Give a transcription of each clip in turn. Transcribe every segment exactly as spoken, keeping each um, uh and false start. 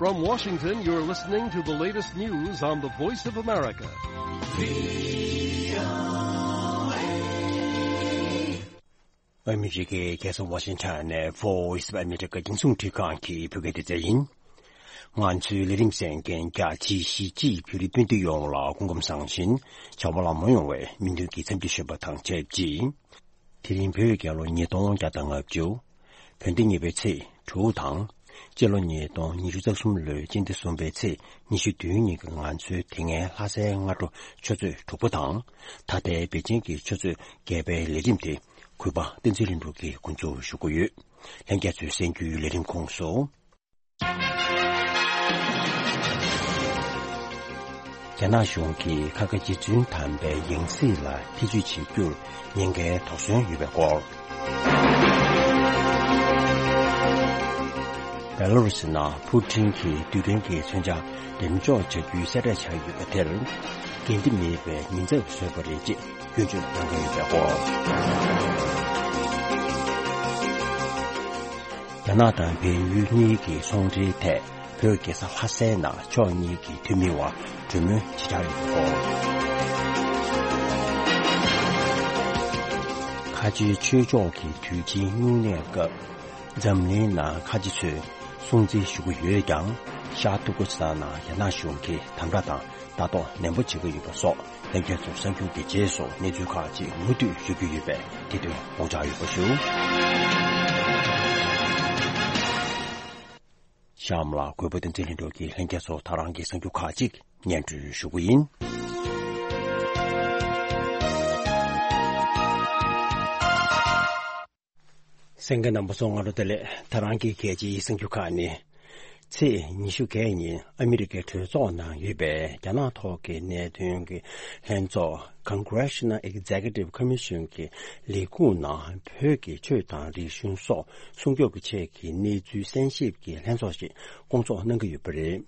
From Washington, you're listening to the latest news on the Voice of America. ཨ་མི་རི་ཀའི་རྒྱལ་ས་ཝ་ཤིང་ཊོན་ནས་Voice of America་རྒྱང་སྲིང་འཕྲིན་ཁང་གི་བོད་སྐད་སྡེ་ཚན་ཡིན། ང་ཚོའི་ལས་རིམ་གསན་མཁན་རྒྱ་ཆེའི་གཞིས་བྱེས་བོད་རིགས་སྤུན་ཟླ་ཡོངས་ལ་སྐུ་ཁམས་བཟང་ཞིང་བྱ་བ་ལམ་འགྲོ་ཡོང་བའི་སྨོན་འདུན་གྱི་འཚམས་འདྲི་ཞུ་བ་དང་ཆབས་ཅིག་དེ་རིང་བོད་རྒྱལ་ལོ་ཉིས་སྟོང་བརྒྱ་དང་ལྔ་བཅུ། བོད་ཟླ་གཉིས་པའི་ཚེས་དྲུག་དང་། སྤྱི་ལོ་ཉིས་སྟོང་ཉི་ཤུ་རྩ་གསུམ་ལོའི་སྤྱི་ཟླ་གསུམ་པའི་ཚེས་ཉི་ཤུ་བདུན་ཉིན་གྱི་ང་ཚོའི་དེ་སྔའི་ལྷ་སའི་སྔ་དྲོ་ཆུ་ཚོད་དྲུག་པ་དང་། ད་ལྟའི་པེ་ཅིང་གི་ཆུ་ཚོད་བརྒྱད་པའི་ལས་རིམ་དེ་གུས་པ་བསྟན་འཛིན་ལྷུན་གྲུབ་ཀྱིས་འགོ་འཛུགས་ཞུ་གི་ཡོད། ལྷན་རྒྱས་ཚོས་གསན་རྒྱུའི་ལས་རིམ་ཁོངས་སུ། རྒྱ་ནག་གཞུང་གིས་ཁ་ཁ་རྗེ་བཙུན་དམ་པའི་ཡང་སྲིད་ལ་ཐེ་ཇུས་བྱེད་རྒྱུར་ཉེན་ཁའི་དོགས་ཟོན་ཡོད་པའི་སྐོར། བེ་ལ་རུ་སི་ནང་ཕུ་ཊིན་གྱི་རྡུལ་ཕྲན་གྱི་མཚོན་ཆ་འགྲེམས་འཇོག་བྱ་རྒྱུའི་གསལ་བསྒྲགས་བྱས་ཡོད་པ་དེར། འགན་འཁྲི་མེད་པའི་ཉེན་ཚབས་བཟོས་པ་རེད་ཅེས་སྐྱོན་བརྗོད་གནང་གི་ཡོད་པའི་སྐོར། རྒྱ་ནག་དང་བལ་ཡུལ་གཉིས་ཀྱི་ཚོང་འབྲེལ་ཐད་བོད་རྒྱལ་ས་ལྷ་སའི་ནང་ཕྱོགས་གཉིས་ཀྱི་འཐུས་མི་བར་གྲོས་མོལ་ཇི་ལྟར་ཡོད་པ། ཁ་ཆེའི་ཆོས་ཕྱོགས་ཀྱི་དུས་ཆེན་སྨྱུང་གནས་སྐབས་འཛམ་གླིང་ནང་ཁ་ཆེ་ཚོས་སྲུང་བརྩི་ཞུ་གི་ཡོད་ཀྱང་། ཤར་ཏུར་ཀི་སི་ཐན་ནང་རྒྱ་ནག་གཞུང་གིས་དམ་དྲག་དང་ལྟ་རྟོག་ནན་པོ་བྱེད་ཀྱི་ཡོད་པ་སོགས། ལྷན་རྒྱས་ཚོར་གསར་འགྱུར་གྱི་རྗེས་སུ་གནས་ཚུལ་ཁག་ཅིག་མུ་མཐུད་ཞུ་རྒྱུ་ཡོད་པས། དེ་དོན་དགོངས་འཇགས་ཡོད་པ་ཞུ། གཤམ་ལ་གུས་པ་བསྟན་འཛིན་ལྷུན་གྲུབ་ཀྱིས་ལྷན་རྒྱས་ཚོར་ད་རང་གི་གསར་འགྱུར་ཁག་ཅིག་སྙན་སྒྲོན་ཞུ་གི་ཡིན། གསན་མཁན་རྣམ་པ་ཚོ་སྔ་དྲོ་བདེ་ལེགས། ད་རང་གི་རྒྱལ་སྤྱིའི་གསར་འགྱུར་ཁག་ནི། ཚེས་ཉི་ཤུ་བརྒྱད་ཉིན་ཨ་མི་རི་ཀའི་གྲོས་ཚོགས་ནང་ཡོད་པའི་རྒྱ་ནག་ཐོག་གི་གནད་དོན་གྱི་ལྷན་ཚོགས་Congressional Executive Commission གྱི་ལས་ཁུངས་ནང་བོད་ཀྱི་ཆོས་དང་རིག་གཞུང་སོགས་སྲུང་སྐྱོབ་ཀྱི་ཆེད་ཀྱི་གནས་ཚུལ་གསན་ཞིབ་ཀྱི་ལྷན་ཚོགས་ཤིག་སྐོང་ཚོགས་གནང་གི་ཡོད་པ་རེད།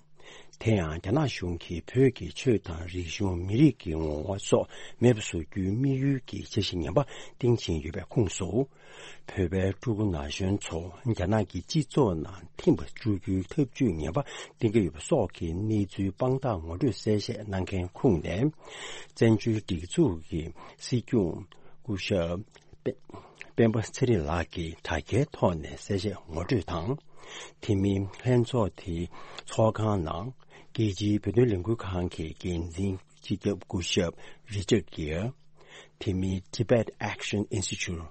དེ་ཡང་རྒྱ་ནག་གཞུང་གིས་བོད་ཀྱི་ཆོས་དང་རིག་གཞུང་མི་རིགས་ཀྱི་ངོ་བོ་སོགས་མེད་པར་བཟོ་རྒྱུའི་དམིགས་ཡུལ་གྱི་འཆར་གཞི་ངན་པ་སྟེང་ཕྱིན་ཡོད་པའི་ཁོངས་སུ། བོད་པའི་ཕྲུ་གུ་ན་གཞོན་ཚོ་རྒྱ་ནག་གི་སྤྱི་ཚོགས་ནང་ཐིམ་པ་བཅུག་རྒྱུའི་ཐབས་ཇུས་ངན་པ་འདིང་གི་ཡོད་པ་སོགས་ཀྱི་གནས་ཚུལ་དཔང་རྟགས་ངོ་སྤྲོད་གསལ་བཤད་གནང་མཁན་ཁོངས་ནས། བཙན་བྱོལ་སྒྲིག་འཛུགས་ཀྱི་སྲིད་སྐྱོང་སྐུ་ཞབས་སྤེན་སྤེན་པ་ཚེ་རིང་ལགས་ཀྱིས་དྲ་རྒྱའི་ཐོག་ནས་གསལ་བཤད་ངོ་སྤྲོད་དང་། དེ་མིན་ལྷན་ཚོགས་དེའི་ཚོགས་ཁང་ནང་རྒྱལ་སྤྱིའི་བོད་དོན་ལས་འགུལ་ཁང་གི་འགན་འཛིན་སྤྱི་ཁྱབ་སྐུ་ཞབས་རི་ཅར་གྷིར། དེ་མིན་Tibet Action Institute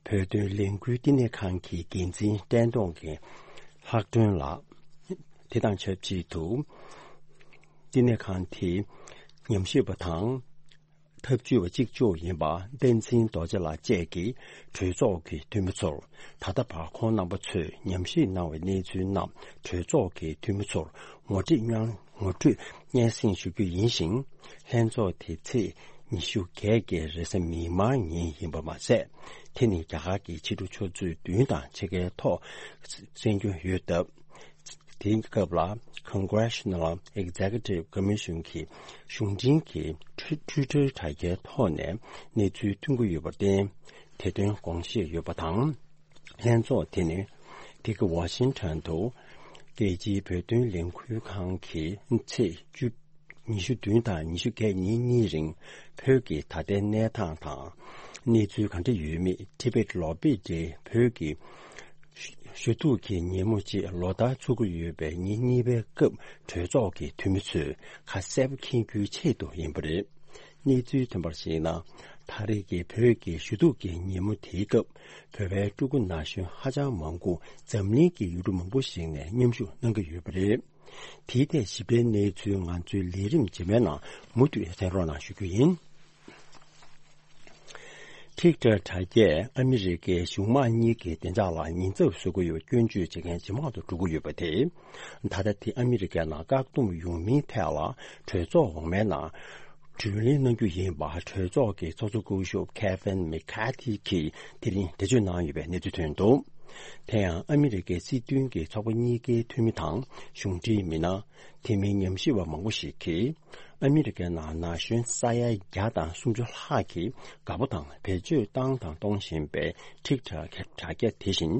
བོད་དོན་ལས་འགུལ་བསྟི་གནས་ཁང་གི་འགན་འཛིན་བསྟན་སྟོང་གི་ལྷག་སྒྲོན་ལགས། དེ་དང་ཆབས་ཅིག་ཏུ། བསྟི་གནས་ཁང་དེའི་ཉམས་ཞིབ་པ་དང་། ཐབས་ཇུས་པ་གཅིག་མཇུག་ཡིན་པ་བསྟན་འཛིན་རྡོ་རྗེ་ལགས་བཅས་ཀྱིས་གྲོས་ཚོགས་ཀྱི་འཐུས་མི་ཚོར། ད་ལྟ་བར་ཁོང་རྣམ་པ་ཚོས་ཉམས་ཞིབ་གནང་བའི་གནས་ཚུལ་རྣམས་གྲོས་ཚོགས་ཀྱི་འཐུས་མི་ཚོར་ངོ་སྤྲོད་སྙན་ངོ་སྤྲོད་སྙན་སེང་ཞུ་རྒྱུ་ཡིན་ཞིང་། ལྷན་ཚོགས་དེ་ཚེས་ཉི་ཤུ་བརྒྱད་ཀྱི་རེས་གཟའ་མིག་དམར་ཉིན་ཡིན་པ་མ་ཟད། དེ་ནི་རྒྱ་གར་གྱི་ཕྱི་དྲོ་ཆུ་ཚོད་བདུན་དང་ཕྱེད་ཀའི་ཐོག་གསན་རྒྱུ་ཡོད་སྟབས། དེའི་སྐབས་ལ་Congressional Executive Commission གྱི་གཞུང་འབྲེལ་གྱི་Twitter དྲ་རྒྱའི་ཐོག་ནས་གནས་ཚུལ་ཐོན་གྱི་ཡོད་པར་བརྟེན། དེ་དོན་དགོངས་བཞེས་ཡོད་པ་དང་། ལྷན་ཚོགས་དེ་ནི་འདི་ག་ཝ་ཤིང་ཊོན་དུ་རྒྱལ་སྤྱིའི་བོད་དོན་ལས་འགུལ་ཁང་གི་ཚེས་བཅུ། ཉི་ཤུ་བདུན་དང་ཉི་ཤུ་བརྒྱད་ཉིན་གཉིས་རིང་བོད་ཀྱི་ད་ལྟའི་གནས་སྟངས་དང་། གནས་ཚུལ་གང་འདྲ་ཡོད་མེད་ཊི་བེཊ་ལོ་བི་ཌེ་བོད་ཀྱི་ཞུ་གཏུག་གི་ཉིན་མོ་ཅེས་ལོ་ལྟར་ཚུགས་ཀྱི་ཡོད་པའི་ཉིན་གཉིས་པའི་སྐབས་གྲོས་ཚོགས་ཀྱི་འཐུས་མི་ཚོས་ཁ་གསལ་པོ་མཁྱེན་རྒྱུའི་ཆེད་དུ་ཡིན་པ་རེད། གནས་ཚུལ་ཐོན་པར་གཞིགས་ན། ད་རེས་ཀྱི་བོད་ཀྱི་ཞུ་གཏུག་གི་ཉིན་མོ་དེའི་སྐབས་བོད་པའི་ཕྲུ་གུ་ན་གཞོན་ཧ་ཅང་མང་པོ་འཛམ་གླིང་གི་ཡུལ་གྲུ་མང་པོ་ཞིག་ནས་མཉམ་ཞུགས་གནང་གི་ཡོད་པ་རེད། དེའི་ཐད་ཞིབ་ཕྲའི་གནས་ཚུལ་ང་ཚོའི་ལས་རིམ་རྗེས་མའི་ནང་མུ་མཐུད་གསན་རོགས་གནང་ཞུ་རྒྱུ་ཡིན། ཊིག་ཊོག་དྲ་རྒྱས་ཨ་མི་རི་ཀའི་གཞུང་དམངས་གཉིས་ཀྱི་བདེ་འཇགས་ལ་ཉེན་ཚབས་བཟོ་གི་ཡོད་པའི་སྐྱོན་བརྗོད་བྱེད་མཁན་ཇེ་མང་དུ་འགྲོ་གི་ཡོད་པ་དེས། ད་ལྟ་དེ་ཨ་མི་རི་ཀའི་ནང་བཀག་སྡོམ་ཡོང་མིན་ཐད་ལ་གྲོས་ཚོགས་འོག་མའི་ནང་། དྲིས་ལན་གནང་རྒྱུ་ཡིན་པ་གྲོས་ཚོགས་ཀྱི་ཚོགས་གཙོ་སྐུ་ཞབས་Kevin McCarthy གིས་དེ་རིང་འགྲེལ་བརྗོད་གནང་ཡོད་པའི་གནས་ཚུལ་ཐོན་འདུག་དེ་ཡང་ཨ་མི་རི་ཀའི་སྲིད་དོན་གྱི་ཚོགས་པ་གཉིས་ཀའི་འཐུས་མི་དང་གཞུང་འབྲེལ་མི་སྣ། དེ་མིན་ཉམས་ཞིབ་པ་མང་པོ་ཞིག་གིས། ཨ་མི་རི་ཀའི་ནང་ན་གཞོན་ས་ཡ་བརྒྱ་དང་སུམ་ཅུ་ལྷག་གིས་དགའ་པོ་དང་བེད་སྤྱོད་བཏང་དང་གཏོང་བཞིན་པའི་ཊིག་ཊོག་གི་དྲ་རྒྱ་དེ་བཞིན།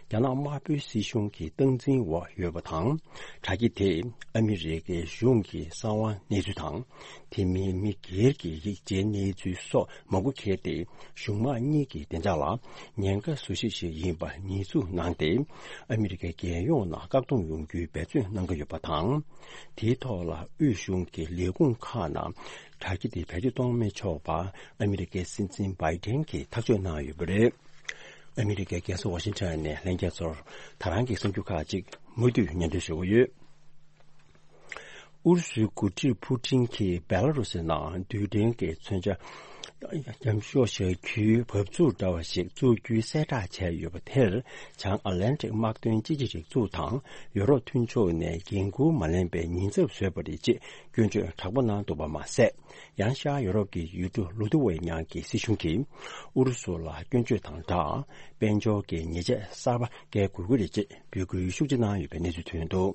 རྒྱ་ནག་དམར་པོའི་སྲིད་གཞུང་གི་སྟངས་འཛིན་འོག་ཡོད་པ་དང་། དྲ་རྒྱ་དེས་ཨ་མི་རི་ཀའི་གཞུང་གི་གསང་བ་གནས་ཚུལ་དང་། དེ་མིན་མི་སྒེར་གྱི་ཡིག་ཆའི་གནས་ཚུལ་སོགས་མང་པོ་འཁྱེར་ཏེ། གཞུང་དམངས་གཉིས་ཀྱི་བདེ་འཇགས་ལ་ཉེན་ཁ་བཟོ་གཞི་ཞིག་ཡིན་པ་ཉེས་འཛུགས་གནང་སྟེ། ཨ་མི་རི་ཀའི་རྒྱལ་ཡོངས་ནང་བཀག་སྡོམ་ཡོང་རྒྱུའི་འབད་བརྩོན་གནང་གི་ཡོད་པ་དང་། དེའི་ཐོག་ལ་དབུས་གཞུང་གི་ལས་ཁུངས་ཁག་ནང་དྲ་རྒྱ་དེ་བེད་སྤྱོད་གཏོང་མི་ཆོག་པ་ཨ་མི་རི་ཀའི་སྲིད་འཛིན་བྷའི་ཌེན་གྱིས་ཐག་གཅོད་གནང་ཡོད་པ་རེད། ཨ་མི་རི་ཀའི་རྒྱལ་ས་ཝ་ཤིང་ཊོན་ནས་ལྷན་རྒྱས་ཚོར་ད་རང་གི་གསར་འགྱུར་ཁག་ཅིག་མུ་མཐུད་སྙན་སྒྲོན་ཞུ་གི་ཡོད། ཨུ་རུ་སུའི་འགོ་ཁྲིད་ཕུ་ཊིན་གྱིས་བེ་ལ་རུ་སི་ནང་རྡུལ་ཕྲན་གྱི་མཚོན་ཆ་མཉམ་ཤོག་བཞག་རྒྱུའི་བབས་ཚུགས་འདྲ་བ་ཞིག་བཙུགས་རྒྱུའི་གསལ་བསྒྲགས་བྱས་ཡོད་པ་དེར། བྱང་ཨ་ལན་ཊིག་དམག་དོན་སྤྱི་ཁྱབ་སྒྲིག་འཛུགས་དང་ཡོ་རོབ་མཐུན་ཕྱོགས་ནས་འགན་འཁུར་མ་ལེན་པའི་ཉེས་ཚབས་བཟོས་པ་རེད་ཅེས་སྐྱོན་བརྗོད་དྲག་པོ་གནང་འདུག་པ་མ་ཟད། ཡང་ཤར་ཡོ་རོབ་ཀྱི་ཡུལ་གྲུ་ལུ་ཐི་ཝེ་ཉ་གི་སྲིད་གཞུང་གིས་ཨུ་རུ་སུ་ལ་སྐྱོན་བརྗོད་དང་སྦྲགས། དཔལ་འབྱོར་གྱི་ཉེས་ཆད་གསར་པ་འགེལ་དགོས་ཀྱི་རེད་ཅེས་འབོད་སྐུལ་ཤུགས་ཆེ་གནང་ཡོད་པའི་གནས་ཚུལ་ཐོན་འདུག་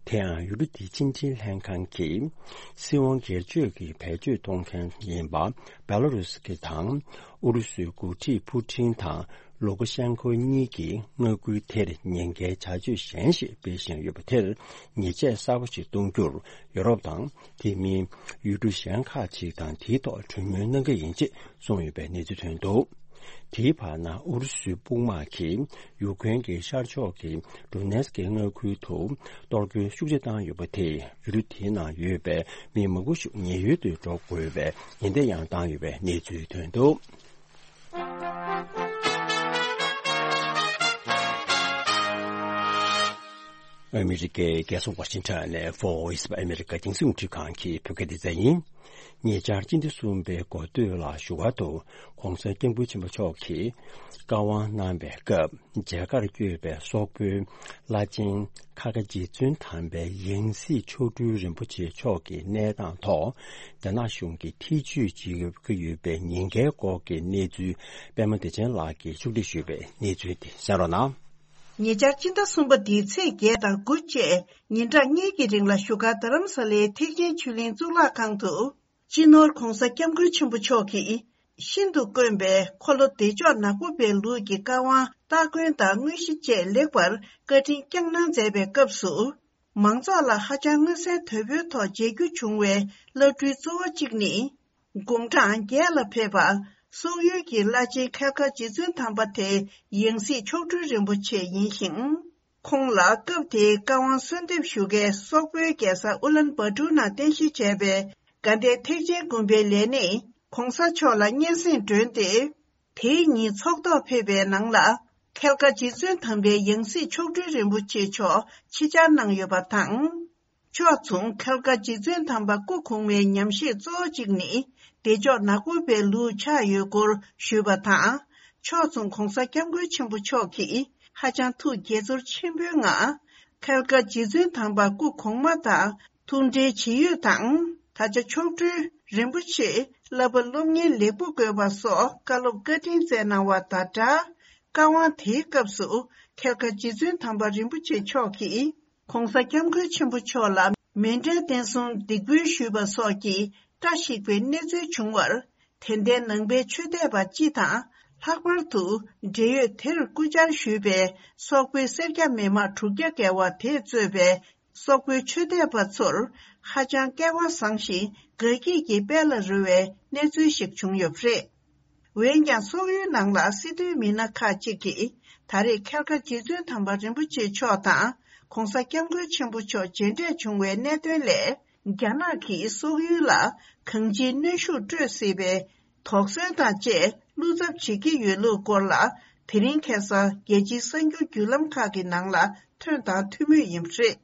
དེ་ཡང་ཡུལ་གྲུ་དེའི་ཕྱི་འབྲེལ་ལྷན་ཁང་གིས་སྲིད་དབང་སྒེར་གཅོད་ཀྱི་བེད་སྤྱོད་གཏོང་མཁན་ཡིན་པ་བེ་ལ་རུ་སི་དང་ཨུ་རུ་སུའི་འགོ་ཁྲིད་ཕུ་ཊིན་དང་ལུ་ཀ་ཤན་ཁོ་གཉིས་ཀྱིས་མངའ་ཁུལ་དེར་ཉེན་ཁའི་བྱ་སྤྱོད་གཞན་ཞིག་སྤེལ་བཞིན་ཡོད་པ་དེར་ཉེས་ཆད་གསར་པ་ཞིག་གཏོང་རྒྱུར་ཡོ་རོབ་དང་དེ་མིན་ཡུལ་གྲུ་གཞན་ཁག་ཅིག་དང་དེའི་ཐོག་གྲོས་མོལ་གནང་གི་ཡིན་ཅེས་གསུངས་ཡོད་པའི་གནས་ཚུལ་ཐོན་འདུག་དེའི་བར་ན་ཨུ་རུ་སུའི་དཔུང་དམག་གིས་ཡུ་ཀེ་རེན་གྱི་ཤར་ཕྱོགས་ཀྱི་ཌོ་ནེ་སི་ཀི་མངའ་ཁུལ་དུ་གཏོར་རྒོལ་ཤུགས་ཆེ་བཏང་ཡོད་པ་དེས་ཡུལ་གྲུ་དེའི་ནང་ཡོད་པའི་མི་མང་པོ་ཞིག་ཉེན་གཡོལ་དུ་འགྲོ་དགོས་པའི་ཉེན་བརྡ་ཡང་བཏང་ཡོད་པའི་གནས་ཚུལ་ཐོན་འདུག་ཨ་མི་རི་ཀའི་རྒྱལ་ས་ཝ་ཤིང་ཊོན་ནས་Voice of America་རྒྱང་སྲིང་རླུང་འཕྲིན་ཁང་གི་བོད་སྐད་སྡེ་ཚན་ཡིན། ཉེ་ཆར་སྤྱི་ཟླ་གསུམ་པའི་འགོ་སྟོད་ལ་བཞུགས་སྒར་དུ་༸གོང་ས་༸སྐྱབས་མགོན་ཆེན་པོ་མཆོག་གིས་བཀའ་དབང་གནང་བའི་སྐབས་མཇལ་ཁར་བསྐྱོད་པའི་སོག་པོའི་བླ་ཆེན་ཁ་དགའ་རྗེ་བཙུན་དམ་པའི་ཡང་སྲིད་མཆོག་སྤྲུལ་རིན་པོ་ཆེ་མཆོག་གི་གནས་སྟངས་ཐོག་རྒྱ་ནག་གཞུང་གིས་ཐེ་བྱུས་བྱེད་ཀྱི་ཡོད་པའི་ཉེན་ཁའི་སྐོར་གྱི་གནས་ཚུལ་པད་མ་བདེ་ཆེན་ལགས་ཀྱིས་ཕྱོགས་སྒྲིག་ཞུས་པའི་གནས་ཚུལ་དེ་གསན་རོགས་གནང་། ཉེ་ཆར་སྤྱི་ཟླ་གསུམ་པ་འདིའི་ཚེས་བརྒྱད་དང་དགུ་བཅས་ཉིན་གྲངས་གཉིས་ཀྱི་རིང་ལ་བཞུགས་སྒར་རྡ་རམ་ས་ལའི་ཐེག་ཆེན་ཆོས་གླིང་གཙུག་ལག་ཁང་དུ། སྤྱི་ནོར་༸གོང་ས་༸སྐྱབས་མགོན་ཆེན་པོ་མཆོག་གིས་ཤིན་ཏུ་དཀོན་པའི་འཁོར་ལོ་བདེ་མཆོག་ནག་པོ་པའི་ལུགས་ཀྱི་བཀའ་དབང་སྟ་གོན་དང་དངོས་གཞི་བཅས་ལེགས་པར་བཀའ་དྲིན་བསྐྱངས་གནང་མཛད་པའི་སྐབས་སུ། མང་ཚོགས་ལ་ཧ་ཅང་མངོན་གསལ་དོད་པོའི་ཐོག་མཇལ་རྒྱུ་བྱུང་བའི་བླ་སྤྲུལ་གཙོ་བོ་གཅིག་ནི། དགུང་གྲངས་བརྒྱད་ལ་ཕེབས་པ། སོག་ཡུལ་གྱི་བླ་ཆེན་ཁལ་དཀར་རྗེ་བཙུན་དམ་པ་དེ་ཡང་སྲིད་མཆོག་སྤྲུལ་རིན་པོ་ཆེ་ཡིན་ཞིང་། ཁོང་ལ་སྐབས་དེའི་བཀའ་དབང་གསོལ་འདེབས་ཞུ་མཁན་སོག་པོའི་རྒྱལ་ས་ཨུ་ལན་བཱ་ཏུར་ནང་རྟེན་གཞི་བྱས་པའི་དགའ་ལྡན་ཐེག་ཆེན་དགོན་པའི་ལས་སྣེས་༸གོང་ས་མཆོག་ལ་སྙན་སེང་བསྒྲོན་ཏེ། དེའི་ཉིན་ཚོགས་ཐོག་ཕེབས་པའི་ནང་ལ། ཁལ་དཀར་རྗེ་བཙུན་དམ་པའི་ཡང་སྲིད་མཆོག་སྤྲུལ་རིན་པོ་ཆེ་མཆོག་ཆེད་བཅར་གནང་ཡོད་པ་དང་། ཕྱོགས་མཚུངས་ཁལ་དཀར་རྗེ་བཙུན་དམ་པ་སྐུ་གོང་མའི་ཉམས་བཞེས་གཙོ་བོ་གཅིག་ནི་བདེ་མཆོག་ནག་པོ་པའི་ལུགས་ཆགས་ཡོད་སྐོར་ཞུས་པ་དང་། ཕྱོགས་མཚུངས་༸གོང་ས་༸སྐྱབས་མགོན་ཆེན་པོ་མཆོག་གིས་ཧ་ཅང་ཐུགས་དགྱེས་ཚོར་ཆེན་པོའི་ངང་། ཁལ་དཀར་རྗེ་བཙུན་དམ་པ་སྐུ་གོང་མ་དང་ཐུགས་འབྲེལ་བྱེད་ཡུལ་དང་། ད་ཆ་མཆོག་སྤྲུལ་རིན་པོ་ཆེ་བསླབ་པ་སློབ་གཉེར་ལེགས་པོ་དགོས་པ་སོགས་བཀའ་སློབ་བཀའ་དྲིན་སྩལ་གནང་བ་དང་སྦྲགས། བཀའ་དབང་དེའི་སྐབས་སུ་ཁལ་དཀར་རྗེ་བཙུན་དམ་པ་རིན་པོ་ཆེ་མཆོག་གིས། ༸གོང་ས་༸སྐྱབས་མགོན་ཆེན་པོ་མཆོག་ལ་མེ་འདྲའི་རྟེན་གསུམ་འདེགས་འབུལ་ཞུས་པ་སོགས་ཀྱི་བཀྲ་ཤིས་པའི་གནས་ཚུལ་བྱུང་བར། དད་ལྡན་ནང་པའི་ཆོས་དད་པ་སྤྱི་དང་། ལྷག་པར་དུ་འབྲེལ་ཡོད་དེར་སྐུ་བཅར་ཞུས་པའི་སོག་པོའི་སེར་སྐྱ་མི་མང་དྲུག་བརྒྱ་བརྒལ་བ་དེས་གཙོས་པའི་སོག་པོའི་ཆོས་དད་པ་ཚོར་ཧ་ཅང་སྐལ་བ་བཟང་ཞིང་དགའ་སྐྱིད་ཀྱི་དཔལ་ལ་རོལ་བའི་གནས་ཚུལ་ཞིག་བྱུང་ཡོད་པ་རེད། འོན་ཀྱང་སོག་ཡུལ་ནང་ལ་སྲིད་དོན་མི་སྣ་ཁག་ཅིག་གིས་ད་རེས་ཁལ་དཀར་རྗེ་བཙུན་དམ་པ་རིན་པོ་ཆེ་མཆོག་དང་༸གོང་ས་༸སྐྱབས་མགོན་ཆེན་པོ་མཆོག་མཇལ་འཕྲད་བྱུང་བའི་གནད་དོན་ལས། རྒྱ་ནག་གིས་སོག་ཡུལ་ལ་གང་ཅིའི་གནོན་ཤུགས་སྤྲོད་སྲིད་པའི་དོགས་ཟོན་དང་བཅས་བློ་འཚབ་བྱེད་ཀྱི་ཡོད་ལུགས་སྐོར་ལ། དེ་རིང་ཁ་སང་རྒྱལ་སྤྱིའི་གསར་འགྱུར་བརྒྱུད་ལམ་ཁག་གི་ནང་ལ་ཐོན་དང་ཐོན་མུས་ཡིན་པ་རེད།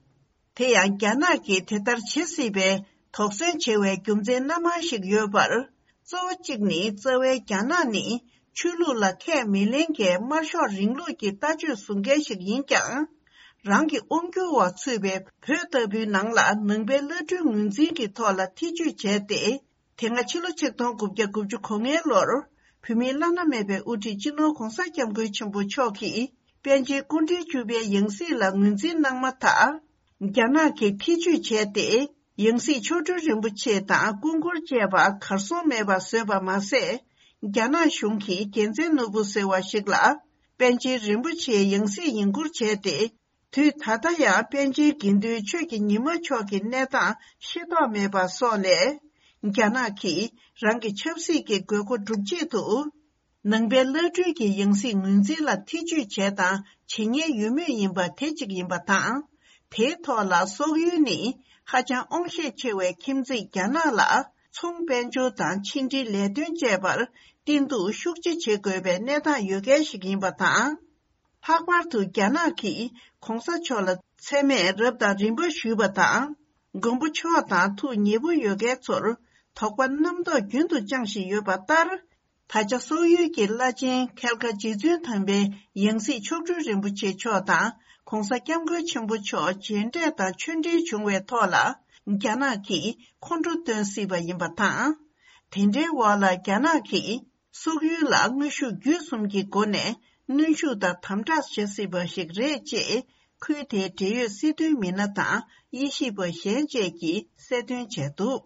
དེ་ཡང་རྒྱ་ནག་གིས་དེ་ལྟར་བྱེད་སྲིད་པའི་དོགས་ཟོན་བྱེད་པའི་རྒྱུ་མཚན་སྣ་མང་ཞིག་ཡོད་པར། གཙོ་བོ་གཅིག་ནི་རྩ་བའི་རྒྱ་ནག་ནི་ཆོས་ལུགས་ལ་ཁས་མི་ལེན་མཁན་དམར་ཤོག་རིང་ལུགས་ཀྱི་ལྟ་སྤྱོད་བཟུང་མཁན་ཞིག་ཡིན་ཀྱང་། རང་གི་དབང་སྒྱུར་འོག་ཚུད་པའི་བོད་ལྟ་བུའི་ནང་ལ་ནང་པའི་བླ་སྤྲུལ་ངོས་འཛིན་གྱི་ཐོག་ལ་ཐེ་བྱུས་བྱས་ཏེ། དེ་སྔ་ཕྱི་ལོ་ཆིག་སྟོང་དགུ་བརྒྱ་དགུ་བཅུ་གོ་ལྔའི་ལོར་བོད་མིའི་བླ་ན་མེད་པའི་དབུ་ཁྲིད་སྤྱི་ནོར་༸གོང་ས་༸སྐྱབས་མགོན་ཆེན་པོ་མཆོག་གིས་པཎ་ཆེན་སྐུ་ཕྲེང་བཅུ་པའི་ཡང་སྲིད་ལ་ངོས་འཛིན་གནང་མ་ཐག་རྒྱ་ནག་གིས་ཐེ་བྱུས་བྱས་ཏེ། ཡང་སྲིད་མཆོག་སྤྲུལ་རིན་པོ་ཆེ་དང་སྐུ་འཁོར་བཅས་པ་གར་སོང་མེད་པ་བཟོས་པ་མ་ཟད། རྒྱ་ནག་གཞུང་གིས་རྒྱལ་མཚན་ནོར་བུ་ཟེར་བ་ཞིག་ལ། པཎ་ཆེན་རིན་པོ་ཆེའི་ཡང་སྲིད་ཡིན་སྐོར་བྱས་ཏེ། དུས་ད་ལྟ་ཡང་པཎ་ཆེན་དགེ་འདུན་ཆོས་ཀྱི་ཉི་མ་མཆོག་གི་གནས་སྟངས་ཤེས་རྟོགས་མེད་པ་སོགས་ལས། རྒྱ་ནག་གིས་རང་གི་ཆབ་སྲིད་ཀྱི་དགོས་མཁོ་སྒྲུབ་ཆེད་དུ། ནང་པའི་བླ་སྤྲུལ་གྱི་ཡང་སྲིད་ངོས་འཛིན་ལ་ཐེ་ཇུས་བྱས་དང་བྱེད་ཉེན་ཡོད་མུས་ཡིན་པ་དེ་གཅིག་ཡིན་པ་དང་། དེའི་ཐོག་ལ་སོག་ཡུལ་ནི་ཧ་ཅང་དབང་ཤེད་ཆེ་བའི་ཁྱིམ་མཚེས་རྒྱ་ནག་ལ་ཚོང་དཔལ་འབྱོར་དང་ཕྱི་འབྲེལ་ལས་དོན་བཅས་པར་བརྟེན་གཏུག་ཤུགས་ཆེ་བྱེད་དགོས་པའི་གནས་སྟངས་ཡོད་མཁན་ཞིག་ཡིན་པ་དང་། ལྷག་པར་དུ་རྒྱ་ནག་གིས་གོང་ས་མཆོག་ལ་མཚན་སྨད་རབ་དང་རིམ་པ་ཞུས་པ་དང་། མགོན་པོ་མཆོག་དང་ཐུགས་ཉེ་པོ་ཡོད་མཁན་ཚོར་དོགས་པ་རྣམ་རྟོག་རྒྱུན་དུ་བཅངས་བཞིན་ཡོད་པ་ལྟར། ད་ཆ་སོག་ཡུལ་གྱི་བླ་ཆེན་མཁལ་མཁའ་རྗེ་བཙུན་དམ་པའི་ཡང་སྲིད་མཆོག་སྤྲུལ་རིན་པོ་ཆེ་མཆོག་དང་གོང་ས་སྐྱབས་མགོན་ཆེན་པོ་མཆོག་མཇལ་འཕྲད་དང་ཆོས་འབྲེལ་བྱུང་བའི་ཐོག་ལ། རྒྱ་ནག་གིས་ཁོང་ཁྲོ་སྟོན་སྲིད་པ་ཡིན་པ་དང་། དེ་འདྲའི་འོག་ལ་རྒྱ་ནག་གིས། སོག་ཡུལ་ལ་དངོས་ཤུགས་བརྒྱུད་གསུམ་གྱི་སྒོ་ནས་གནོན་ཤུགས་དང་དམ་དྲག་བྱེད་སྲིད་པ་ཞིག་རེད་ཅེས། ཁུལ་དེའི་འབྲེལ་ཡོད་སྲིད་དོན་མི་སྣ་དང་དབྱེ་ཞིབ་པ་གཞན་བཅས་ཀྱིས་གསལ་སྟོན་བྱས་འདུག་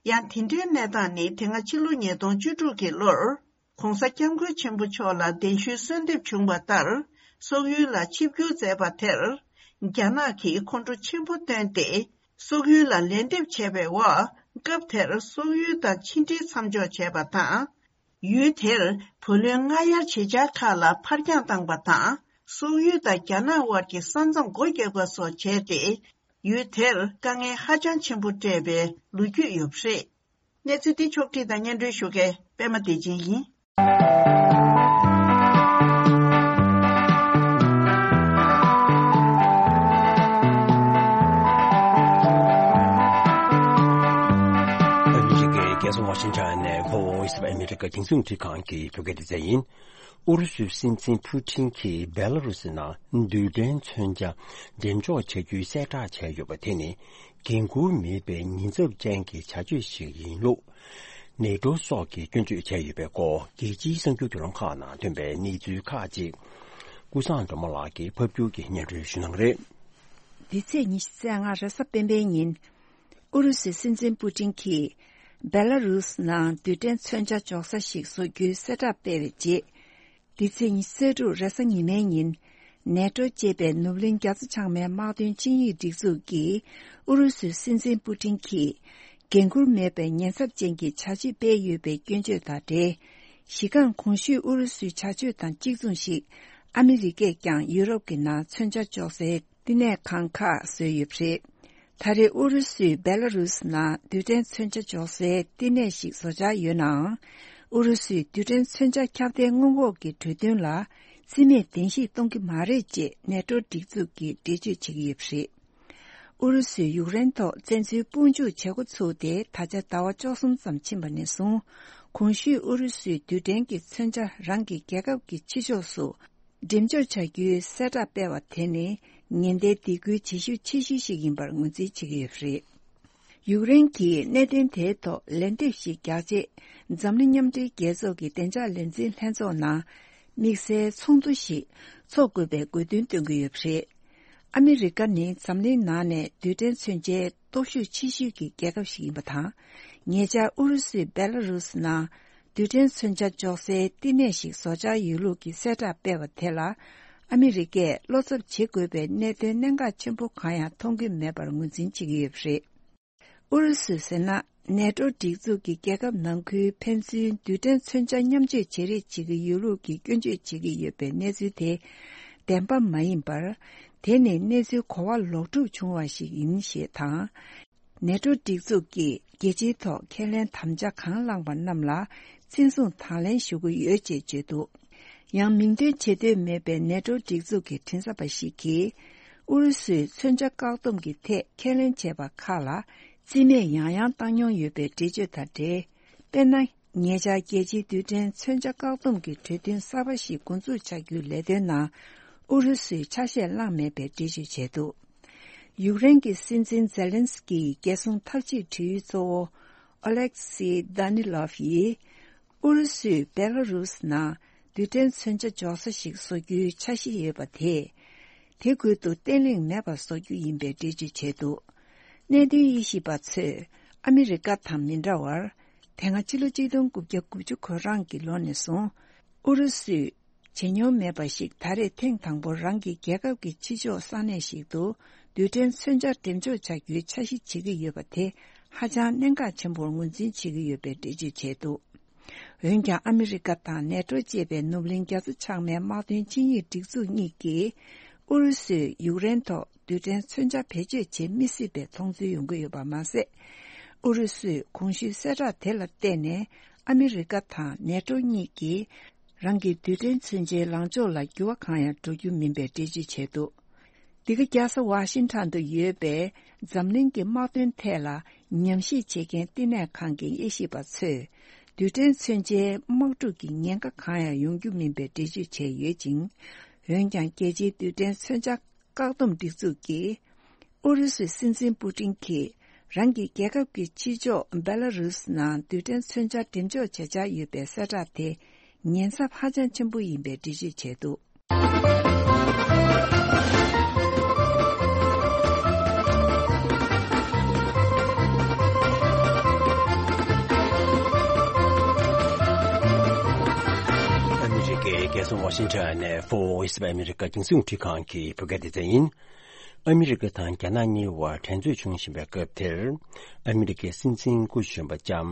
ཡང་དེ་འདྲའི་གནས་སྟངས་ནི་དེ་སྔ་ཕྱི་ལོ་ཉིས་སྟོང་བཅུ་དྲུག་གི་ལོར། གོང་ས་སྐྱབས་མགོན་ཆེན་པོ་མཆོག་ལ་གདན་ཞུའི་གསོལ་འདེབས་བྱུང་བ་ལྟར། སོག་ཡུལ་ལ་ཆིབས་བསྒྱུར་མཛད་པ་དེར། རྒྱ་ནག་གིས་ཁོང་ཁྲོ་ཆེན་པོ་བཏོན་ཏེ། སོག་ཡུལ་ལ་ལན་འདེབས་བྱས་པའི་འོག་སྐབས་དེར་སོག་ཡུལ་དང་ཕྱི་འབྲེལ་མཚམས་འཇོག་བྱས་པ་དང་། ཡུལ་དེར་བུ་ལོན་སྔ་གཡར་བྱེད་འཆར་ཁག་ལ་ཕར་འགྱངས་བཏང་པ་དང་། སོག་ཡུལ་དང་རྒྱ་ནག་དབར་གྱི་ས་མཚམས་སྒོ་བརྒྱབ་པ་སོགས་བྱས་ཏེ། ཡུལ་དེར་དཀའ་ངལ་ཧ་ཅང་ཆེན་པོ་སྤྲད་པའི་ལོ་རྒྱུས་ཡོད་པ་རེད། གནས་ཚུལ་འདི་ཕྱོགས་བསྒྲིགས་དང་སྙན་སྒྲོན་ཞུ་མཁན་པད་མ་བདེ་ཆེན་ཡིན། ཨ་མི་རི་ཀའི་རྒྱལ་ས་ཝ་ཤིང་ཊོན་ནས་Voice of America་རྒྱང་སྲིང་རླུང་འཕྲིན་ཁང་གི་བོད་སྐད་སྡེ་ཚན་ཡིན། ཨུ་རུ་སུའི་སྲིད་འཛིན་ཕུ་ཊིན་གྱིས་བེ་ལ་རུ་སི་ནང་རྡུལ་ཕྲན་མཚོན་ཆ་འགྲེམས་འཇོག་བྱ་རྒྱུའི་གསལ་བསྒྲགས་བྱས་ཡོད་པ་དེ་ནི་འགན་འཁུར་མེད་པའི་ཉེན་ཚབས་ཅན་གྱི་བྱ་སྤྱོད་ཞིག་ཡིན་ལུགས། ནེ་ཏྲོ་སོགས་ཀྱིས་སྐྱོན་བརྗོད་བྱས་ཡོད་པའི་སྐོར་རྒྱལ་སྤྱིའི་གསར་འགྱུར་བརྒྱུད་ལམ་ཁག་ནང་ཐོན་པའི་གནས་ཚུལ་ཁག་ཅིག་ཀུན་བཟང་སྒྲོལ་མ་ལགས་ཀྱིས་ཕབ་སྒྱུར་གྱིས་སྙན་སྒྲོན་ཞུ་གནང་གི་རེད། འདི་ཚེས་ཉི་ཤུ་རྩ་ལྔ་རེས་གཟའ་སྤེན་པའི་ཉིན། ཨུ་རུ་སུའི་སྲིད་འཛིན་པུ་ཏིན་གྱིས། བེ་ལ་རུས་ནང་རྡུལ་ཕྲན་མཚོན་ཆ་འཇོག་ས་ཞིག་བཟོ་རྒྱུའི་གསལ་བསྒྲགས་སྤེལ་བའི་རྗེས། འདི་ཚེས་ཉི་ཤུ་རྩ་དྲུག་རེས་གཟའ་ཉི་མའི་ཉིན། ནེ་ཏྲོ་ཅེས་པའི་ནུབ་གླིང་རྒྱ་མཚོ་བྱང་མའི་དམག་དོན་ཆིངས་ཡིག་སྒྲིག་འཛུགས་ཀྱིས། ཨུ་རུ་སུའི་སྲིད་འཛིན་པུ་ཏིན་གྱིས། འགན་འཁུར་མེད་པའི་ཉེན་ཚབས་ཅན་གྱི་བྱ་སྤྱོད་སྤེལ་ཡོད་པའི་སྐྱོན་བརྗོད་དང་འབྲེལ། གཞི་རྐང་གོང་ཞུས་ཨུ་རུ་སུའི་བྱ་སྤྱོད་དང་གཅིག་མཚུངས་ཤིག་ཨ་མི་རི་ཀས་ཀྱང་ཡུ་རོབ་ཀྱི་ནང་མཚོན་ཆ་འཇོག་སའི་བསྟི་གནས་ཁང་ཁག་བཟོས་ཡོད་པ་རེད། ད་རེས་ཨུ་རུ་སུས་བེ་ལ་རུས་ནང་རྡུལ་ཕྲན་མཚོན་ཆ་འཇོག་སའི་བསྟི་གནས་ཤིག་བཟོ་འཆར་ཡོད་ནའང་། ཨུ་རུ་སུས་རྡུལ་ཕྲན་མཚོན་ཆ་ཁྱབ་གདལ་སྔོན་འགོག་གི་གྲོས་མཐུན་ལ་རྩིས་མེད་གདན་ཞུ་གཏོང་གི་མ་རེད་ཅེས་ནེ་ཏྲོ་སྒྲིག་འཛུགས་ཀྱིས་འགྲེལ་བརྗོད་བྱེད་ཀྱི་ཡོད་པ་རེད། ཨུ་རུ་སུས་ཡུཀ་རེན་ཐོག་བཙན་འཛུལ་དཔུང་འཇུག་བྱེད་འགོ་ཚུགས་ཏེ་ད་ཆ་ཟླ་བ་བཅུ་གསུམ་ཙམ་ཕྱིན་པ་ནས་བཟུང་། གོང་ཞུས་ཨུ་རུ་སུས་རྡུལ་ཕྲན་གྱི་མཚོན་ཆ་རང་གི་རྒྱལ་ཁབ་ཀྱི་ཕྱི་ཕྱོགས་སུ་འགྲེམས་འཇོག་བྱ་རྒྱུའི་གསལ་བསྒྲགས་སྤེལ་བ་དེ་ནི་ཉེན་བརྡའི་སྡིགས་སྐུལ་བྱེད་ཤུགས་ཆེ་ཤོས་ཤིག་ཡིན་པར་ངོས་འཛིན་བྱེད་ཀྱི་ཡོད་པ་རེད། ཡུཀ་རེན་གྱིས་གནད་དོན་དེའི་ཐོག་ལན་འདེབས་ཤིག་རྒྱག་ཆེད། འཛམ་གླིང་མཉམ་འབྲེལ་རྒྱལ་ཚོགས་ཀྱི་བདེ་འཇགས་ལས་འཛིན་ལྷན་ཚོགས་ནང་དམིགས་བསལ་ཚོགས་འདུ་ཞིག་འཚོགས་དགོས་པའི་དགོས་འདུན་བཏོན་གྱི་ཡོད་པ་རེད། ཨ་མི་རི་ཀ་ནི་འཛམ་གླིང་ནང་ནས་རྡུལ་ཕྲན་མཚོན་ཆའི་སྟོབས་ཤུགས་ཆེ་ཤོས་ཀྱི་རྒྱལ་ཁབ་ཞིག་ཡིན་པ་དང་། ཉེ་ཆར་ཨུ་རུ་སུས་བེ་ལ་རུས་ནང་རྡུལ་ཕྲན་མཚོན་ཆ་འཇོག་སའི་བསྟི་གནས་ཤིག་བཟོ་འཆར་ཡོད་ལུགས་ཀྱི་གསལ་བསྒྲགས་སྤེལ་བ་དེ་ལ། ཨ་མི་རི་ཀས་བློ་འཚབ་བྱེད་དགོས་པའི་གནད་དོན་གནད་འགག་ཆེན་པོ་གང་ཡང་མཐོང་གི་མེད་པར་ངོས་འཛིན་བྱེད་ཀྱི་ཡོད་པ་རེད། ཨུ་རུ་སུས་ཟེར་ན། ནེ་ཏྲོ་སྒྲིག་འཛུགས་ཀྱི་རྒྱལ་ཁབ་ནང་ཁུལ་ཕན་ཚུན་རྡུལ་ཕྲན་མཚོན་ཆ་མཉམ་སྤྱོད་བྱེད་རེས་བྱེད་ཀྱི་ཡོད་ལུགས་ཀྱི་སྐྱོན་བརྗོད་བྱེད་ཀྱི་ཡོད་པའི་གནས་ཚུལ་དེ་བདེན་པ་མ་ཡིན་པར། དེ་ནི་གནས་ཚུལ་གོ་བ་ལོག་སྒྲུབ་བྱུང་བ་ཞིག་ཡིན་ཞེས་དང་། ནེ་ཏྲོ་སྒྲིག་འཛུགས་ཀྱིས་རྒྱལ་སྤྱིའི་ཐོག་ཁས་ལེན་དམ་བཅའ་གང་བླངས་པ་རྣམས་ལ་བརྩི་སྲུང་དང་ལེན་ཞུ་གི་ཡོད་ཅེས་བརྗོད་འདུག་ཡང་མིང་འདོན་བྱེད་འདོད་མེད་པའི་ནེ་ཏྲོ་སྒྲིག་འཛུགས་ཀྱི་མགྲིན་ཚབ་པ་ཞིག་གིས། ཨུ་རུ་སུས་མཚོན་ཆ་བཀག་སྡོམ་གྱི་ཐད་ཁས་ལེན་བྱས་པ་ཁག་ལ་རྩིས་མེད་ཡང་ཡང་བཏང་མྱོང་ཡོད་པའི་འགྲེལ་བརྗོད་དང་འབྲེལ། དཔེར་ན། ཉེ་ཆར་རྒྱལ་སྤྱིའི་རྡུལ་ཕྲན་མཚོན་ཆ་བཀག་སྡོམ་གྱི་གྲོས་མཐུན་གསར་པ་ཞིག་འགོ་འཛུགས་བྱ་རྒྱུའི་ལས་དོན་ནང་ཨུ་རུ་སུས་ཆ་ཤས་བླངས་མེད་པའི་འགྲེལ་བརྗོད་བྱས་འདུག་ཡུཀ་རེན་གྱི་སྲིད་འཛིན་ཛེ་ལན་སི་ཀིའི་རྒྱལ་སྲུང་འཐབ་ཇུས་དྲུང་ཡིག་གཙོ་བོ་ཨོ་ལེག་སི་དཱ་ནི་ལོབ་ཡིས། ཨུ་རུ་སུས་བེ་ལ་རུས་ནང་རྡུལ་ཕྲན་མཚོན་ཆ་འཇོག་ས་ཞིག་བཟོ་རྒྱུའི་འཆར་གཞི་ཡོད་པ་དེས། དེ་ཁུལ་དུ་བརྟན་ལྷིང་མེད་པར་བཟོ་རྒྱུ་ཡིན་པའི་འགྲེལ་བརྗོད་བྱས་འདུག་གནད་དོན་དབྱེ་ཞིབ་པ་ཚོས་ཨ་མི་རི་ཀ་དང་མི་འདྲ་བར། དེ་སྔ་ཕྱི་ལོ་གཅིག་སྟོང་དགུ་བརྒྱ་དགུ་བཅུ་གོ་གྲངས་ཀྱི་ལོ་ནས་བཟུང་ཨུ་རུ་སུས་བྱེད་མྱོང་མེད་པ་ཞིག་ད་རེས་ཐེངས་དང་པོར་རང་གི་རྒྱལ་ཁབ་ཀྱི་ཕྱི་ཕྱོགས་ས་གནས་ཤིག་ཏུ་རྡུལ་ཕྲན་མཚོན་ཆ་འགྲེམས་འཇོག་བྱ་རྒྱུའི་འཆར་གཞི་བྱེད་ཀྱི་ཡོད་པ་དེ་ཧ་ཅང་གནད་འགག་ཆེན་པོར་ངོས་འཛིན་བྱེད་ཀྱི་ཡོད་པའི་འགྲེལ་བརྗོད་བྱས་འདུག་འོན་ཀྱང་ཨ་མི་རི་ཀ་དང་ནེ་ཏྲོ་ཅེས་པའི་ནུབ་གླིང་རྒྱ་མཚོ་བྱང་མའི་དམག་དོན་སྤྱི་གཉེར་སྒྲིག་འཛུགས་གཉིས་ཀྱིས་ཨུ་རུ་སུས་ཡུཀ་རེན་ཐོག་རྡུལ་ཕྲན་མཚོན་ཆ་བེད་སྤྱོད་བྱེད་མི་སྲིད་པའི་མཐོང་ཚུལ་ཡོང་གི་ཡོད་པ་མ་ཟད། ཨུ་རུ་སུས་གོང་ཞུས་གསལ་བསྒྲགས་དེ་ལ་བརྟེན་ནས་ཨ་མི་རི་ཀ་དང་ནེ་ཏྲོ་གཉིས་ཀྱིས་རང་གི་རྡུལ་ཕྲན་མཚོན་ཆའི་ལངས་ཕྱོགས་ལ་འགྱུར་བ་གང་ཡང་འགྲོ་རྒྱུ་མིན་པའི་འགྲེལ་བརྗོད་བྱས་འདུག་འདི་ག་རྒྱལ་ས་ཝ་ཤིང་ཊོན་དུ་ཡོད་པའི་འཛམ་གླིང་གི་དམག་དོན་ཐད་ལ་ཉམས་ཞིབ་བྱེད་མཁན་བསྟི་གནས་ཁང་གི་དབྱེ་ཞིབ་པ་ཚོས་རྡུལ་ཕྲན་མཚོན་ཆའི་དམག་འཁྲུག་གི་ཉེན་ཁ་གང་ཡང་ཡོང་རྒྱུ་མིན་པའི་འགྲེལ་བརྗོད་བྱས་ཡོད་ཅིང་། འོན་ཀྱང་རྒྱལ་སྤྱིའི་རྡུལ་ཕྲན་མཚོན་ཆ་བཀག་སྡོམ་སྒྲིག་འཛུགས་ཀྱིས་ཨུ་རུ་སུའི་སྲིད་འཛིན་པུ་ཏིན་གྱིས་རང་གི་རྒྱལ་ཁབ་ཀྱི་ཕྱི་ཕྱོགས་བེ་ལ་རུས་ནང་རྡུལ་ཕྲན་མཚོན་ཆ་འགྲེམས་འཇོག་བྱེད་འཆར་ཡོད་པའི་གསལ་བསྒྲགས་དེ་ཉེན་ཚབས་ཧ་ཅང་ཆེན་པོ་ཡིན་པའི་འགྲེལ་བརྗོད་བྱས་འདུག་ཨ་མི་རི་ཀའི་རྒྱལ་ས་ཝ་ཤིང་ཊོན་ནས་Voice of America རྒྱང་སྲིང་རླུང་འཕྲིན་ཁང་གི་བོད་སྐད་སྡེ་ཚན་ཡིན། ཨ་མི་རི་ཀ་དང་རྒྱ་ནག་གཉིས་བར་འགྲན་རྩོད་བྱུང་བཞིན་པའི་སྐབས་དེར། ཨ་མི་རི་ཀའི་སྲིད་འཛིན་སྐུ་གཞོན་པ་ལྕམ་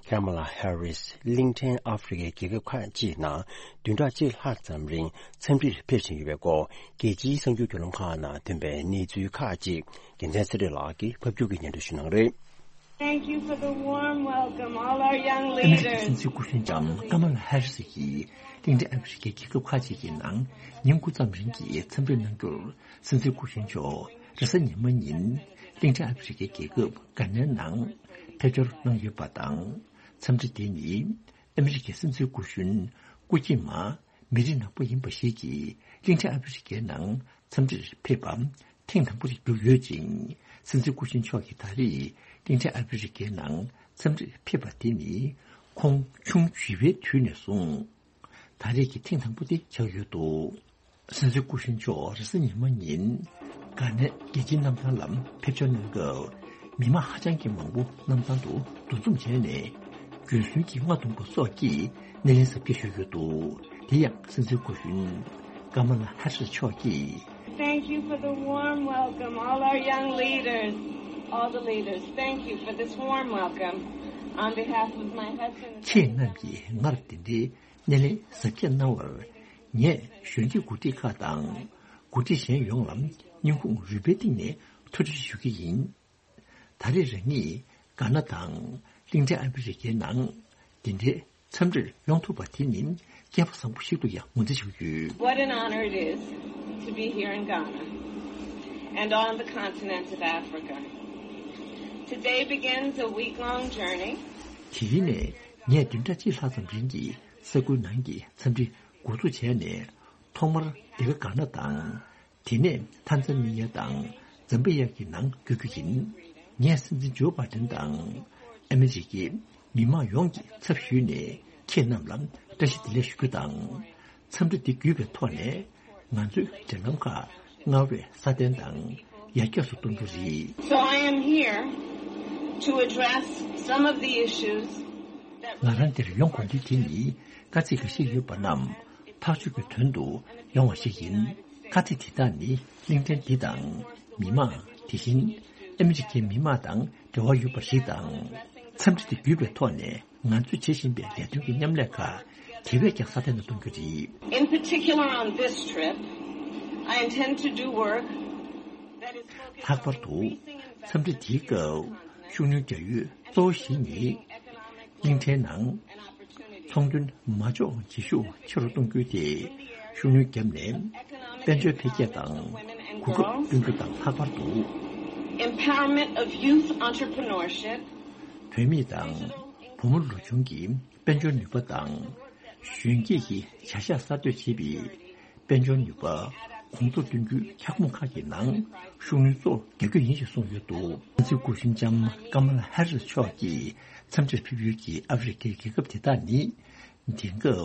ཁ་མ་ལ་ཧེ་རིས་གླིང་ཕྲན་ཨ་ཧྥེ་རི་ཁའི་རྒྱལ་ཁབ་ཁག་ཅིག་ནང་བདུན་ཕྲག་གཅིག་ལྷག་ཙམ་རིང་འཚམས་འདྲིར་ཕེབས་བཞིན་ཡོད་པའི་སྐོར་རྒྱལ་སྤྱིའི་གསར་འགྱུར་བརྒྱུད་ལམ་ཁག་ནང་ཐོན་པའི་གནས་ཚུལ་ཁག་ཅིག་རྒྱལ་མཚན་ཚེ་རིང་ལགས་ཀྱིས་ཕབ་སྒྱུར་གྱིས་སྙན་སྒྲོན་ཞུ་གནང་རེད། Thank you for the warm welcome, all our young leaders. ཨ་མི་རི་ཀའི་སྲིད་འཛིན་སྐུ་གཞོན་ལྕམ་ཀ་མ་ལ་ཧེ་རི་སི་ཡིས་གླིང་ཕྲན་ཨ་ཧྥེ་རི་ཁའི་རྒྱལ་ཁབ་ཁག་ཅིག་གི་ནང་ཉིན་དགུ་ཙམ་རིང་གི་འཚམས་འདྲིར་གནང་རྒྱུར། སྲིད་འཛིན་སྐུ་གཞོན་མཆོག་རེས་གཟའ་ཉི་མ་ཉིན་གླིང་ཕྲན་ཨ་ཧྥེ་རི་ཁའི་རྒྱལ་ཁབ་གྷ་ནའི་ནང་ཕེབས་འབྱོར་གནང་ཡོད་པ་དང་། འཚམས་འདྲི་དེ་ནི་ཨ་མི་རི་ཀའི་སྲིད་འཛིན་སྐུ་གཞོན་སྐུ་སྐྱེས་མ་མི་རིགས་ནག་པོ་ཡིན་པ་ཞིག་གིས་གླིང་ཕྲན་ཨ་ཧྥེ་རི་ཁའི་ནང་འཚམས་འདྲིར་ཕེབས་པ་ཐེངས་དང་པོ་ཞིག་གྱུར་ཡོད་ཅིང་། སྲིད་འཛིན་སྐུ་གཞོན་མཆོག་གིས་ད་རེས་གླིང་ཕྲན་ཨ་ཧྥེ་རི་ཁའི་ནང་འཚམས་འདྲིར་ཕེབས་པ་དེ་ནི་ཁོང་ཆུང་བྱིས་པའི་དུས་ནས་བཟུང་། ད་རེས་ཀྱི་ཐེངས་དང་པོ་དེ་ཆགས་ཡོད་འདུག་སྲིད་འཛིན་སྐུ་གཞོན་མཆོག་རེས་གཟའ་ཉི་མ་ཉིན་གྷ་ནའི་རྒྱལ་སྤྱིའི་གནམ་ཐང་ལ་ཕེབས་འབྱོར་གནང་སྐབས། མི་མང་ཧ་ཅང་གི་མང་པོ་གནམ་ཐང་དུ་འདུ་འཛོམས་བྱས་ནས། རྒྱུན་སྲོལ་གྱི་རྔ་བརྡུང་བ་སོགས་ཀྱིས་སྣེ་ལེན་གཟབ་རྒྱས་ཞུས་ཡོད་འདུག་དེ་ཡང་སྲིད་འཛིན་སྐུ་གཞོན་ཀ་མ་ལ་ཧ་རི་སི་མཆོག་གིས། Thank you for the warm welcome, all our young leaders, all the leaders. Thank you for this warm welcome on behalf of my husband. ཁྱེད་རྣམས་ཀྱིས་སྔར་དེ་འདྲའི་སྣེ་ལེན་གཟབ་རྒྱས་གནང་བར། ངས་གཞོན་སྐྱེས་འགོ་ཁྲིད་ཁག་དང་། འགོ་ཁྲིད་གཞན་ཡོངས་ལ་སྙིང་ཁུང་རུས་པའི་གཏིང་ནས་ཐུགས་རྗེ་ཆེ་ཞུ་གི་ཡིན། ད་རེས་རང་ཉིད་གྷ་ན་དང་གླིང་ཕྲན་ཨ་ཧྥེ་རི་ཁའི་ནང་འདི་འདྲའི་འཚམས་འདྲིར་ཡོང་ཐུབ་པ་དེ་ནི་སྐལ་པ་བཟང་པོ་ཞིག་ཏུ་ཡང་ངོས་འཛིན་ཞུ་གི་ཡོད། What an honor it is to be here in Ghana and on the continent of Africa. Today begins a week-long journey. དེ་རིང་ནས་ངས་བདུན་ཕྲག་གཅིག་ལྷག་ཙམ་རིང་གི་ས་ཁུལ་ནང་གི་འཚམས་འདྲི་འགོ་འཛུགས་བྱས་ནས། ཐོག་མར་འདི་ག་གྷ་ན་དང་། དེ་ནས་ཐན་ཛ་ནི་ཡ་དང་ཛམ་བི་ཡ་གི་ནང་བསྐྱོད་རྒྱུ་ཡིན། ངས་སྲིད་འཛིན་ཇོ་བྷ་དན་དང་ཨ་མི་རི་ཀའི་མི་མང་ཡོངས་ཀྱི་ཚབ་ཞུས་ནས་ཁྱེད་རྣམས་ལ་བཀྲ་ཤིས་བདེ་ལེགས་ཞུ་རྒྱུ་དང་། འཚམས་འདྲི་འདི་བརྒྱུད་པའི་ཐོག་ནས་ང་ཚོས་འབྲེལ་ལམ་ཁག་སྔར་བས་སྲ་བརྟན་དང་ཡར་རྒྱས་སུ་གཏོང་རྒྱུ་རེད། So I am here to address some of the issues that ང་རང་འདིར་ཡོང་དགོས་འདུག་དེ་ནི་དཀའ་ཚེགས་འགའ་ཤས་ཡོད་པ་རྣམས་ཐག་གཅོད་ཀྱི་དོན་དུ་ཡོང་བ་ཞིག་ཡིན། དཀའ་ཚེགས་དེ་དག་ནི་གླིང་ཕྲན་འདི་དང་མི་མང་། དེ་བཞིན་ཨ་མི་རི་ཀའི་མི་མང་དང་འབྲེལ་བ་ཡོད་པ་ཞིག་དང་། འཚམས་འདྲི་དེ་བརྒྱུད་པའི་ཐོག་ནས་ང་ཚོས་བྱེད་བཞིན་པའི་ལས་དོན་གྱི་མཉམ་ལས་ཁག་དེ་བས་ཀྱང་སྲ་བརྟན་དུ་གཏོང་རྒྱུ་རེད། In particular on this trip, I intend to do work that is focused on ལྷག་པར་དུ་འཚམས་འདྲི་དེའི་སྐབས་ཤུགས་སྣོན་རྒྱག་ཡུལ་གཙོ་བོ་ཞིག་ནི། གླིང་ཕྲན་ནང་ཚོང་དོན་མ་འཇོག་བྱེད་ཤུགས་ཆེ་རུ་གཏོང་རྒྱུ་དེ་ཤུགས་སྣོན་བརྒྱབ་ནས། དཔལ་འབྱོར་འཕེལ་རྒྱས་དང་གོ་སྐབས་སྐྲུན་རྒྱུ་དང་ལྷག་པར་དུ། Empowerment of youth entrepreneurship. བུད་མེད་དང་བུ་མོ་ལོ་ཆུང་གི་དཔལ་འབྱོར་ནུས་པ་དང་། གཞོན་སྐྱེས་ཀྱི་བྱ་གཞག་གསར་གཏོད་བྱེད་པའི་དཔལ་འབྱོར་ནུས་པ་གོང་མཐོར་གཏོང་རྒྱུའི་ཁྱབ་ཁོངས་ཁག་གི་ནང་ཤུགས་སྣོན་གཙོ་བོ་རྒྱག་རྒྱུ་ཡིན་ཞེས་གསུངས་ཡོད་འདུག་སྲིད་འཛིན་སྐུ་གཞོན་ལྕམ་ཀ་མ་ལ་ཧེ་རིས་མཆོག་གིས་འཚམས་འདྲིར་ཕེབས་ཡུལ་གྱི་ཨ་ཧྥེ་རི་ཁའི་རྒྱལ་ཁབ་དེ་དག་ནི། དེང་སྐབས་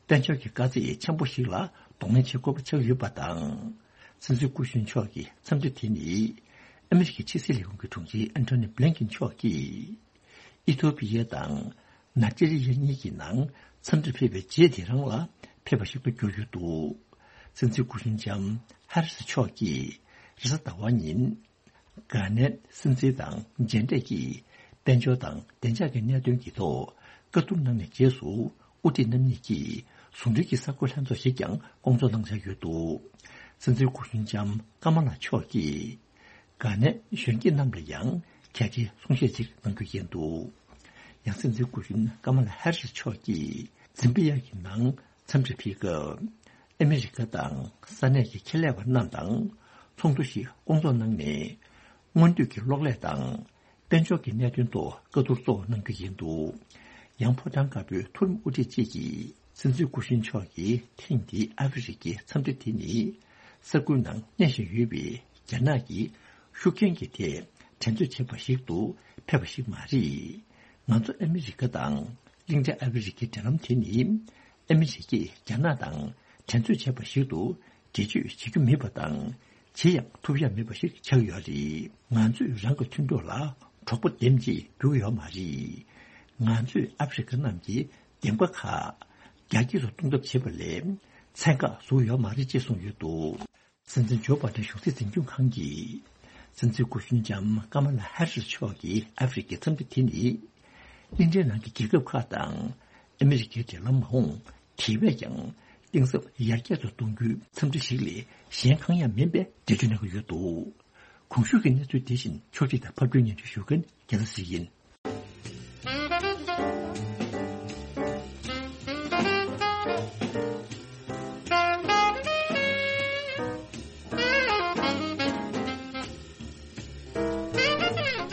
དཔལ་འབྱོར་གྱི་དཀའ་ཚེགས་ཆེན་པོ་ཞིག་ལ་གདོང་ལེན་བྱེད་དགོས་པ་ཆགས་ཡོད་པ་དང་། སྲིད་འཛིན་སྐུ་གཞོན་མཆོག་གི་འཚམས་འདྲི་དེ་ནི། ཨ་མི་རི་ཀའི་ཕྱི་སྲིད་ལས་ཁུངས་ཀྱི་དྲུང་ཆེ་ཨན་ཐོ་ནི་བྷི་ལིན་ཀིན་མཆོག་གིས། ཨི་ཐོ་པི་ཡ་དང་ནཱི་ཇི་རི་ཡ་གཉིས་ཀྱི་ནང་འཚམས་འདྲིར་ཕེབས་པའི་རྗེས་དེ་རང་ལ་ཕེབས་པ་ཞིག་ཏུ་གྱུར་ཡོད་འདུག་སྲིད་འཛིན་སྐུ་གཞོན་ལྕམ་ཧ་རི་སི་མཆོག་གིས་རེས་གཟའ་ཟླ་བ་ཉིན། གྷ་ནའི་སྲིད་འཛིན་དང་མཇལ་འཕྲད་ཀྱིས་དཔལ་འབྱོར་དང་བདེ་འཇགས་ཀྱི་གནད་དོན་གྱི་ཐོག་བཀའ་བསྡུར་གནང་ནས་རྗེས་སུ། དབུ་ཁྲིད་རྣམ་གཉིས་ཀྱིས་ཟུང་འབྲེལ་གྱི་གསར་འགོད་ལྷན་ཚོགས་ཤིག་ཀྱང་སྐོང་ཚོགས་གནང་འཆར་ཡོད་འདུག་སྲིད་འཛིན་སྐུ་གཞོན་ལྕམ་ཀ་མ་ལ་མཆོག་གིས། གྷ་ནའི་གཞོན་སྐྱེས་རྣམས་ལ་ཡང་གལ་ཆེའི་གསུང་བཤད་ཅིག་གནང་རྒྱུ་ཡིན་འདུག་ཡང་སྲིད་འཛིན་སྐུ་གཞོན་ཀ་མ་ལ་ཧེ་རི་སི་མཆོག་གིས་ཛིམ་བྷི་ཡ་གི་ནང་འཚམས་འདྲིར་ཕེབས་སྐབས། ཨ་མི་རི་ཀ་དང་ས་གནས་ཀྱི་ཁེ་ལས་པ་རྣམས་དང་ཚོགས་འདུ་ཞིག་སྐོང་ཚོགས་གནང་ནས། སྔོན་དུས་ཀྱི་གློག་ཀླད་དང་། དཔལ་འབྱོར་གྱི་གནད་དོན་ཐོག་བཀའ་བསྡུར་གཙོ་བོ་གནང་རྒྱུ་ཡིན་འདུག་ཡང་ཕོ་བྲང་དཀར་པོའི་མཐོ་རིམ་དབུ་ཁྲིད་ཅིག་གིས། སྲིད་འཛིན་སྐུ་གཞོན་མཆོག་གིས་ཐེངས་འདིའི་ཨ་ཧྥེ་རི་ཁའི་འཚམས་འདྲི་དེ་ནི། ས་ཁུལ་ནང་གནས་བཞིན་ཡོད་པའི་རྒྱ་ནག་གི་ཤུགས་རྐྱེན་གྱི་ཐད་འགྲན་རྩོད་བྱེད་པ་ཞིག་ཏུ་ཕེབས་པ་ཞིག་མ་རེད། ང་ཚོ་ཨ་མི་རི་ཀ་དང་གླིང་ཕྲན་ཨ་ཧྥེ་རི་ཁའི་འབྲེལ་ལམ་དེ་ནི། ཨ་མི་རི་ཀས་རྒྱ་ནག་དང་འགྲན་རྩོད་བྱེད་པ་ཞིག་ཏུ། འགྲེལ་བརྗོད་བྱེད་རྒྱུ་མེད་པ་དང་། བྱེད་ཡང་ཐུབ་ཡ་མེད་པ་ཞིག་ཆགས་ཡོད་རེད། ང་ཚོས་རང་གི་མཐུན་གྲོགས་ལ་གྲོགས་པོ་འདེམས་ཅེས་འབོད་ཀྱི་ཡོད་མ་རེད། ང་ཚོས་ཨ་ཧྥེ་རི་ཁ་རྣམས་ཀྱི་འདེམས་ཀ་ཁག་རྒྱ་སྐྱེད་དུ་གཏོང་ཐབས་བྱེད་པ་ལས་ཚན་ཁག་བཟོ་གི་ཡོད་མ་རེད་ཅེས་གསུངས་ཡོད་འདུག་སྲིད་འཛིན་ཇོ་བྷའི་ཌེན་གཞུང་སྲིད་འཛིན་སྐྱོང་ཁང་གིས། སྲིད་འཛིན་སྐུ་གཞོན་ལྕམ་ཀ་མ་ལ་ཧེ་རི་སི་མཆོག་གི་ཨ་ཧྥེ་རི་ཁའི་འཚམས་འདྲི་དེ་ནི། གླིང་ཕྲན་ནང་གི་རྒྱལ་ཁབ་ཁག་དང་ཨ་མི་རི་ཀའི་འབྲེལ་ལམ་མ་འོངས་དེ་བས་ཀྱང་གཏིང་ཟབ་ཡར་རྒྱས་སུ་གཏོང་རྒྱུའི་འཚམས་འདྲི་ཞིག་ལས་གཞན་གང་ཡང་མིན་པའི་འགྲེལ་བརྗོད་གནང་གི་ཡོད་འདུག་གོང་ཞུས་ཀྱི་གནས་ཚུལ་དེ་བཞིན་ཕྱོགས་སྒྲིག་དང་ཕབ་སྒྱུར་སྙན་སྒྲོན་ཞུ་མཁན་རྒྱལ་མཚན་ཡིན།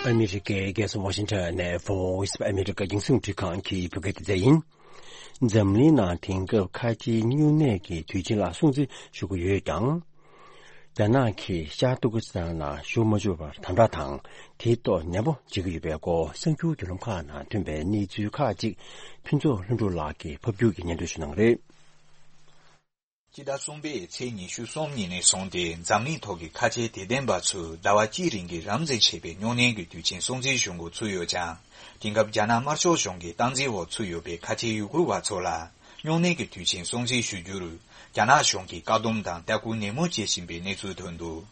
ཨ་མི་རི་ཀའི་རྒྱལ་ས་ཝ་ཤིང་ཊོན་ནས་Voice of America་རྒྱང་སྲིང་རླུང་འཕྲིན་ཁང་གི་བོད་སྐད་སྡེ་ཚན་ཡིན། འཛམ་གླིང་ནང་དེང་སྐབས་ཁ་ཆེའི་སྨྱུང་གནས་ཀྱི་དུས་ཆེན་ལ་སྲུང་བརྩི་ཞུ་གི་ཡོད་ཀྱང་། རྒྱ་ནག་གིས་ཤར་ཏུར་ཀི་སི་ཐན་ལ་ཞུགས་མ་བཅུག་པར་དམ་དྲག་དང་དེའི་ཐོག་ནན་པོ་བྱེད་ཀྱི་ཡོད་པའི་སྐོར་གསར་འགྱུར་བརྒྱུད་ལམ་ཁག་ནང་ཐོན་པའི་གནས་ཚུལ་ཁག་ཅིག་ཕུན་ཚོགས་ལྷུན་གྲུབ་ལགས་ཀྱིས་ཕབ་སྒྱུར་གྱིས་སྙན་སྒྲོན་ཞུ་གནང་གི་རེད། སྤྱི་ཟླ་གསུམ་པའི་ཚེས་ཉི་ཤུ་གསུམ་ཉིན་ནས་བཟུང་སྟེ་འཛམ་གླིང་ཐོག་གི་ཁ་ཆེའི་དད་ལྡན་པ་ཚོས་ཟླ་བ་གཅིག་རིང་གི་རབ་འཛིན་བྱས་པའི་སྨྱུང་གནས་ཀྱི་དུས་ཆེན་སྲུང་བརྩི་ཞུ་འགོ་ཚུགས་ཡོད་ཀྱང་། དེང་སྐབས་རྒྱ་ནག་དམར་ཤོག་གཞུང་གི་སྟངས་འཛིན་འོག་ཚུད་ཡོད་པའི་ཁ་ཆེའི་ཡུ་གུར་བ་ཚོ་ལ་སྨྱུང་གནས་ཀྱི་དུས་ཆེན་སྲུང་བརྩི་ཞུ་རྒྱུར་རྒྱ་ནག་གཞུང་གིས་བཀག་སྡོམ་དང་ལྟ་སྐུལ་ནན་མོ་བྱེད་བཞིན་པའི་གནས་ཚུལ་ཐོན་འདུག་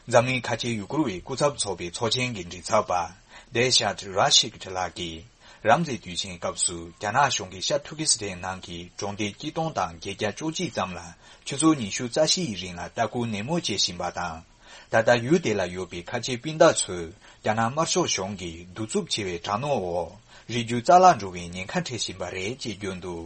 འཛམ་གླིང་ཁ་ཆེའི་ཡུ་གུར་བའི་སྐུ་ཚབ་ཚོགས་པའི་ཚོགས་ཆེན་གྱི་མགྲིན་ཚབ་པ་དེ་ཤཱད་ར་ཤིག་ལགས་ཀྱིས། རབ་འཛིན་དུས་ཆེན་སྐབས་སུ་རྒྱ་ནག་གཞུང་གིས་ཤར་ཏུར་ཀི་སི་ཐན་ནང་གི་གྲོང་སྡེ་གཅིག་སྟོང་དང་བརྒྱད་བརྒྱ་བཅུ་གཅིག་ཙམ་ལ་ཆུ་ཚོད་ཉི་ཤུ་རྩ་བཞི་ཡི་རིང་ལ་ལྟ་སྐུལ་ནན་མོ་བྱེད་བཞིན་པ་དང་། ད་ལྟ་ཡུལ་དེ་ལ་ཡོད་པའི་ཁ་ཆེ་སྤུན་ཟླ་ཚོས་རྒྱ་ནག་དམར་ཤོག་གཞུང་གིས་གདུག་རྩུབ་ཆེ་བའི་དྲག་གནོན་འོག་རིགས་རྒྱུད་རྩ་བརླག་འགྲོ་བའི་ཉེན་ཁ་འཕྲད་བཞིན་པ་རེད་ཅེས་བརྗོད་འདུག་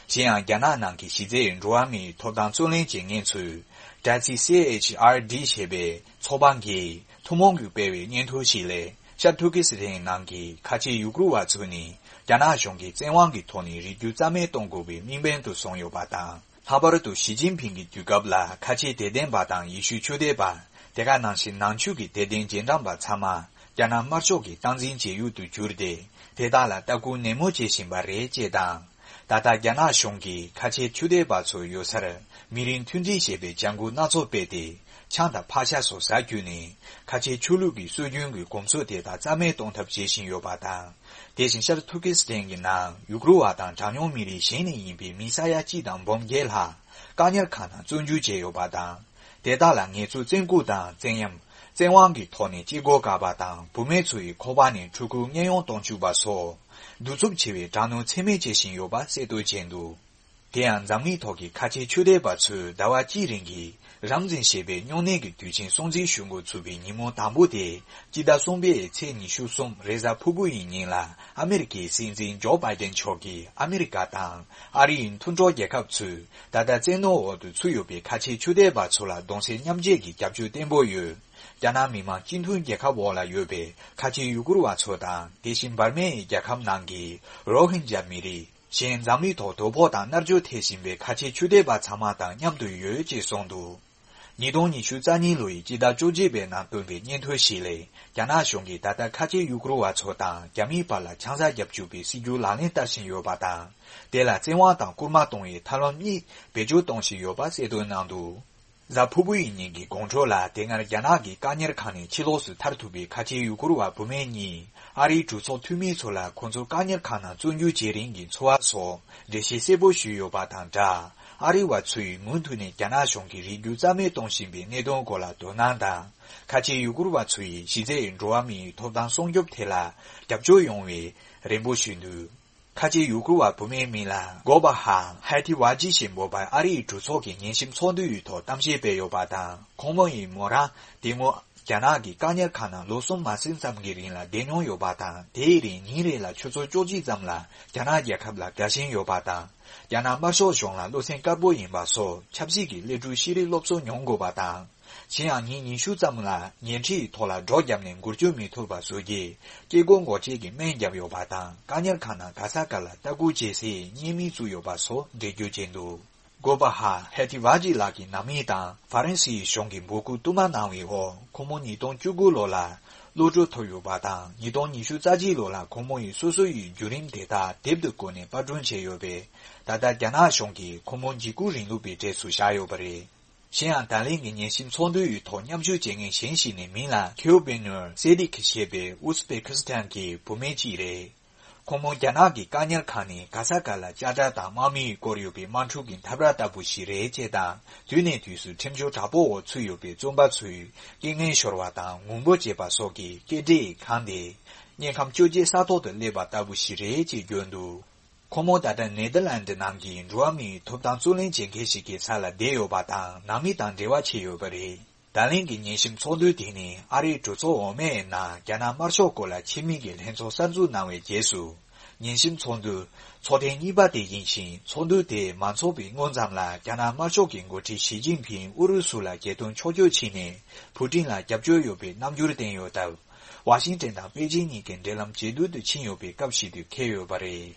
གཞན་ཡང་རྒྱ་ནག་ནང་གི་གཞི་རྩའི་འགྲོ་བ་མིའི་ཐོབ་ཐང་རྩོད་ལེན་བྱེད་མཁན་ཚོས་Taxi C H R D ཞེས་པའི་ཚོགས་པ་འགས་ཐུན་མོང་གིས་སྤེལ་བའི་སྙན་ཐོ་ཞིག་ལས་ཤར་ཏུར་ཀི་སི་ཐན་ནང་གི་ཁ་ཆེ་ཡུ་གུར་བ་ཚོ་ནི་རྒྱ་ནག་གཞུང་གིས་བཙན་དབང་གི་ཐོག་ནས་རིགས་རྒྱུད་རྩ་མེད་གཏོང་དགོས་པའི་དམིགས་འབེན་དུ་བཟུང་ཡོད་པ་དང་། ལྷག་པར་དུ་ཞི་ཅིན་ཕིང་གི་དུས་སྐབས་ལ་ཁ་ཆེ་དད་ལྡན་པ་དང་ཡེ་ཤུའི་ཆོས་དད་པ། དེ་ག་ནང་བཞིན་ནང་ཆོས་ཀྱི་དད་ལྡན་རྗེས་འབྲང་པ་ཚང་མ་རྒྱ་ནག་དམར་ཤོག་གི་སྟངས་འཛིན་བྱེད་ཡུལ་དུ་གྱུར་ཏེ། དེ་དག་ལ་ལྟ་སྐུལ་ནན་མོ་བྱེད་བཞིན་པ་རེད་ཅེས་དང་། ད་ལྟ་རྒྱ་ནག་གཞུང་གིས་ཁ་ཆེ་ཆོས་དད་པ་ཚོ་ཡོད་སར་མི་རིགས་མཐུན་སྒྲིལ་ཞེས་པའི་བྱ་འགུལ་སྣ་ཚོགས་སྤེལ་ཏེ། ཆང་དང་ཕག་ཤ་སོགས་ཟ་བརྒྱུད་ནས་ཁ་ཆེ་ཆོས་ལུགས་ཀྱི་སྲོལ་རྒྱུན་གྱི་གོམས་སྲོལ་དེ་དག་རྩ་མེད་གཏོང་ཐབས་བྱེད་བཞིན་ཡོད་པ་དང་། དེ་བཞིན་ཤར་ཏུར་ཀི་སི་ཐན་གྱི་ནང་ཡུ་གུར་བ་དང་གྲངས་ཉུང་མི་རིགས་གཞན་ནས་ཡིན་པའི་མི་ས་ཡ་གཅིག་དང་འབུམ་བརྒྱད་ལྷག་བཀག་ཉར་ཁང་ནང་བཙོན་འཇུག་བྱས་ཡོད་པ་དང་། དེ་དག་ལ་ངལ་རྩོལ་བཙོན་སྐུལ་དང་བཙན་གཡེམ། བཙན་དབང་གི་ཐོག་ནས་སྐྱེ་སྒོ་བཀག་པ་དང་བུད་མེད་ཚོ་ཡི་ཁོ་པ་ནས་ཕྲུ་གུ་གཉེན་ཡོང་གཏོང་བཅུག་པ་སོགས། གདུག་རྩུབ་ཆེ་བའི་དྲག་གནོན་ཚད་མེད་བྱེད་བཞིན་ཡོད་པ་གསལ་སྟོན་བྱས་འདུག་དེ་ཡང་འཛམ་གླིང་ཐོག་གི་ཁ་ཆེ་ཆོས་དད་པ་ཚོས་ཟླ་བ་གཅིག་རིང་གི་རབ་འཛིན་བྱས་པའི་སྨྱུང་གནས་ཀྱི་དུས་ཆེན་སྲུང་བརྩི་ཞུ་འགོ་ཚུགས་པའི་ཉིན་མོ་དང་པོ་དེ་སྤྱི་ཟླ་གསུམ་པའི་ཚེས་ཉི་ཤུ་གསུམ་རེས་གཟའ་ཕུར་བུ་ཡི་ཉིན་ལ་ཨ་མེ་རི་ཀའི་སྲིད་འཛིན་ཇོ་བྷའི་ཏན་མཆོག་གིས་ཨ་མེ་རི་ཀ་དང་ཨ་རིའི་མཐུན་གྲོགས་རྒྱལ་ཁབ་ཚོས་ད་ལྟ་བཙན་གནོན་འོག་ཏུ་ཚུད་ཡོད་པའི་ཁ་ཆེ་ཆོས་དད་པ་ཚོ་ལ་གདུང་སེམས་མཉམ་སྐྱེད་ཀྱི་རྒྱབ་སྐྱོར་བརྟན་པོ་ཡོད། རྒྱ་ནག་མི་དམངས་སྤྱི་མཐུན་རྒྱལ་ཁབ་འོག་ལ་ཡོད་པའི་ཁ་ཆེ་ཡུ་གུར་བ་ཚོ་དང་དེ་བཞིན་འབར་མའི་རྒྱལ་ཁབ་ནང་གི་རོ་ཧིན་ཇཱ་མི་རིགས། གཞན་འཛམ་གླིང་ཐོག་དོ་ཕོག་དང་མནར་གཅོད་ཐེབས་བཞིན་པའི་ཁ་ཆེ་ཆོས་དད་པ་ཚང་མ་དང་མཉམ་དུ་ཡོད་ཅེས་གསུངས་འདུག་ཉིས་སྟོང་ཉི་ཤུ་རྩ་གཉིས་ལོ་ཡི་སྤྱི་ཟླ་བཅོ་བརྒྱད་པའི་ནང་བཏོན་པའི་སྙན་ཐོ་ཞིག་ལས། རྒྱ་ནག་གཞུང་གིས་ད་ལྟ་ཁ་ཆེ་ཡུ་གུར་བ་ཚོ་དང་རྒྱ་མིའི་བར་ལ་ཆང་ས་བརྒྱབ་བཅུག་པའི་སྲིད་ཇུས་ལག་ལེན་བསྟར་བཞིན་ཡོད་པ་དང་། དེ་ལ་བཙན་དབང་དང་སྐུལ་མ་གཏོང་བའི་ཐབས་ལམ་གཉིས་བེད་སྤྱོད་གཏོང་བཞིན་ཡོད་པ་གསལ་སྟོན་གནང་འདུག་གཟའ་ཕུར་བུ་ཡི་ཉིན་གྱི་དགོང་དྲོ་ལ། དེ་སྔར་རྒྱ་ནག་གི་བཀག་ཉར་ཁང་ནས་ཕྱི་ལོགས་སུ་ཐར་ཐུབ་པའི་ཁ་ཆེ་ཡུ་གུར་བ་བུད་མེད་གཉིས། ཨ་རིའི་གྲོས་ཚོགས་འཐུས་མི་ཚོ་ལ་ཁོང་ཚོར་བཀག་ཉར་ཁང་ནང་བཙོན་འཇུག་བྱེད་རིང་གི་འཚོ་བ་སོགས་འགྲེལ་བཤད་གསལ་པོ་ཞུས་ཡོད་པ་དང་སྦྲགས། ཨ་རི་བ་ཚོས་མུ་མཐུད་ནས་རྒྱ་ནག་གཞུང་གིས་རིགས་རྒྱུད་རྩ་མེད་གཏོང་བཞིན་པའི་གནད་དོན་སྐོར་ལ་དོ་སྣང་དང་། ཁ་ཆེ་ཡུ་གུར་བ་ཚོ་ཡི་གཞི་རྩའི་འགྲོ་བ་མིའི་ཐོབ་ཐང་སྲུང་སྐྱོབ་ཐད་ལ་རྒྱབ་སྐྱོར་ཡོང་བའི་རེ་འབོད་ཞུས་འདུག། ཁ་ཆེ་ཡུ་གུར་བ་བུད་མེད་མིང་ལ་གོ་བ་ཧ་ཧ་ཐི་ཝ་ཇི་ཞེས་འབོད་པ་ཨ་རིའི་གྲོས་ཚོགས་ཀྱི་ཉན་ཞིབ་ཚོགས་འདུའི་ཐོག་གཏམ་བཤད་སྤེལ་ཡོད་པ་དང་། ཁོང་མོ་ཡིས་མོ་རང་དེ་སྔོན་རྒྱ་ནག་གི་བཀག་ཉར་ཁང་ནང་ལོ་གསུམ་མ་ཟིན་ཙམ་གྱི་རིང་ལ་བསྡད་མྱོང་ཡོད་པ་དང་། དེའི་རིང་ཉིན་རེ་ལ་ཆུ་ཚོད་བཅུ་གཅིག་ཙམ་ལ་རྒྱ་ནག་རྒྱལ་ཁབ་ལ་དགའ་ཞེན་ཡོད་པ་དང་། རྒྱ་ནག་དམར་ཤོག་གཞུང་ལ་བློ་སེམས་དཀར་པོ་ཡིན་པ་སོགས་ཆབ་སྲིད་ཀྱི་སླེབས་འཕྲུལ་ཤེས་རིག་སློབ་གསོ་མྱོང་དགོས་པ་དང་། གཞན་ཡང་ཉིན་ཉི་ཤུ་ཙམ་ལ་ཉལ་ཁྲིའི་ཐོག་ལ་སྒྲོག་བརྒྱབ་ནས་འགུལ་སྐྱོད་མི་ཐུབ་པ་བཟོ་རྒྱུ། སྐྱེ་སྒོ་འགོག་བཅོས་ཀྱི་སྨན་བརྒྱབ་ཡོད་པ་དང་། བཀག་ཉར་ཁང་ནང་ག་ས་ག་ལ་ལྟ་སྐུལ་བྱེད་སའི་བརྙན་མིག་བཙུགས་ཡོད་པ་སོགས་འགྲེལ་བརྗོད་བྱས་འདུག། གོ་བ་ཧ་ཧེ་ཐི་ཝ་ཇི་ལགས་ཀྱི་ནང་མི་དང་ཧྥ་རན་སིའི་གཞུང་གིས་འབོད་སྐུལ་བསྟུད་མར་གནང་བའི་འོག། ཁོང་མོ་ཉིས་སྟོང་བཅུ་དགུ་ལོ་ལ་གློད་གྲོལ་ཐོབ་ཡོད་པ་དང་། ཉིས་སྟོང་ཉི་ཤུ་རྩ་གཅིག་ལོ་ལ་ཁོང་མོ་ཡིས་སོ་སོ་ཡི་བརྒྱུད་རིམ་དེ་དག་དེབ་ཏུ་བཀོད་ནས་པར་སྐྲུན་བྱས་ཡོད་པས། ད་ལྟ་རྒྱ་ནག་གཞུང་གིས་ཁོང་མོ་འཇིགས་སྐུལ་རིང་ལུགས་པའི་གྲས་སུ་བཞག་ཡོད་པ་རེད། གཞན་ཡང་། ད་ལན་གྱི་ཉན་ཞིབ་ཚོགས་འདུའི་ཐོག་མཉམ་ཞུགས་བྱེད་མཁན་གཞན་ཞིག་ནས་མིང་ལ་ཁེའུ་པེ་ནོར་སེ་ཏིག་ཞེས་པའི་ཨུ་ཛི་པེ་ཁི་སི་ཐན་གྱི་བུད་མེད་ཅིག་རེད། ཁོང་མོ་རྒྱ་ནག་གི་བཀག་ཉར་ཁང་ནས་ག་ས་ག་ལ་ཅ་ཅ་དང་དམག་མིས་བསྐོར་ཡོད་པའི་དམག་འཁྲུག་གི་འཐབ་ར་ལྟ་བུ་ཞིག་རེད་ཅེས་དང་། དུས་ནས་དུས་སུ་ཁྲིམས་གཅོད་དྲག་པོའི་འོག་ཚུད་ཡོད་པའི་བཙོན་པ་ཚོས་རྐྱེན་ངན་ཤོར་བ་དང་ངུ་འབོད་བྱེད་པ་སོགས་ཀྱི་སྐད་སྒྲས་གང་སྟེ། དམྱལ་ཁམས་བཅོ་བརྒྱད་ས་ཐོག་ཏུ་སླེབས་པ་ལྟ་བུ་ཞིག་རེད་ཅེས་བརྗོད་འདུག། ཁོང་མོ་ད་ལྟ་ནེ་དར་ལན་ཌི་ནང་གི་འགྲོ་བ་མིའི་ཐོབ་ཐང་རྩོད་ལེན་བྱེད་མཁན་ཞིག་གི་ས་ལ་བསྡད་ཡོད་པ་དང་། ནང་མི་དང་འབྲེལ་བ་བྱས་ཡོད་པ་རེད། ད་ལན་གྱི་ཉན་ཞིབ་ཚོགས་འདུ་དེ་ནི་ཨ་རིའི་གྲོས་ཚོགས་འོག་མའི་ནང་རྒྱ་ནག་དམར་ཤོག་སྐོར་ལ་ཆེད་དམིགས་ཀྱི་ལྷན་ཚོགས་གསར་འཛུགས་གནང་བའི་རྗེས་སུ། ཉན་ཞིབ་ཚོགས་འདུ་ཚོགས་ཐེངས་གཉིས་པ་དེ་ཡིན་ཞིང་། ཚོགས་འདུ་དེ་མ་འཚོགས་པའི་སྔོན་ཙམ་ལ། རྒྱ་ནག་དམར་ཤོག་གི་འགོ་ཁྲིད་ཞི་ཅིན་ཕིང་ཨུ་རུ་སུ་ལ་རྒྱལ་དོན་ཕྱོགས་བསྐྱོད་བྱས་ནས། ཕུ་ཀྲིན་ལ་རྒྱབ་སྐྱོར་ཡོད་པའི་རྣམ་འགྱུར་བསྟན་ཡོད་སྟབས། ཝ་ཤིང་ཏན་དང་པེ་ཅིན་གཉིས་ཀྱི་འབྲེལ་ལམ་ཇེ་སྡུག་ཏུ་ཕྱིན་ཡོད་པའི་སྐབས་ཤིག་ཏུ་འཁེལ་ཡོད་པ་རེད།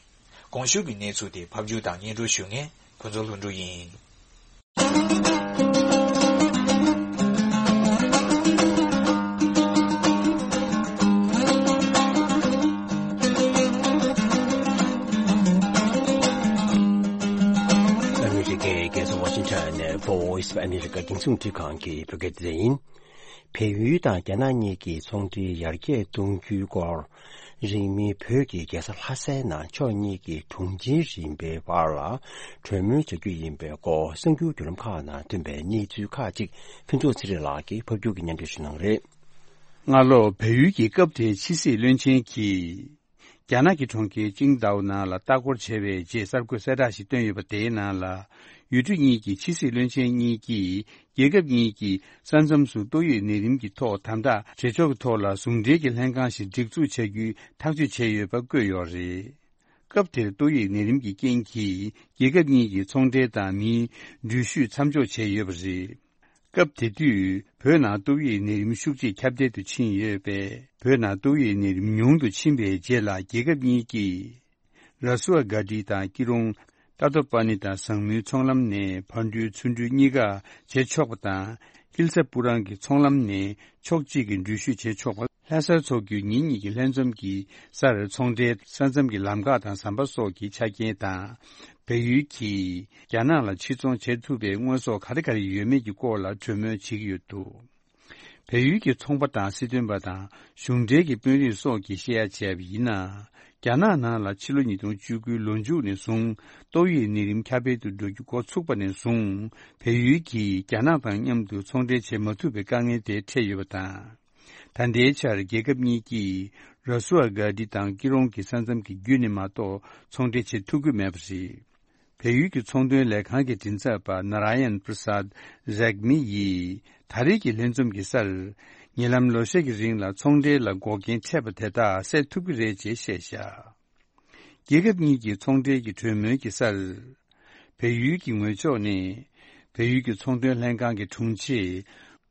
གོང་ཞུས་ཀྱི་གནས་ཚུལ་དེ་ཕབ་སྒྱུར་དང་སྙན་སྒྲོན་ཞུ་མཁན་ཕུན་ཚོགས་ལྷུན་གྲུབ་ཡིན། ཨ་མི་རི་ཀའི་རྒྱལ་ས་ཝ་ཤིང་ཊོན་ནས་Voice of America རྒྱང་སྲིང་འཕྲིན་ཁང་གི་བོད་སྐད་སྡེ་ཚན་ཡིན། བལ་ཡུལ་དང་རྒྱ་ནག་གཉིས་ཀྱིས་ཚོང་འབྲེལ་ཡར་རྒྱས་གཏོང་རྒྱུའི་སྐོར། རིང་མིན་བོད་ཀྱི་རྒྱལ་ས་ལྷ་སའི་ནང་ཕྱོགས་གཉིས་ཀྱི་དྲུང་ཆེ་རིམ་པའི་བར་ལ་གྲོས་མོལ་བྱ་རྒྱུ་ཡིན་པའི་སྐོར། གསར་འགྱུར་བརྒྱུད་ལམ་ཁག་ནང་ཐོན་པའི་གནས་ཚུལ་ཁག་ཅིག་ཕུན་ཚོགས་ཚེ་རིང་ལགས་ཀྱིས་ཕབ་སྒྱུར་གྱིས་སྙན་སྒྲོན་ཞུ་གནང་གི་རེད། སྔ་ལོ་བལ་ཡུལ་གྱི་སྐབས་དེའི་ཕྱི་སྲིད་བློན་ཆེན་གྱིས། རྒྱ་ནག་གི་གྲོང་ཁྱེར་ཅིང་ཏའོ་ནང་ལ་ལྟ་སྐོར་བྱས་པའི་རྗེས་གསར་འགོད་གསལ་བསྒྲགས་ཤིག་བཏོན་ཡོད་པ། དེའི་ནང་ལ། ཡུལ་གྲུ་གཉིས་ཀྱི་ཕྱི་སྲིད་བློན་ཆེན་གཉིས་ཀྱིས། རྒྱལ་ཁབ་གཉིས་ཀྱིས་ས་མཚམས་སུ་ཏོག་དབྱིབས་ནད་རིམས་ཀྱི་ཐོག་དམ་དྲག་བྱེད་ཕྱོགས་ཀྱི་ཐོག་ལ་ཟུང་འབྲེལ་གྱི་ལྷན་ཁང་ཞིག་སྒྲིག་འཛུགས་བྱ་རྒྱུའི་ཐག་གཅོད་བྱས་ཡོད་པ་བཀོད་ཡོད་རེད། སྐབས་དེར་ཏོག་དབྱིབས་ནད་རིམས་ཀྱི་རྐྱེན་གྱིས། རྒྱལ་ཁབ་གཉིས་ཀྱི་ཚོང་འབྲེལ་དང་མིའི་འགྲུལ་བཞུད་མཚམས་འཇོག་བྱས་ཡོད་པ་རེད། སྐབས་དེ་དུས་བོད་ནང་ཏོག་དབྱིབས་ནད་རིམས་ཤུགས་ཆེས་ཁྱབ་གདལ་དུ་ཕྱིན་ཡོད་པས། བོད་ནང་ཏོག་དབྱིབས་ནད་རིམས་ཉུང་དུ་ཕྱིན་པའི་རྗེས་ལ། རྒྱལ་ཁབ་གཉིས་ཀྱིས་ར་སུ་ཨ་གྷ་ཏི་དང་སྐྱིད་གྲོང་ཏ་ཏོ་པ་ནི་དང་ཟངས་མུའི་ཚོང་ལམ་ནས་ཕར་འགྲུལ་ཚུར་འགྲུལ་གཉིས་ཀ་བྱེད་ཆོག་པ་དང་། ཀིལ་ས་པུ་རང་གི་ཚོང་ལམ་ནས་ཕྱོགས་གཅིག་གི་འགྲུལ་བཞུད་བྱེད་ཆོག་པ། ལྷ་སར་འཚོགས་རྒྱུའི་ཉིན་གཉིས་ཀྱི་ལྷན་འཛོམས་ཀྱི་སར་ཚོང་འབྲེལ་ས་མཚམས་ཀྱི་ལམ་ཁ་དང་ཟམ་པ་སོགས་ཀྱི་ཆ་རྐྱེན་དང་། བལ་ཡུལ་གྱིས་རྒྱ་ནག་ལ་ཕྱིར་ཚོང་བྱེད་ཐུབ་པའི་དངོས་ཟོག་ག་རེ་ག་རེ་ཡོད་མེད་ཀྱི་སྐོར་ལ་གྲོས་མོལ་བྱེད་ཀྱི་ཡོད་འདུག། བལ་ཡུལ་གྱི་ཚོང་པ་དང་སྲིད་དོན་པ་དང་གཞུང་འབྲེལ་གྱི་དཔོན་རིགས་སོགས་ཀྱིས་བཤད་ཡ་བྱས་པ་ཡིན་ན། རྒྱ་ནག་ནང་ལ་ཕྱི་ལོ་ཉིས་སྟོང་བཅུ་དགུའི་ལོ་མཇུག་ནས་བཟུང་ཏོག་དབྱིབས་ནད་རིམས་ཁྱབ་སྤེལ་དུ་འགྲོ་རྒྱུ་འགོ་ཚུགས་པ་ནས་བཟུང་། བལ་ཡུལ་གྱིས་རྒྱ་ནག་དང་མཉམ་དུ་ཚོང་འབྲེལ་བྱེད་མ་ཐུབ་པའི་དཀའ་ངལ་དེ་འཕྲད་ཡོད་པ་དང་། ད་ལྟའི་ཆར་རྒྱལ་ཁབ་གཉིས་ཀྱིས་ར་སུ་ཨ་གྷ་ཏི་དང་སྐྱིད་གྲོང་གི་ས་མཚམས་ཀྱི་བརྒྱུད་ནས་མ་གཏོགས་ཚོང་འབྲེལ་བྱེད་ཐུབ་ཀྱི་མེད་པ་རེད། བལ་ཡུལ་གྱི་ཚོང་དོན་ལས་ཁང་གི་མགྲིན་ཚབ་པ་ནཱ་ར་ཡན་པྲ་སཱད་རེག་མི་ཡིས། ད་རེས་ཀྱི་ལྷན་འཛོམས་ཀྱི་སར། ཉེ་ལམ་ལོ་ཤས་ཀྱི་རིང་ལ་ཚོང་འབྲེལ་ལ་འགོག་རྐྱེན་འཕྲད་པ་དེ་དག་སེལ་ཐུབ་ཀྱི་རེད་ཅེས་བཤད་བཞག། རྒྱལ་ཁབ་གཉིས་ཀྱི་ཚོང་འབྲེལ་གྱི་གྲོས་མོལ་གྱི་སར། བལ་ཡུལ་གྱི་ངོས་ཕྱོགས་ནས། བལ་ཡུལ་གྱི་ཚོང་དོན་ལྷན་ཁང་གི་དྲུང་ཆེ།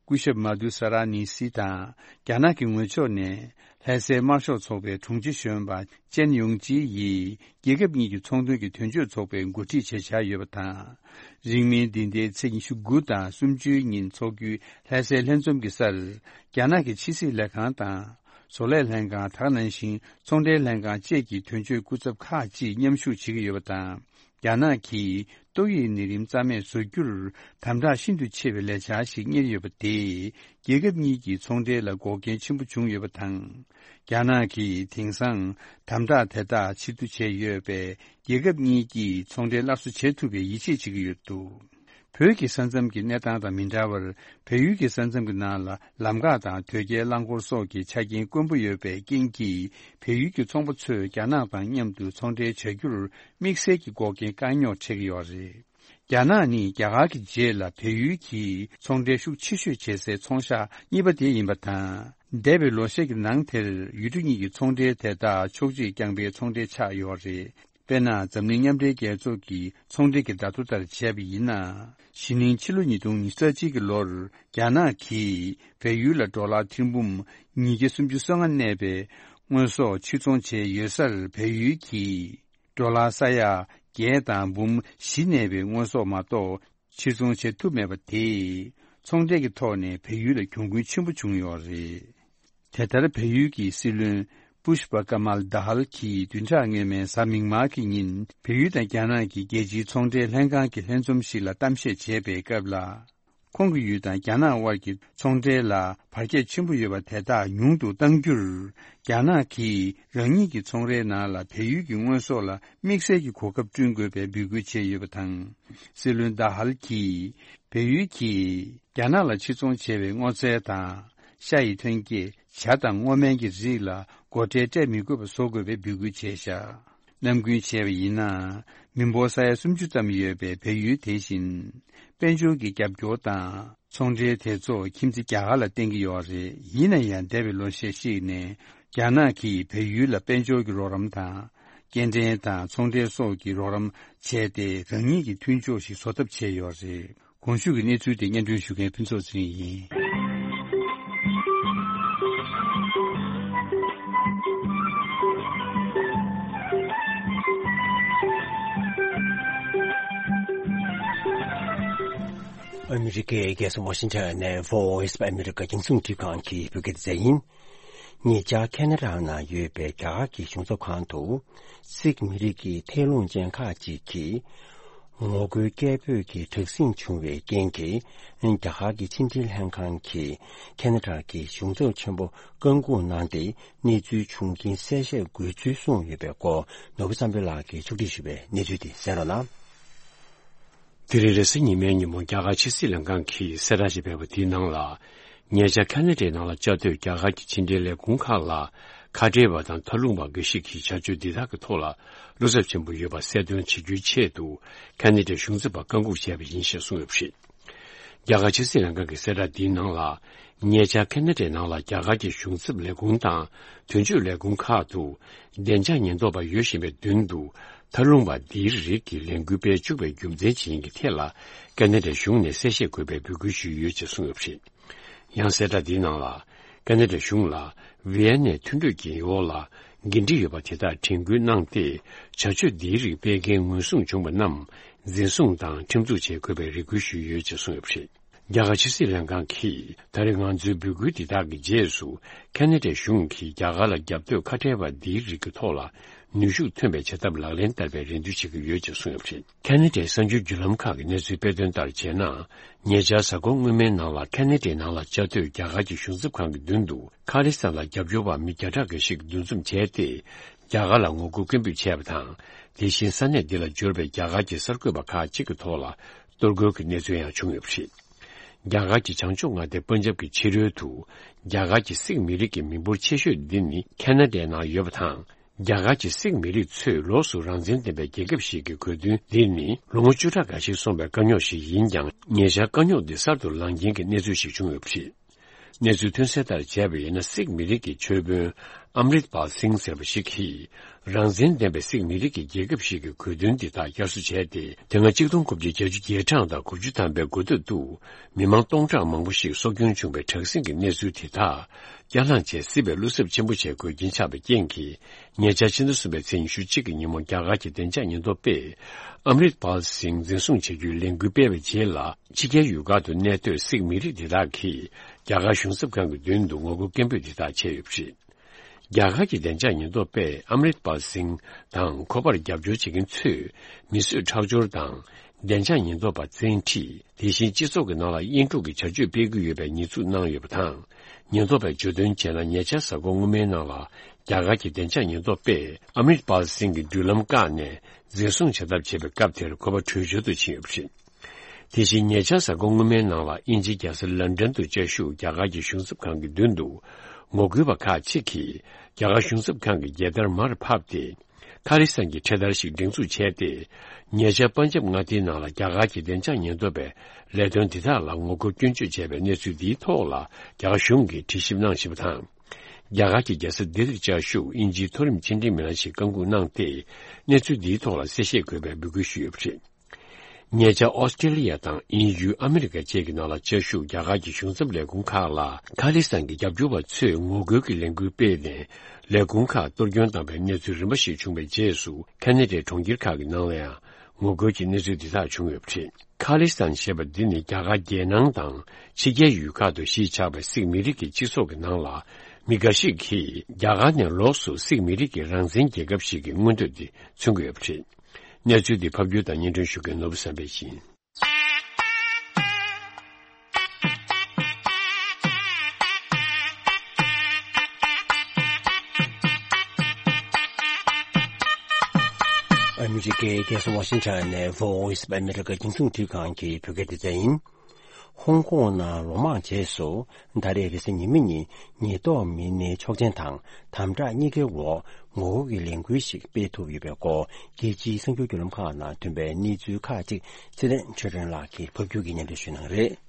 སྐུ་ཞབས་མ་དུ་ས་ར་ནི་སི་དང་། རྒྱ་ནག་གི་ངོས་ཕྱོགས་ནས། ལྷ་སའི་དམར་ཤོག་ཚོགས་པའི་དྲུང་ཆེ་གཞོན་པ་ཅན་ཡུང་ཅི་ཡིས། རྒྱལ་ཁབ་གཉིས་ཀྱི་ཚོང་དོན་གྱི་དོན་གཅོད་ཚོགས་པའི་འགོ་ཁྲིད་བྱས་བཞག་ཡོད་པ་དང་། རིང་མིན་འདི་ཟླའི་ཚེས་ཉི་ཤུ་དགུ་དང་སུམ་ཅུའི་ཉིན་འཚོགས་རྒྱུའི་ལྷ་སའི་ལྷན་འཛོམས་ཀྱི་སར། རྒྱ་ནག་གི་ཕྱི་སྲིད་ལས་ཁང་དང་། བཟོ་ལས་ལྷན་ཁང་། དེ་ག་ནང་བཞིན་ཚོང་འབྲེལ་ལྷན་ཁང་བཅས་ཀྱི་དོན་གཅོད་སྐུ་ཚབ་ཁག་ཅིག་མཉམ་ཞུགས་བྱེད་ཀྱི་ཡོད་པ་དང་། རྒྱ་ནག་གིས་ ཏོག་དབྱིབས་ནད་རིམས་རྩ་མེད་བཟོ་རྒྱུར་དམ་དྲག་ཤིན་ཏུ་ཆེ་བའི་ལས་འཆར་ཞིག་གཉེར་ཡོད་པ་དེས། རྒྱལ་ཁབ་གཉིས་ཀྱི་ཚོང་འབྲེལ་ལ་འགོག་རྐྱེན་ཆེན་པོ་བྱུང་ཡོད་པ་དང་། རྒྱ་ནག་གིས་དེང་སང་དམ་དྲག་དེ་དག་ཕྱིར་བསྡུ་བྱས་ཡོད་པས། རྒྱལ་ཁབ་གཉིས་ཀྱིས་ཚོང་འབྲེལ་སླར་གསོ་བྱེད་ཐུབ་པའི་ཡིད་ཆེས་བྱེད་ཀྱི་ཡོད་འདུག་བོད་ཀྱི་ས་མཚམས་ཀྱི་གནས་སྟངས་དང་མི་འདྲ་བར། བལ་ཡུལ་གྱི་ས་མཚམས་ཀྱི་ནང་ལ་ལམ་འགག་དང་དོས་སྐྱེལ་རླངས་འཁོར་སོགས་ཀྱི་ཆ་རྐྱེན་དཀོན་པོ་ཡོད་པའི་རྐྱེན་གྱིས། བལ་ཡུལ་གྱི་ཚོང་པ་ཚོས་རྒྱ་ནག་དང་མཉམ་དུ་ཚོང་འབྲེལ་བྱ་རྒྱུར་དམིགས་བསལ་གྱི་འགོག་རྐྱེན་དཀའ་རྙོག་འཕྲད་ཀྱི་ཡོད་རེད། རྒྱ་ནག་ནི་རྒྱ་གར་གྱི་རྗེས་ལ་བལ་ཡུལ་གྱི་ཚོང་འབྲེལ་ཤུགས་ཆེ་ཤོས་བྱེད་སའི་ཚོང་ཤག་གཉིས་པ་དེ་ཡིན་པ་དང་། འདས་པའི་ལོ་ཤས་ཀྱི་ནང་དེར་ཡུལ་གྲུ་གཉིས་ཀྱི་ཚོང་འབྲེལ་དེ་དག་ཕྱོགས་བསྒྲིགས་རྐྱང་པའི་ཚོང་འབྲེལ་ཆགས་ཡོད་རེད། དཔེར་ན། འཛམ་གླིང་མཉམ་འབྲེལ་རྒྱལ་ཚོགས་ཀྱི་ཚོང་འབྲེལ་གྱི་བརྡ་ཐོ་ལྟར་བྱས་པ་ཡིན་ན། གཞེས་ནིང་ཕྱི་ལོ་ཉིས་སྟོང་ཉི་ཤུ་རྩ་གཅིག་གི་ལོར་རྒྱ་ནག་གིས་བལ་ཡུལ་ལ་ཌོ་ལར་ཐེར་འབུམ་ཉིས་བརྒྱ་སུམ་ཅུ་སོ་ལྔ་གནས་པའི་དངོས་ཟོག་ཕྱིར་ཚོང་བྱས་ཡོད་སར། བལ་ཡུལ་གྱིས་ཌོ་ལར་ས་ཡ་བརྒྱད་དང་འབུམ་བཞི་གནས་པའི་དངོས་ཟོག་མ་གཏོགས་ཕྱིར་ཚོང་བྱེད་ཐུབ་མེད་པ་དེས། ཚོང་འབྲེལ་གྱི་ཐོག་ནས་བལ་ཡུལ་ལ་གྱོང་གུན་ཆེན་པོ་བྱུང་ཡོད་རེད། དེ་ལྟར་བལ་ཡུལ་གྱི་སྲིད་བློན་པུཤ་པ་ཀ་མལ་དཱ་ཧལ་གྱིས་བདུན་ཕྲག་སྔོན་མའི་གཟའ་མིག་དམར་གྱི་ཉིན། བལ་ཡུལ་དང་རྒྱ་ནག་གི་རྒྱལ་སྤྱིའི་ཚོང་འབྲེལ་ལྷན་ཁང་གི་ལྷན་འཛོམས་ཤིག་ལ་གཏམ་བཤད་བྱས་པའི་སྐབས་ལ། ཁོང་གི་ཡུལ་དང་རྒྱ་ནག་དབར་གྱི་ཚོང་འབྲེལ་ལ་བར་ཁྱད་ཆེན་པོ་ཡོད་པ་དེ་དག་ཉུང་དུ་གཏང་རྒྱུར། རྒྱ་ནག་གིས་རང་ཉིད་ཀྱི་ཚོང་རའི་ནང་ལ་བལ་ཡུལ་གྱི་དངོས་ཟོག་ལ་དམིགས་བསལ་གྱི་གོ་སྐབས་བསྐྲུན་དགོས་པའི་འབོད་སྐུལ་བྱས་ཡོད་པ་དང་། སྲིད་བློན་དཱ་ཧལ་གྱིས། བལ་ཡུལ་གྱིས་རྒྱ་ནག་ལ་ཕྱིར་ཚོང་བྱས་པའི་སྔོ་ཚལ་དང་། ཤ་ཡི་ཐོན་སྐྱེད། ཇ་དང་སྔོ་སྨན་གྱི་རིགས་ལ་སྒོ་ཁྲལ་སྤྲད་མི་དགོས་པ་བཟོ་དགོས་པའི་འབོད་སྐུལ་བྱས་བཞག་ནམ་རྒྱུན་བྱས་པ་ཡིན་ན། མི་འབོར་ས་ཡ་སུམ་ཅུ་ཙམ་ཡོད་པའི་བལ་ཡུལ་དེ་བཞིན། དཔལ་འབྱོར་གྱི་རྒྱབ་སྐྱོར་དང་། ཚོང་འབྲེལ་དེ་ཚོ་ཁྱིམ་མཚེས་རྒྱ་གར་ལ་བརྟེན་གྱི་ཡོད་རེད། ཡིན་ན་ཡང་། འདས་པའི་ལོ་ཤས་ཤིག་ནས་རྒྱ་ནག་གིས་བལ་ཡུལ་ལ་དཔལ་འབྱོར་གྱི་རོགས་རམ་དང་། སྐྱེལ་འདྲེན་དང་ཚོང་འབྲེལ་སོགས་ཀྱི་རོགས་རམ་བྱས་ཏེ། རང་ཉིད་ཀྱི་མཐུན་ཕྱོགས་ཤིག་བཟོ་ཐབས་བྱས་ཡོད་རེད། གོང་ཞུས་ཀྱི་གནས་ཚུལ་དེ་སྙན་སྒྲོན་ཞུ་མཁན་ཕུན་ཚོགས་ཚེ་རིང་ཡིན། ཨ་མི་རི་ཀའི་རྒྱལ་ས་ཝ་ཤིང་ཊོན་ནས་Voice of America རྒྱང་སྲིང་འཕྲིན་ཁང་གི་བོད་སྐད་སྡེ་ཚན་ཡིན། ཉེ་ཆར་ཁེ་ན་ཌ་ནང་ཡོད་པའི་རྒྱ་གར་གྱི་གཞུང་ཚབ་ཁང་དུ། སིག་མི་རིགས་ཀྱི་ཐད་རླུང་ཅན་ཁག་ཅིག་གིས། ངོ་རྒོལ་སྐད་འབོད་ཀྱི་དྲག་ཟིང་བྱུང་བའི་རྐྱེན་གྱིས། རྒྱ་གར་གྱི་ཕྱི་འབྲེལ་ལྷན་ཁང་གིས་ཁེ་ན་ཌ་གི་གཞུང་ཚབ་ཆེན་པོ་བཀག་འགོག་གནང་སྟེ། གནས་ཚུལ་བྱུང་རྐྱེན་གསལ་བཤད་དགོས་ཚུལ་གསུངས་ཡོད་པའི་སྐོར། ནོར་བུ་བསམ་འཕེལ་ལགས་ཀྱིས་ཕྱོགས་སྒྲིག་ཞུས་པའི་གནས་ཚུལ་དེ་གསན་རོགས་གནང་། དེ་རིང་རེས་གཟའ་ཉི་མའི་ཉིན་མོ། རྒྱ་གར་ཕྱི་སྲིད་ལྷན་ཁང་གིས་གསལ་བསྒྲགས་ཤིག་སྤེལ་བ་དེའི་ནང་ལ། ཉེ་ཆར་ཁ་ན་ཌའི་ནང་ལ་བཅའ་སྡོད་རྒྱ་གར་གྱི་ཕྱི་འབྲེལ་ལས་ཁུངས་ཁག་ལ། ཁ་བྲལ་བ་དང་མཐའ་ལྷུང་བ་འགའ་ཞིག་གིས་བྱ་སྤྱོད་འདི་དག་གི་ཐོག་ལ་བློ་འཚབ་ཆེན་པོ་ཡོད་པ་གསལ་སྟོན་བྱེད་རྒྱུའི་ཆེད་དུ། ཁ་ན་ཌའི་གཞུང་ཚབ་པ་བཀག་འགོག་བྱས་པ་ཡིན་ཞེས་གསུངས་ཡོད་པ་རེད། རྒྱ་གར་ཕྱི་སྲིད་ལྷན་ཁང་གི་གསལ་བསྒྲགས་འདིའི་ནང་ལ། ཉེ་ཆར་ཁ་ན་ཌའི་ནང་ལ་རྒྱ་གར་གྱི་གཞུང་ཚབ་ལས་ཁུངས་དང་། དོན་གཅོད་ལས་ཁུངས་ཁག་ཏུ། བདེ་འཇགས་ཉེན་རྟོག་པ་ཡོད་བཞིན་པའི་མདུན་དུ། མཐའ་ལྷུང་བ་འདིའི་རིགས་ཀྱི་ལས་འགུལ་སྤེལ་བཅུག་པའི་རྒྱུ་མཚན་ཇི་ཡིན་གྱི་ཐད་ལ། ཁ་ན་ཌའི་གཞུང་ནས་གསལ་བཤད་དགོས་པའི་འབོད་སྐུལ་ཞུས་ཡོད་ཅེས་གསུངས་ཡོད་པ་རེད། ཡང་གསལ་བསྒྲགས་འདིའི་ནང་ལ། ཁ་ན་ཌའི་གཞུང་ལ། ཝི་ཡན་ནའི་མཐུན་གྲོས་ཀྱི་འོག་ལ། འགན་འཁྲི་ཡོད་པ་དེ་དག་དྲན་སྐུལ་གནང་སྟེ། བྱ་སྤྱོད་འདིའི་རིགས་སྤེལ་མཁན་ངོས་བཟུང་བྱུང་བ་རྣམས། འཛིན་བཟུང་དང་ཁྲིམས་འཛུགས་བྱེད་དགོས་པའི་རེ་སྐུལ་ཞུས་ཡོད་ཅེས་གསུངས་ཡོད་པ་རེད། རྒྱ་གར་ཕྱི་སྲིད་ལྷན་ཁང་གིས། ད་རེས་ང་ཚོའི་འབོད་སྐུལ་འདི་དག་གི་རྗེས་སུ། ཁ་ན་ཌའི་གཞུང་གིས་རྒྱ་གར་ལ་རྒྱབ་གཏོད་ཁ་བྲལ་བ་འདིའི་རིགས་ཀྱི་ཐོག་ལ། ནུས་ཤུགས་ཐོན་པའི་བྱ་ཐབས་ལག་ལེན་བསྟར་བའི་རེ་འདུན་བྱེད་ཀྱི་ཡོད་ཅེས་གསུངས་ཡོད་པ་རེད། ཁ་ན་ཌའི་གསར་འགྱུར་བརྒྱུད་ལམ་ཁག་གི་གནས་ཚུལ་སྤེལ་དོན་ལྟར་བྱས་ན། ཉེ་ཆར་གཟའ་འཁོར་སྔོན་མའི་ནང་ལ་ཁ་ན་ཌའི་ནང་ལ་བཅའ་སྡོད་རྒྱ་གར་གྱི་གཞུང་ཚབ་ཁང་གི་མདུན་དུ། ཁ་ལི་སི་ཐན་ལ་རྒྱབ་སྐྱོར་བ་མི་བརྒྱ་ཕྲག་འགའ་ཞིག་འདུ་འཛོམས་བྱས་ཏེ། རྒྱ་གར་ལ་ངོ་རྒོལ་སྐད་འབོད་བྱས་པ་དང་། དེ་བཞིན་ས་གནས་འདི་ལ་འབྱོར་བའི་རྒྱ་གར་གྱི་གསར་འགོད་པ་ཁག་ཅིག་གི་ཐོག་ལ། གཏོར་རྒོལ་གྱི་གནས་ཚུལ་ཡང་བྱུང་ཡོད་པ་རེད། རྒྱ་གར་གྱི་བྱང་ཕྱོགས་མངའ་སྡེ་པན་ཇབ་ཀྱི་ཕྱི་རོལ་དུ། རྒྱ་གར་གྱི་སིག་མི་རིགས་ཀྱི་མི་འབོར་ཆེ་ཤོས་འདི་ནི་ཁ་ན་ཌའི་ནང་ཡོད་པ་དང་། རྒྱ་གར་གྱི་སིག་མི་རིགས་ཚོས་ལོགས་སུ་རང་བཙན་ལྡན་པའི་རྒྱལ་ཁབ་ཞིག་གི་དགོས་འདུན་འདི་ནི་ལོ་ངོ་བཅུ་ཕྲག་འགའ་ཞིག་སོང་བའི་དཀའ་རྙོག་ཞིག་ཡིན་ཀྱང་། ཉེ་ཆར་དཀའ་རྙོག་འདི་གསར་དུ་ལངས་རྐྱེན་གྱི་གནས་ཚུལ་ཞིག་བྱུང་ཡོད་པ་རེད། གནས་ཚུལ་ཐོན་གསལ་ལྟར་བྱས་པ་ཡིན་ན། སིག་མི་རིགས་ཀྱི་ཆོས་དཔོན་ཨམ་རིད་པཱལ་སིང་ཟེར་བ་ཞིག་གིས། རང་བཙན་ལྡན་པའི་སིག་མི་རིགས་ཀྱི་རྒྱལ་ཁབ་ཞིག་གི་དགོས་འདུན་འདི་དག་བསྐྱར་གསོ་བྱས་ཏེ། དེ་སྔ་ཆིག་སྟོང་དགུ་བརྒྱ་བརྒྱད་ཅུ་གྱ་གྲངས་དང་དགུ་བཅུ་ཐམ་པའི་འགོ་སྟོད་དུ། མི་མང་སྟོང་ཕྲག་མང་པོ་ཞིག་སྲོག་སྐྱོན་བྱུང་བའི་དྲག་ཟིང་གི་གནས་ཚུལ་དེ་དག་བསྐྱར་ལངས་བྱས། སྲིད་པའི་བློ་འཚབ་ཆེན་པོ་བྱེད་དགོས་རྐྱེན་ཆགས་པའི་རྐྱེན་གྱིས། ཉེ་ཆར་ཕྱི་ཟླ་གསུམ་པའི་ཚེས་ཉི་ཤུ་གཅིག་གི་ཉིན་མོ། རྒྱ་གར་གྱི་བདེ་འཇགས་ཉེན་རྟོག་པས་ཨམ་རིད་པཱལ་སིང་འཛིན་བཟུང་བྱ་རྒྱུའི་ལས་འགུལ་སྤེལ་བའི་རྗེས་ལ། ཕྱི་རྒྱལ་ཡུལ་ཁག་ཏུ་གནས་སྡོད་སིག་མི་རིགས་དེ་དག་གིས་རྒྱ་གར་གཞུང་ཚབ་ཁང་གི་མདུན་དུ་ངོ་རྒོལ་སྐད་འབོད་དེ་དག་བྱས་ཡོད་པ་རེད། རྒྱ་གར་གྱི་བདེ་འཇགས་ཉེན་རྟོག་པས་ཨམ་རིད་པཱལ་སིང་དང་ཁོ་པར་རྒྱབ་སྐྱོར་བྱེད་མཁན་ཚོས་མི་གསོད་ཁྲག་སྦྱོར་དང་ བདེ་འཇགས་ཉེན་རྟོག་པ་བཙན་ཁྲིད། དེ་བཞིན་སྤྱི་ཚོགས་ཀྱི་ནང་ལ་དབྱེན་དཀྲུག་གི་བྱ་སྤྱོད་སྤེལ་གྱི་ཡོད་པའི་ཉེས་འཛུགས་གནང་ཡོད་པ་དང་། ཉེན་རྟོག་པས་བརྗོད་དོན་བྱས་ན། ཉེ་ཆར་གཟའ་འཁོར་སྔོན་མའི་ནང་ལ་རྒྱ་གར་གྱི་བདེ་འཇགས་ཉེན་རྟོག་པས་ཨ་མིར་པཱལ་སིང་གི་མདུན་ལམ་བཀག་ནས་འཛིན་བཟུང་བྱ་ཐབས་བྱེད་པའི་སྐབས་དེར་ཁོ་པ་བྲོས་བྱོལ་དུ་ཕྱིན་ཡོད་པ་རེད། དེ་བཞིན་ཉེ་ཆར་གཟའ་འཁོར་སྔོན་མའི་ནང་ལ་དབྱིན་ཇིའི་རྒྱལ་ས་ལན་ཀྲན་དུ་བཅའ་བཞུགས་རྒྱ་གར་གྱི་གཞུང་ཚབ་ཁང་གི་མདུན་དུ་ངོ་རྒོལ་བ་ཁག་ཅིག་གིས་རྒྱ་གར་གཞུང་ཚབ་ཁང་གི་རྒྱལ་དར་མར་ཕབ་སྟེ། ཁ་ལི་སན་གྱི་འཕྲེད་དར་ཞིག་སྒྲེང་འཛུགས་བྱས་ཏེ། ཉེ་ཆར་པན་ཇབ་མངའ་སྡེའི་ནང་ལ་རྒྱ་གར་གྱི་བདེ་འཇགས་ཉེན་རྟོག་པས་ལས་དོན་འདི་དག་ལ་ངོ་རྒོལ་སྐྱོན་བརྗོད་བྱས་པའི་གནས་ཚུལ་འདིའི་ཐོག་ལ་རྒྱ་གར་གཞུང་གིས་དྲི་ཞིབ་གནང་བཞིན་པ་དང་། རྒྱ་གར་གྱི་རྒྱལ་ས་ལྡི་ལིར་བཅའ་བཞུགས་དབྱིན་ཇིའི་མཐོ་རིམ་ཕྱི་འབྲེལ་མི་སྣ་ཞིག་བཀའ་འགུག་གནང་སྟེ། གནས་ཚུལ་འདིའི་ཐོག་ལ་གསལ་བཤད་དགོས་པའི་འབོད་སྐུལ་ཞུས་ཡོད་པ་རེད། ཉེ་ཆར་ཨོ་སི་ཀྲི་ལི་ཡ་དང་དབྱིན་ཡུལ་ཨ་མི་རི་ཀ་བཅས་ཀྱི་ནང་ལ་བཅའ་བཞུགས་རྒྱ་གར་གྱི་གཞུང་ཚབ་ལས་ཁུངས་ཁག་ལ་ཁ་ལི་སན་གྱི་རྒྱབ་སྐྱོར་བ་ཚོས་ངོ་རྒོལ་གྱི་ལས་འགུལ་སྤེལ་ནས། ལས་ཁུངས་ཁག་གཏོར་སྐྱོན་བཏང་བའི་གནས་ཚུལ་རིམ་པ་ཞིག་བྱུང་བའི་རྗེས་སུ། ཁ་ན་ཌའི་གྲོང་ཁྱེར་ཁག་གི་ནང་ལ་ཡང་ངོ་རྒོལ་གྱི་གནས་ཚུལ་འདི་དག་བྱུང་ཡོད་པ་རེད། ཁ་ལི་སན་ཞེས་པ་འདི་ནི་རྒྱ་གར་རྒྱལ་ནང་དང་ཕྱི་རྒྱལ་ཡུལ་ཁག་ཏུ་གཞིས་ཆགས་པའི་སིག་མི་རིགས་ཀྱི་སྤྱི་ཚོགས་ཀྱི་ནང་ལ། མི་འགའ་ཞིག་གིས་རྒྱ་གར་ནས་ལོགས་སུ་སིག་མི་རིགས་ཀྱི་རང་བཙན་རྒྱལ་ཁབ་ཞིག་གི་མངོན་འདོད་དེ་མཚོན་གྱི་ཡོད་པ་རེད། གནས་ཚུལ་འདི་ཕབ་སྒྱུར་དང་སྙན་སྒྲོན་ཞུ་མཁན་ནོར་བུ་བསམ་འཕེལ་ཡིན། ཨ་མི་རི་ཀའི་རྒྱལ་ས་ཝ་ཤིང་ཊོན་ནས་Voice of America རྒྱང་སྲིང་རླུང་འཕྲིན་ཁང་གི་བོད་སྐད་སྡེ་ཚན་ཡིན། ཧོང་ཀོང་ནང་ལོ་མང་རྗེས་སུ་ད་རེས་རེས་གཟའ་ཉི་མ་ཉིན་ཉེན་རྟོག་མི་སྣའི་ཆོག་མཆན་དང་དམ་དྲག་གཉིས་ཀའི་འོག་ངོ་རྒོལ་གྱི་ལས་འགུལ་ཞིག་སྤེལ་ཐུབ་ཡོད་པའི་སྐོར། རྒྱལ་སྤྱིའི་གསར་འགྱུར་བརྒྱུད་ལམ་ཁག་ནང་ཐོན་པའི་གནས་ཚུལ་ཁག་ཅིག་ཚེ་བརྟན་ཆོས་སྒྲོན་ལགས་ཀྱིས་ཕབ་སྒྱུར་གྱིས་སྙན་སྒྲོན་ཞུ་གནང་གི་རེད།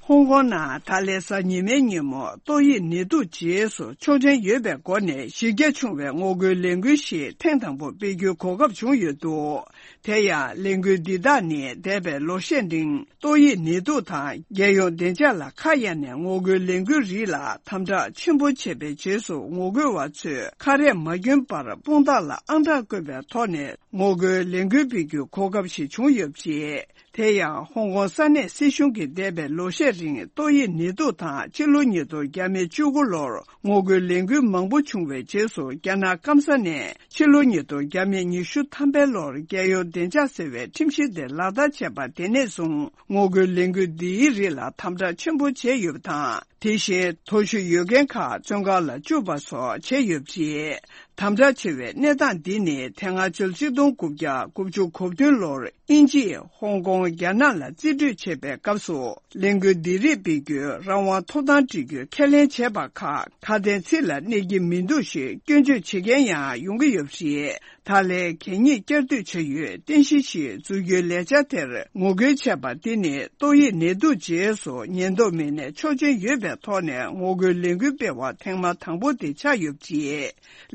ཧོང་ཀོང་ནང་ད་ལན་གཟའ་ཉི་མའི་ཉིན་མོ་ཏོག་དབྱིབས་ནད་དུག་རྗེས་སུ་ཆོག་མཆན་ཡོད་པའི་སྒོ་ནས་གཞི་རྒྱ་ཆུང་བའི་ངོ་རྒོལ་ལས་འགུལ་ཞིག་ཐེངས་དང་པོ་སྤེལ་རྒྱུའི་གོ་སྐབས་བྱུང་ཡོད་འདུག་དེ་ཡང་ལས་འགུལ་འདི་དག་ནི་འདས་པའི་ལོ་ཤས་རིང་ཏོག་དབྱིབས་ནད་དུག་དང་རྒྱལ་ཡོངས་བདེ་འཇགས་ལ་ཁ་གཡར་ནས་ངོ་རྒོལ་ལས་འགུལ་རིགས་ལ་དམ་དྲག་ཆེན་པོ་བྱས་པའི་རྗེས་སུ། ངོ་རྒོལ་བ་ཚོས་ཁ་རས་མ་གྱོན་པར་དཔུང་རྡང་ལ་ཨང་གྲངས་བཀོད་པའི་ཐོག་ནས་ངོ་རྒོལ་ལས་འགུལ་སྤེལ་རྒྱུའི་གོ་སྐབས་ཤིག་བྱུང་ཡོད་པ་རེད། དེ་ཡང་ཧོང་ཀོང་ས་གནས་སྲིད་གཞུང་གིས་འདས་པའི་ལོ་ཤས་རིང་ཏོག་དབྱིབས་ནད་དུག་དང་ཕྱི་ལོ་ཉིས་སྟོང་བཅུ་དགུ་ལོར་ངོ་རྒོལ་ལས་འགུལ་མང་པོ་བྱུང་བའི་རྗེས་སུ། རྒྱ་ནག་སྐམ་ས་ནས་ཕྱི་ལོ་ཉིས་སྟོང་ཉི་ཤུ་ཐམ་པའི་ལོར་རྒྱལ་ཡོངས་བདེ་འཇགས་ཟེར་བའི་ཁྲིམས་གཞི་དེ་ལག་བསྟར་བྱས་པ་དེ་ནས་བཟུང་ངོ་རྒོལ་ལས་འགུལ་འདིའི་རིགས་ལ་དམ་དྲག་ཆེན་པོ་བྱས་ཡོད་པ་དང་། དེ་བཞིན་མཐོ་ཤོས་ཡོད་མཁན་ཁག་བཙོན་ཁང་ལ་བཅུག་པ་སོགས་བྱས་ཡོད་པ་རེད། དམ་དྲག་ཆེ་བའི་གནས་སྟངས་འདི་ནི་དེ་སྔ་ཕྱི་ལོ་ཆིག་སྟོང་དགུ་བརྒྱ་དགུ་བཅུ་གོ་བདུན་ལོར་དབྱིན་ཇིས་ཧོང་ཀོང་རྒྱ་ནག་ལ་རྩིས་སྤྲོད་བྱེད་པའི་སྐབས་སུ། ལས་འགུལ་འདི་རིགས་སྤེལ་རྒྱུའི་རང་དབང་ཐོབ་ཐང་སྤྲོད་རྒྱུའི་ཁས་ལེན་བྱས་པ་ཁག་ཁ་དན་ཚིག་ལ་གནས་ཀྱི་མི་འདུག་ཞེས་སྐྱོན་བརྗོད་བྱེད་མཁན་ཡང་ཡོང་གི་ཡོད་པ་རེད། ད་ལན་གད་སྙིགས་བསྐྱར་ཟློས་བྱ་ཡུལ་རྟེན་གཞི་ཞིག་འཛུགས་རྒྱུའི་ལས་འཆར་དེར་ངོ་རྒོལ་བྱས་པ་འདི་ནི་ཏོག་དབྱིབས་ནད་དུག་རྗེས་སུ་ཉེན་རྟོག་མི་སྣས་ཆོག་མཆན་ཡོད་པའི་ཐོག་ནས་ངོ་རྒོལ་ལས་འགུལ་སྤེལ་བ་ཐེངས་མ་དང་པོ་དེ་ཆགས་ཡོད་པ་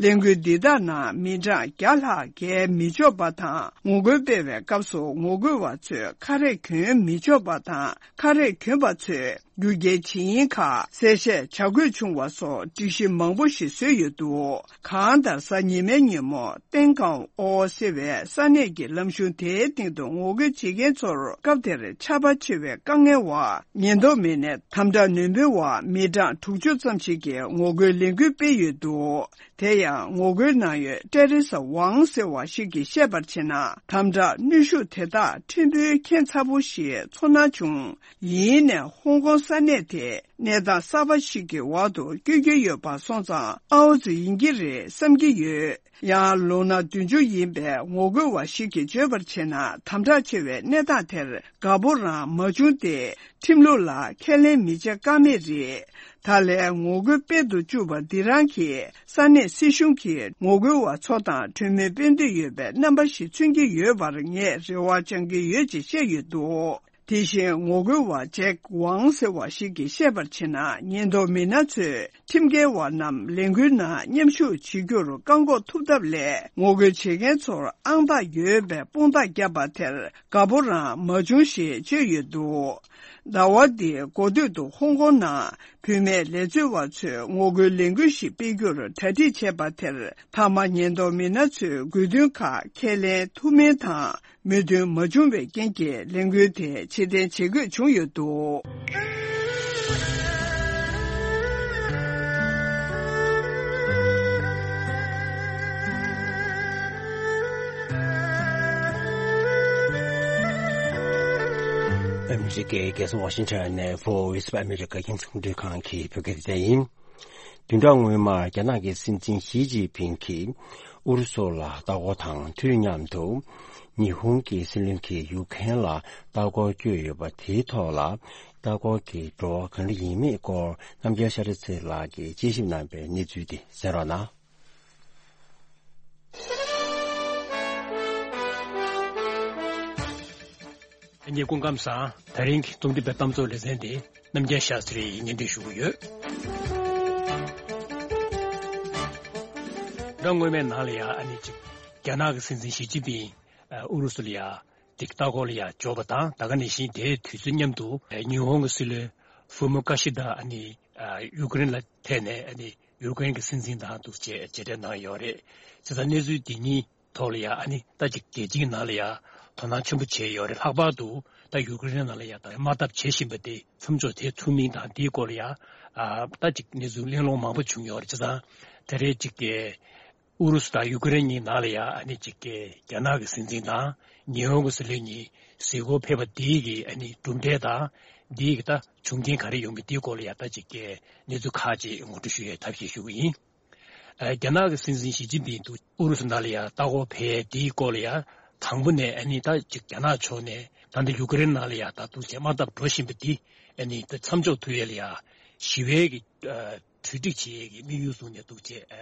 རེད། ལས་འགུལ་འདི་དག་ནང་མི་གྲངས་བརྒྱ་ལྷག་བརྒལ་མི་ཆོག་པ་དང་། ངོ་རྒོལ་སྤེལ་བའི་སྐབས་སུ་ངོ་རྒོལ་བ་ཚོས་ཁ་རས་གྱོན་མི་ཆོག་པ་དང་། ཁ་རས་གྱོན་པ་ཚོས་རྒྱུ་རྐྱེན་བྱེད་ཡུལ་ཁག་གསལ་བཤད་བྱ་དགོས་བྱུང་བ་སོགས་སྒྲིག་གཞི་མང་པོ་ཞིག་བཟོས་ཡོད་འདུག་གང་ལྟར་གཟའ་ཉི་མའི་ཉིན་མོ་ཏེང་ཀང་ཨོ་ཟེར་བའི་ས་གནས་ཀྱི་ལམ་གཞུང་དེའི་སྟེང་དུ་ངོ་རྒོལ་བྱེད་མཁན་ཚོར་སྐབས་དེར་ཆར་པ་ཆེ་བའི་དཀའ་ངལ་འོག་ཉེན་རྟོག་མི་སྣས་དམ་དྲག་ནན་པོའི་འོག་མི་གྲངས་དྲུག་ཅུ་ཙམ་ཞིག་གིས་ངོ་རྒོལ་ལས་འགུལ་སྤེལ་ཡོད་འདུག་དེ་ཡང་ངོ་རྒོལ་གནང་ཡུལ་ཏྲེ་རི་ས་ཝང་ཟེར་བ་ཞིག་གིས་བཤད་པར་བྱས་ན། དམ་དྲག་གནོན་ཤུགས་དེ་དག་ཕྲན་བུ་ཁྱད་མཚར་པོ་ཞིག་ཚོར་སྣང་བྱུང་། ཡིན་ནའི་ཧོང་ཀོང་ས་གནས་དེ་གནས་སྟངས་གསར་པ་ཞིག་གི་འོག་ཏུ་བསྐྱོད་ཀྱི་ཡོད་པ་སོང་ཙང་ཨའོ་ཙི་ཡིན་གྱི་རེད་བསམ་གྱི་ཡོད། ཡང་ལོ་ན་བདུན་ཅུ་ཡིན་པའི་ངོ་རྒོལ་བ་ཞིག་གིས་བརྗོད་པར་བྱས་ན། དམ་དྲག་ཆེ་བའི་གནས་སྟངས་དེར་དགའ་པོ་རང་མ་བྱུང་སྟེ། ཁྲིམས་ལུགས་ལ་ཁས་ལེན་མི་བྱེད་ཀ་མེད་རེད། ད་ལན་ངོ་རྒོལ་སྤེལ་དུ་བཅུག་པ་འདི་རང་གིས་ས་གནས་སྲིད་གཞུང་གིས་ངོ་རྒོལ་བ་ཚོ་དང་གྲོས་མོལ་སྤེལ་འདོད་ཡོད་པའི་རྣམ་པ་ཞིག་མཚོན་གྱི་ཡོད་པར་ངས་རེ་བ་བཅང་གི་ཡོད་ཅེས་བཤད་ཡོད་འདུག་དེ་བཞིན་ངོ་རྒོལ་བ་ཇེག་ཝང་ཟེར་བ་ཞིག་གིས་བཤད་པར་བྱས་ན། ཉེན་རྟོག་མི་སྣ་ཚོས་ཁྲིམས་འགལ་བ་རྣམས་ལས་འགུལ་ནང་མཉམ་ཞུགས་བྱེད་རྒྱུར་བཀག་འགོག་ཐུབ་ཐབས་ལས། ངོ་རྒོལ་བྱེད་མཁན་ཚོར་ཨང་རྟགས་ཡོད་པའི་དཔུང་རྟགས་བརྒྱབ་པ་དེར་དགའ་པོ་རང་མ་བྱུང་ཞེས་བརྗོད་ཡོད་འདུག་ཟླ་བ་འདིའི་འགོ་སྟོད་དུ་ཧོང་ཀོང་ནང་བུད་མེད་ལས་རྩོལ་བ་ཚོས་ངོ་རྒོལ་ལས་འགུལ་ཞིག་སྤེལ་རྒྱུར་གྲ་སྒྲིག་བྱས་པ་དེར། མཐའ་མ་ཉེན་རྟོག་མི་སྣ་ཚོས་དགོས་འདུན་ཁག་ཁས་ལེན་ཐུབ་མིན་དང་མོས་མཐུན་མ་བྱུང་བའི་རྐྱེན་གྱིས་ལས་འགུལ་དེ་ཕྱིར་འཐེན་བྱེད་དགོས་བྱུང་ཡོད་འདུག་ཨ་མི་རི་ཀའི་རྒྱལ་ས་ཝ་ཤིང་ཊོན་ནས་Voice of America རྒྱང་སྲིང་རླུང་འཕྲིན་ཁང་གི་བོད་སྐད་སྡེ་ཚན་ཡིན། བདུན་ཕྲག་སྔོན་མར་རྒྱ་ནག་གི་སྲིད་འཛིན་ཞི་ཅིན་ཕིང་གིས་ཨུ་རུ་སུ་ལ་ལྟ་སྐོར་དང་དུས་མཉམ་དུ། ཉི་ཧོང་གི་སྲིད་བློན་གྱིས་ཡུ་ཁེན་ལ་ལྟ་སྐོར་བསྐྱོད་ཡོད་པ་དེའི་ཐོག་ལ། ལྟ་སྐོར་གྱི་བྲོ་བ་ག་འདྲ་ཡིན་མིན་སྐོར་རྣམ་རྒྱལ་ཤ་སྟག་ཚེ་ལགས་ཀྱིས་དཔྱད་ཞིབ་གནང་བའི་གནས་ཚུལ་དེ་གསན་རོགས་གནང་། ཨ་ནི་སྐུ་ཁམས་བཟང་། ད་རིང་གི་རྩོམ་སྒྲིག་པའི་གཏམ་ཚོགས་ལེ་ཚན་དེ་རྣམ་རྒྱལ་ཤ་སྟག་ཚེ་རིང་གིས་སྙན་སྒྲོན་ཞུ་གི་ཡོད། ཟླ་སྔོན་མའི་ནང་ལ་ཡང་ཨ་ནི་ཅིག་རྒྱ་ནག་གི་སྲིད་འཛིན་ཞི་ཅིན་ཕིང་ཨུ་རུ་སུ་ལ་ཡང་ཅིག་ལྟ་སྐོར་ལ་ཡང་འབྱོར་བ་དང་། ད་ག་ནང་བཞིན་དེའི་དུས་ཚོད་མཉམ་དུ་ཉི་ཧོང་གི་སྲིད་བློན་ཧྥུ་མོ་ཀ་ཤི་ད་ཨ་ནི་ཡུ་ཀེ་རེན་ལ་ཐད་ནས་ཨ་ནི་ཡུ་ཀེ་རེན་གྱི་སྲིད་འཛིན་དང་འདུག་བྱས་མཇལ་འཕྲད་གནང་ཡོད་རེད། བྱས་ཙང་གནས་ཚུལ་འདི་གཉིས་ཐོག་ལ་ཡང་ཨ་ནི་ད་ཅིག་རྒྱལ་སྤྱིའི་ནང་ལ་ཡང་དོ་སྣང་ཆེན་པོ་བྱས་ཡོད་རེད། ལྷག་པར་དུ་ད་ཡུ་ཀེ་རེན་ནང་ལ་ཡང་ད་དམག་འཐབ་བྱེད་བཞིན་པ་དེ་མཚམས་འཇོག་བྱེད་ཐུབ་མིན་དང་། དེའི་སྐོར་ལ་ཡང་ཨ་ད་ཅིག་གནས་ཚུལ་གླེང་སློང་མང་པོ་བྱུང་ཡོད་རེད། བྱས་ཙང་ད་རེས་ཅིག་གི་ཨུ་རུ་སུ་དང་ཡུ་ཀེ་རེན་གཉིས་ནང་ལ་ཡང་ཨ་ནི་ཅིག་གི་རྒྱ་ནག་གི་སྲིད་འཛིན་དང་ཉི་ཧོང་གི་སྲིད་བློན་གཉིས་གཟིགས་སྐོར་ཕེབས་པ་དེའི་གི་ཨ་ནི་གྲུབ་འབྲས་དང་། དེའི་གི་ད་བྱུང་རྐྱེན་ག་རེ་ཡོང་མིན་དེའི་སྐོར་ལ་ཡང་ད་ཅིག་གི་གནས་ཚུལ་ཁག་ཅིག་ངོ་སྤྲོད་ཞུ་ཡའི་ཐབས་ཤེས་ཞུ་གི་ཡིན། ཨ། རྒྱ་ནག་གི་སྲིད་འཛིན་ཞི་ཅིན་ཕིང་འདུག་ཨུ་རུ་སུ་ནང་ལ་ཡང་ལྟ་སྐོར་ཕེབས་དེའི་སྐོར་ལ་ཡང་དང་པོ་ནས་ཨ་ནི་ད་ཅིག་རྒྱ་ནག་ཕྱོགས་ནས་ད་ལྟ་ཡུ་ཀེ་རེན་ནང་ལ་ཡང་ད་འདུག་བྱས་དམག་འཐབ་འགྲོ་བཞིན་པ་འདི་ཨ་ནི་ད་མཚམས་འཇོག་ཐུབ་ཡས་ལ་ཡང་ཞི་བའི་གི་ཨ་གྲོས་འགྲིག་བྱེད་ཡས་ཀྱི་དམིགས་ཡུལ་བཟུང་ནས་འདུག་བྱས་ཨ་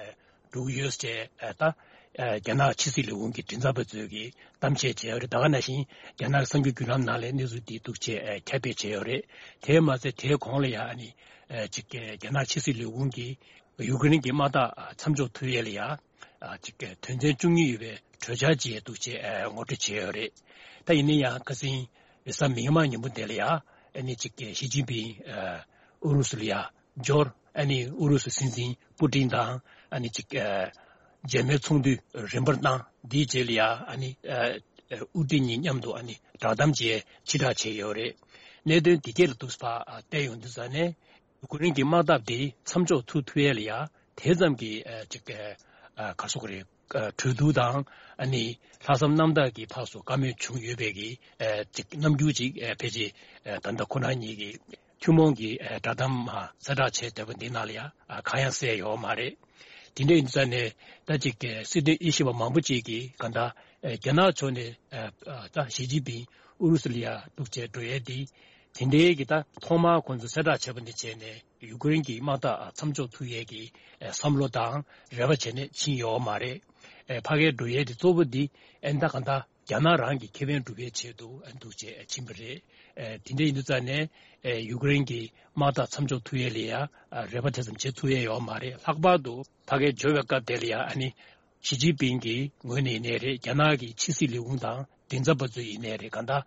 འགྲོ་གི་ཡོད་ཟེར། ཨ་ད་ཨ་རྒྱ་ནག་ཕྱི་སྲིད་ལས་ཁུངས་ཀྱི་མགྲིན་ཚབ་པ་ཚོས་ཀྱི་གཏམ་བཤད་བྱས་ཡོད་རེད། ད་ག་ནང་བཞིན་རྒྱ་ནག་གི་གསར་འགྱུར་བརྒྱུད་ལམ་ནང་ལ་གནས་ཚུལ་འདི་འདུག་བྱས་ཨ་ཁྱབ་སྤེལ་བྱས་ཡོད་རེད། དེས་མ་ཚད་དེའི་གོང་ལ་ཡང་ཨ་ནི་ཨ་ཅིག་རྒྱ་ནག་ཕྱི་སྲིད་ལས་ཁུངས་ཀྱིས་ཡུ་ཀེ་རེན་གྱི་དམག་འཐབ་མཚམས་འཇོག་ཐུབ་ཡས་ལ་ཡང་ཨ་ཅིག་དོན་ཚན་བཅུ་གཉིས་ཡོད་པའི་གྲོས་འཆར་ཅིག་འདུག་ཅེས་ངོ་སྤྲོད་བྱས་ཡོད་རེད། ད་ཡིན་ན་ཡང་ཁ་སང་རེས་གཟའ་མིག་དམར་ཉིན་མོ་དེ་ལ་ཡང་ཨ་ནི་ཅིག་ཞི་ཅིན་ཕིང་ཨུ་རུ་སུ་ལ་ཡང་འབྱོར། ཨ་ནི་ཨུ་རུ་སུ་སྲིད་འཛིན་པུ་ཏིན་དང་ཨ་ནི་ཅིག་མཇལ་མོལ་ཚོགས་འདུ་རིམ་པར་གནང་། འདིའི་རྗེས་ལ་ཡང་ཨ་ནི་དབུ་ཁྲིད་གཉིས་མཉམ་དུ་ཨ་ནི་བསྒྲགས་གཏམ་བཅས་ཕྱིར་བསྒྲགས་བྱས་ཡོད་རེད། གནད་དོན་འདི་གས་ལ་འདུག་སེ་ཕར་བལྟས་ཡོང་དུས་ཙ་ནས། ཡུ་ཀེ་རེན་གྱི་དམག་འཐབ་དེ་མཚམས་འཇོག་ཐུབ་ཐུབ་ཡས་ལ་ཡ་དེ་ཙམ་གྱི་ཨ་ཅིག་ཨ་ག་རེ་ཟེར་དགོས་རེད། ཨ་གྲོས་བསྡུར་དང་ཨ་ནི་ལྷག་བསམ་རྣམ་དག་གིས་ཕར་ཚུར་བཀའ་མོལ་བྱུང་ཡོད་པའི་གི་ཨ་ཅིག་རྣམ་འགྱུར་ཅིག་ཨ་ཕལ་ཆེར་ཨ་ད་ལྟ་ཁོ་རང་གཉིས་ཀྱི་ཐུན་མོང་གི་ཨ་བསྒྲགས་གཏམ་མར་གསལ་བསྒྲགས་བྱས་བསྡད་པ་འདི་ནང་ལ་ཡ་ཨ་གང་ཡང་གསལ་ཡོད་མ་རེད། དེ་འདྲ་ཡིན་དུས་ཙ་ནས་ད་ཅིག་གི་སྲིད་དོན་དབྱེ་ཞིབ་པ་མང་པོ་ཅིག་གིས་གང་ལྟར་ཨ་རྒྱ་ནག་ཕྱོགས་ནས་ཨ་ཨ་ད་ཞི་ཅིན་ཕིང་ཨུ་རུ་སུ་ལ་ཡ་འདུག་བྱས་འགྲོ་ཡས་འདི། དེ་འདྲའི་གི་ད་ཐོག་མར་ཁོང་ཚོ་གསལ་བསྒྲགས་བྱས་པ་འདི་བྱས་ནས་ཡུ་ཀེ་རེན་གྱི་དམག་འཐབ་མཚམས་འཇོག་ཐུབ་ཡས་ཀྱི་ཨེ་བསམ་བློ་དང་རེ་བ་བྱས་ནས་ཕྱིན་ཡོད་མ་རེད། ཨེ་ཕ་གིར་འགྲོ་ཡས་དེ་གཙོ་བོ་འདི་ཨེ་ད་ག་ད་རྒྱ་ནག་རང་གི་ཁེ་ཕན་སྒྲུབ་ཡས་ཆེད་དུ་ཨེ་འདུག་བྱས་ཕྱིན་པ་རེད། ཨེ་དེ་འདྲ་ཡིན་དུས་ཙ་ནས་ཨེ་ཡུ་ཀེ་རེན་གྱི་དམག་འཐབ་མཚམས་འཇོག་ཐུབ་ཡས་ལ་ཡ་ཨ་རེ་བ་དེ་ཙམ་བྱེད་ཐུབ་ཡས་ཡོད་མ་རེད། ལྷག་པར་དུ་ཕ་གིར་འབྱོར་བའི་སྐབས་དེ་ལ་ཡ་ཨ་ནི། ཞི་ཅིན་ཕིང་གི་ངོས་ནས་ཡིན་ནའི་རེད། རྒྱ་ནག་གི་ཕྱི་སྲིད་ལས་ཁུངས་དང་མགྲིན་ཚབ་པ་ཚོ་ཡིན་ནའི་རེད། གང་ལྟར་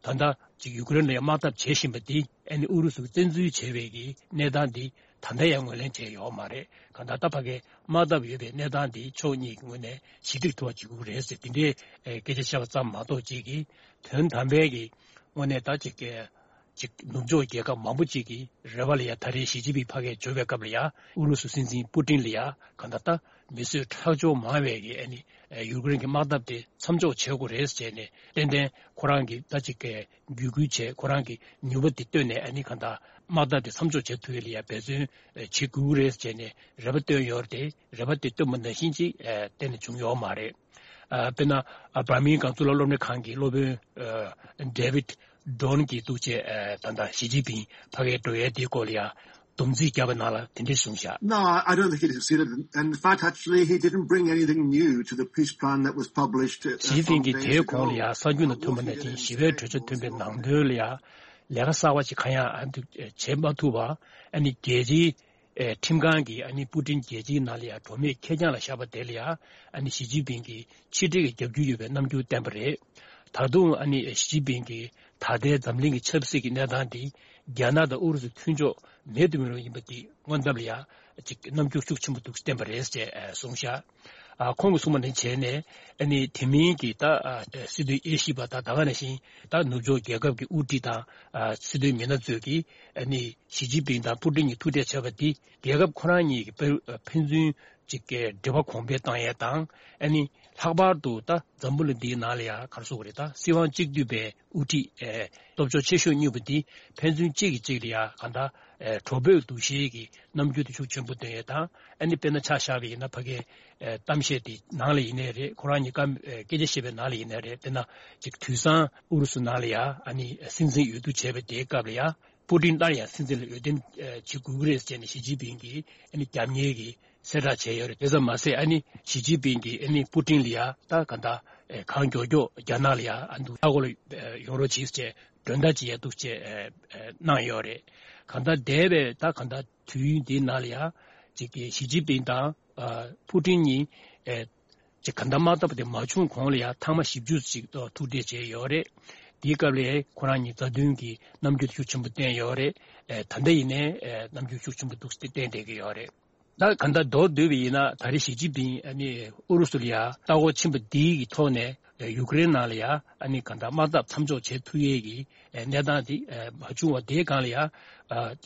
ད་ལྟ་ཅིག་ཡུ་ཀེ་རེན་ལ་ཡང་དམག་འཐབ་བྱེད་བཞིན་པ་འདི་ཨ་ནི་ཨུ་རུ་སུ་གིས་བཙན་འཛུལ་བྱས་པའི་གི་གནས་སྟངས་འདི་ད་ལྟ་ཡང་ངོས་ལེན་བྱས་ཡོད་མ་རེད། གང་ལྟར་ད་ཕ་གིར་དམག་འཐབ་ཡོད་པའི་གནས་སྟངས་འདི་ཕྱོགས་གཉིས་ཀྱི་ངོས་ནས་ཞི་འགྲིག་ཐུབ་པ་བྱེད་དགོས་རེད་ཟེར་འདི་འདྲའི་ཨེ་སྐད་ཆ་བཤད་པ་ཙམ་མ་གཏོགས་ཅིག་གིས་དོན་དམ་པའི་གི་དངོས་གནས་ད་ཅིག་གི་ཅིག་ནུབ་ཕྱོགས་རྒྱལ་ཁབ་མང་པོ་ཅིག་གི་རེ་བ་ལ་ཡ་ད་རེས་ཞི་ཅིན་ཕིང་ཕ་གིར་འབྱོར་བའི་སྐབས་ལ་ཡ་ཨུ་རུ་སུ་སྲིད་འཛིན་པུ་ཏིན་ལ་ཡ་གང་ལྟར་ད་མི་གསོད་ཁྲག་སྦྱོར་མང་བའི་གི་ཨ་ནི་ཡུ་ཀེ་རེན་གྱི་དམག་འཐབ་དེ་མཚམས་འཇོག་བྱེད་དགོས་རེད་ཟེར་ནས་ཏན་ཏན་ཁོ་རང་གིས་ད་ཅིག་གི་བརྒྱུད་སྐུལ་བྱས། ཁོ་རང་གི་ནུས་པ་དེ་བཏོན་ནས་ཨ་ནི་གང་ལྟར་དམག་འཐབ་དེ་མཚམས་འཇོག་བྱེད་ཐུབ་ཡས་ལ་ཡ་འབད་བརྩོན་བྱེད་དགོས་རེད་ཟེར་ནས་རེ་བ་བཏོན་ཡོད་རེད། རེ་བ་དེ་བཏོན་པ་ནང་བཞིན་ཅིག་ཨ་གཏན་ནས་བྱུང་ཡོད་མ་རེད། ཨ་དཔེར་ན་ཨ་བར་མིང་གྷམ་གཙུག་ལག་སློབ་གཉེར་ཁང་གི་སློབ་དཔོན་ཨ་ཌེ་ཝིད་ཌོན་གྱིས་འདུག་བྱས་ཨ་ད་ལྟ་ཞི་ཅིན་ཕིང་ཕ་གིར་འགྲོ་ཡས་དེའི་སྐོར་ལ་ཡ་སྡོམ་རྩིས་བརྒྱབ་པ་ནང་ལ་དེ་འདྲ་གསུངས་བཞག No, I don't think he succeeded. In fact, actually, he didn't bring anything new to the peace plan that was published. ཞི་ཅིན་ཕིང་གིས་དེའི་གོང་ལ་ཡ་གསར་འགྱུར་ནང་ཐོན་པ་ནང་བཞིན་ཞི་བའི་གྲོས་ཆོད་ཐོན་པའི་ནང་དོན་ལ་ཡ་ལས་ཀ་གསར་བ་ཞིག་གང་ཡང་ཨ་འདུག་བྱེད་མ་ཐུབ་པ། ཨ་ནི་རྒྱལ་སྤྱིའི་ཨེ་ཁྲིམས་ཁང་གིས་ཨ་ནི་པུ་ཏིན་རྒྱལ་སྤྱིའི་ནང་ལ་ཡང་འགྲོ་མེད་ཁེར་རྐྱང་ལ་བཞག་པ་དེ་ལ་ཡང་ཨ་ནི་ཞི་ཅིན་ཕིང་གིས་ཕྱི་འབྲེལ་གྱི་རྒྱབ་སྐྱོར་ཡོད་པའི་རྣམ་འགྱུར་བསྟན་པ་རེད། ད་དུང་ཨ་ནི་ཞི་ཅིན་ཕིང་གིས་ད་ལྟའི་འཛམ་གླིང་གི་ཆབ་སྲིད་ཀྱི་གནས་སྟངས་འདི་རྒྱ་ནག་དང་ཨུ་རུ་སུ་མཐུན་ཕྱོགས་མེད་དུ་མི་རུང་ཡིན་པ་འདི་སྔོན་ཐབས་ལ་ཡང་ཅིག་རྣམ་འགྱུར་ཤུགས་ཆེན་པོ་འདུག་བསྟན་པ་རེད་ཅེས་གསུངས་བཞག་ཨ་ཁོང་གིས་གསུངས་པ་ནང་བྱས་ནས་ཨ་ནི་དེ་མིན་གྱི་ད་ཨ་སྲིད་དོན་དབྱེ་ཞིབ་པ་དང་ད་ག་ནང་བཞིན་ད་ནུབ་ཕྱོགས་རྒྱལ་ཁབ་ཀྱི་དབུ་ཁྲིད་དང་ཨ་སྲིད་དོན་མི་སྣ་ཚོས་ཀྱིས་ཨ་ནི་ཞི་ཅིན་ཕིང་དང་པུ་ཏིན་གཉིས་ཐུག་འཕྲད་བྱས་པ་འདི་རྒྱལ་ཁབ་ཁོ་རང་གཉིས་ཀྱི་དཔེ་ཕན་ཚུན་གཅིག་གི་འབྲེལ་བ་གོང་འཕེལ་བཏང་ཡས་དང་ཨ་ནི་ ལྷག་པར་དུ་ད་འཛམ་བུ་གླིང་འདིའི་ནང་ལ་ཡང་ག་རེ་ཟེར་དགོས་རེད། ད་སྲིད་དབང་གཅིག་བསྡུས་པའི་དབུ་ཁྲིད་ཨེ་སྟོབས་ཤུགས་ཆེ་ཤོས་གཉིས་པོ་འདི་ཕན་ཚུན་གཅིག་གིས་གཅིག་ལ་ཡང་གང་ལྟར་ཨེ་གྲོགས་པོའི་འདུ་ཤེས་ཀྱི་རྣམ་འགྱུར་དེ་ཤུགས་ཆེན་པོ་སྟོན་ཡས་དང་། ཨ་ནི་དཔེར་ན་ཆ་བཞག་པ་ཡིན་ན་ཕ་གིའི་ཨེ་གཏམ་བཤད་དེ་ནང་ལ་ཡིན་ནའི་རེད། ཁོ་རང་གཉིས་ཀ་ཨེ་སྐད་ཆ་བཤད་པའི་ནང་ལ་ཡིན་ནའི་རེད། དཔེར་ན་ཅིག་དུས་སང་ཨུ་རུ་སུ་ནང་ལ་ཡང་ཨ་ནི་སྲིད་འཛིན་འོས་བསྡུ་བྱས་པའི་དེའི་སྐབས་ལ་ཡང་པུ་ཏིན་སླར་ཡང་སྲིད་འཛིན་ལ་འོས་འདེམས་ཨེ་བྱེད་དགོས་ཀྱི་རེད་ཟེར་ནས་ཞི་ཅིན་ཕིང་གིས་ཨ་ནི་རྒྱབ་གཉེར་གྱི་གསལ་བསྒྲགས་བྱས་ཡོད་རེད། དེ་ཙམ་མ་ཟད་ཨ་ནི་ཞི་ཅིན་ཕིང་གིས་ཨ་ནི་པུ་ཏིན་ལ་ཡ་ད་ག་འདྲ་ཨེ་གང་མགྱོགས་མགྱོགས་རྒྱ་ནག་ལ་ཡ་ཨ་འདུ་ལྟ་སྐོར་ལ་ཨེ་ཡོང་རོགས་གྱིས་ཅེས་མགྲོན་བརྡ་ཅིག་ཡ་འདུག་ཅེས་ཨེ་ཨེ་གནང་ཡོད་རེད། གང་ལྟར་འདས་པའི་ད་ག་འདྲ་དུས་ཡུན་འདིའི་ནང་ལ་ཡ་ཅིག་གི་ཞི་ཅིན་ཕིང་དང་ཨ་པུ་ཏིན་གཉིས་ཨེ་ཅིག་ག་འདྲ་དམག་འཐབ་དེ་མ་བྱུང་གོང་ལ་ཡ་ཐེངས་མ་བཞི་བཅུ་ཅིག་ཐུག་འཕྲད་བྱས་ཡོད་རེད། དེའི་སྐབས་ལ་ཁོ་རང་གཉིས་མཛའ་མཐུན་གྱི་རྣམ་འགྱུར་ཤུགས་ཆེན་པོ་བསྟན་ཡོད་རེད། ཨེ་ད་ལྟ་ཡིན་ནའི་ཨེ་རྣམ་འགྱུར་ཤུགས་ཆེན་པོ་འདུག་སེ་བསྟན་བསྡད་ཀྱི་ཡོད་རེད། ད་གང་ལྟར་མདོར་བསྡུས་པ་ཡིན་ན་ད་རེས་ཞི་ཅིན་ཕིང་ཨ་ནི་ཨུ་རུ་སུ་ལ་ཡ་ལྟ་སྐོར་ཕྱིན་པ་འདིའི་གི་ཐོག་ནས་ཡུ་ཀེ་རེན་ནང་ལ་ཡ་ཨ་ནི་གང་ལྟར་དམག་འཐབ་མཚམས་འཇོག་བྱེད་ཐུབ་ཡས་ཀྱི་གནས་སྟངས་དེ་མ་བྱུང་བ་དེའི་སྒང་ལ་ཡ་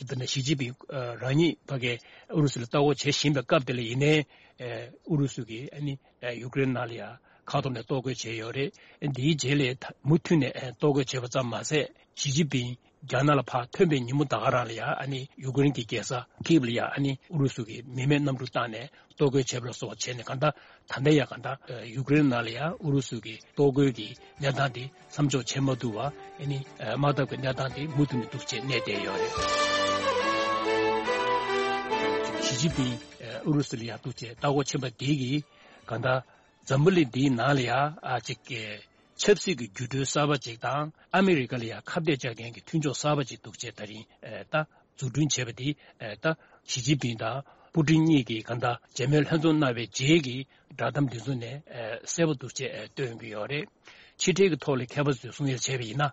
དཔེར་ན་ཞི་ཅིན་ཕིང་རང་ཉིད་ཕ་གིའི་ཨུ་རུ་སུ་ལ་ལྟ་སྐོར་བྱེད་བཞིན་པའི་སྐབས་དེ་ལ་ཡིན་ནའི་ཨུ་རུ་སུ་གིས་ཨ་ནི་ཡུ་ཀེ་རེན་ནང་ལ་ཡ་ཁ་ཐོག་ནས་གཏོར་རྒོལ་བྱས་ཡོད་རེད། འདིའི་རྗེས་ལ་མུ་མཐུད་ནས་གཏོར་རྒོལ་བྱས་པ་ཙམ་མ་ཟད་ཞི་ཅིན་ཕིང་རྒྱ་ནག་ལ་ཕར་ཐོན་པའི་ཉིན་མོ་ད་ག་རང་ལ་ཡ་ཨ་ནི་ཡུ་ཀེ་རེན་གྱི་རྒྱལ་ས་ཀིབ་ལ་ཡ་ཨ་ནི་ཨུ་རུ་སུ་གིས་མི་མེད་གནམ་གྲུ་བཏང་ནས་གཏོར་རྒོལ་བྱས་པ་ལ་སོགས་པ་བྱས་ནས་གང་ལྟར་ད་ལྟ་ཡ་གང་ལྟར་ཡུ་ཀེ་རེན་ནང་ལ་ཡ་ཨུ་རུ་སུ་གི་གཏོར་རྒོལ་གྱི་གནས་སྟངས་དེ་མཚམས་འཇོག་བྱེད་མ་ཐུབ་པ་ཨ་ནི་དམག་འཐབ་ཀྱི་གནས་སྟངས་དེ་མུ་མཐུད་ནས་འདུག་ཅེས་གནས་བསྡད་ཡོད་རེད། ཞི་ཅིན་ཕིང་ཨུ་རུ་སུ་ལ་ཡ་འདུག་ཅེས་ལྟ་སྐོར་ཕྱིན་པ་དེ་གིས་གང་ལྟར་འཛམ་བུ་གླིང་འདིའི་ནང་ལ་ཡ་ཨ་ཅིག་གི་ཆབ་སྲིད་ཀྱི་འགྱུར་འགྲོས་གསར་པ་ཅིག་དང་ཨ་མི་རི་ཀ་ལ་ཡ་ཁ་གཏད་བཅག་མཁན་གྱི་མཐུན་ཕྱོགས་གསར་པ་ཅིག་འདུག་ཅེས་ད་རིང་ཨེ་ད་འཛུགས་སྐྲུན་བྱས་པ་དེ་ཨེ་ད་ཞི་ཅིན་ཕིང་དང་པུ་ཏིན་གཉིས་ཀྱིས་གང་ལྟར་མཇལ་མོལ་ལྷན་འཛོམས་གནང་བའི་རྗེས་ཀྱི་བསྒྲགས་གཏམ་འདི་ཚོ་ནས་ཨེ་གསལ་པོ་འདུག་ཅེས་ཨེ་སྟོན་གྱི་ཡོད་རེད། ཕྱི་འབྲེལ་གྱི་ཐོག་ལ་མཁས་པ་ཚོས་གསུང་ཡ་བྱས་པ་ཡིན་ན།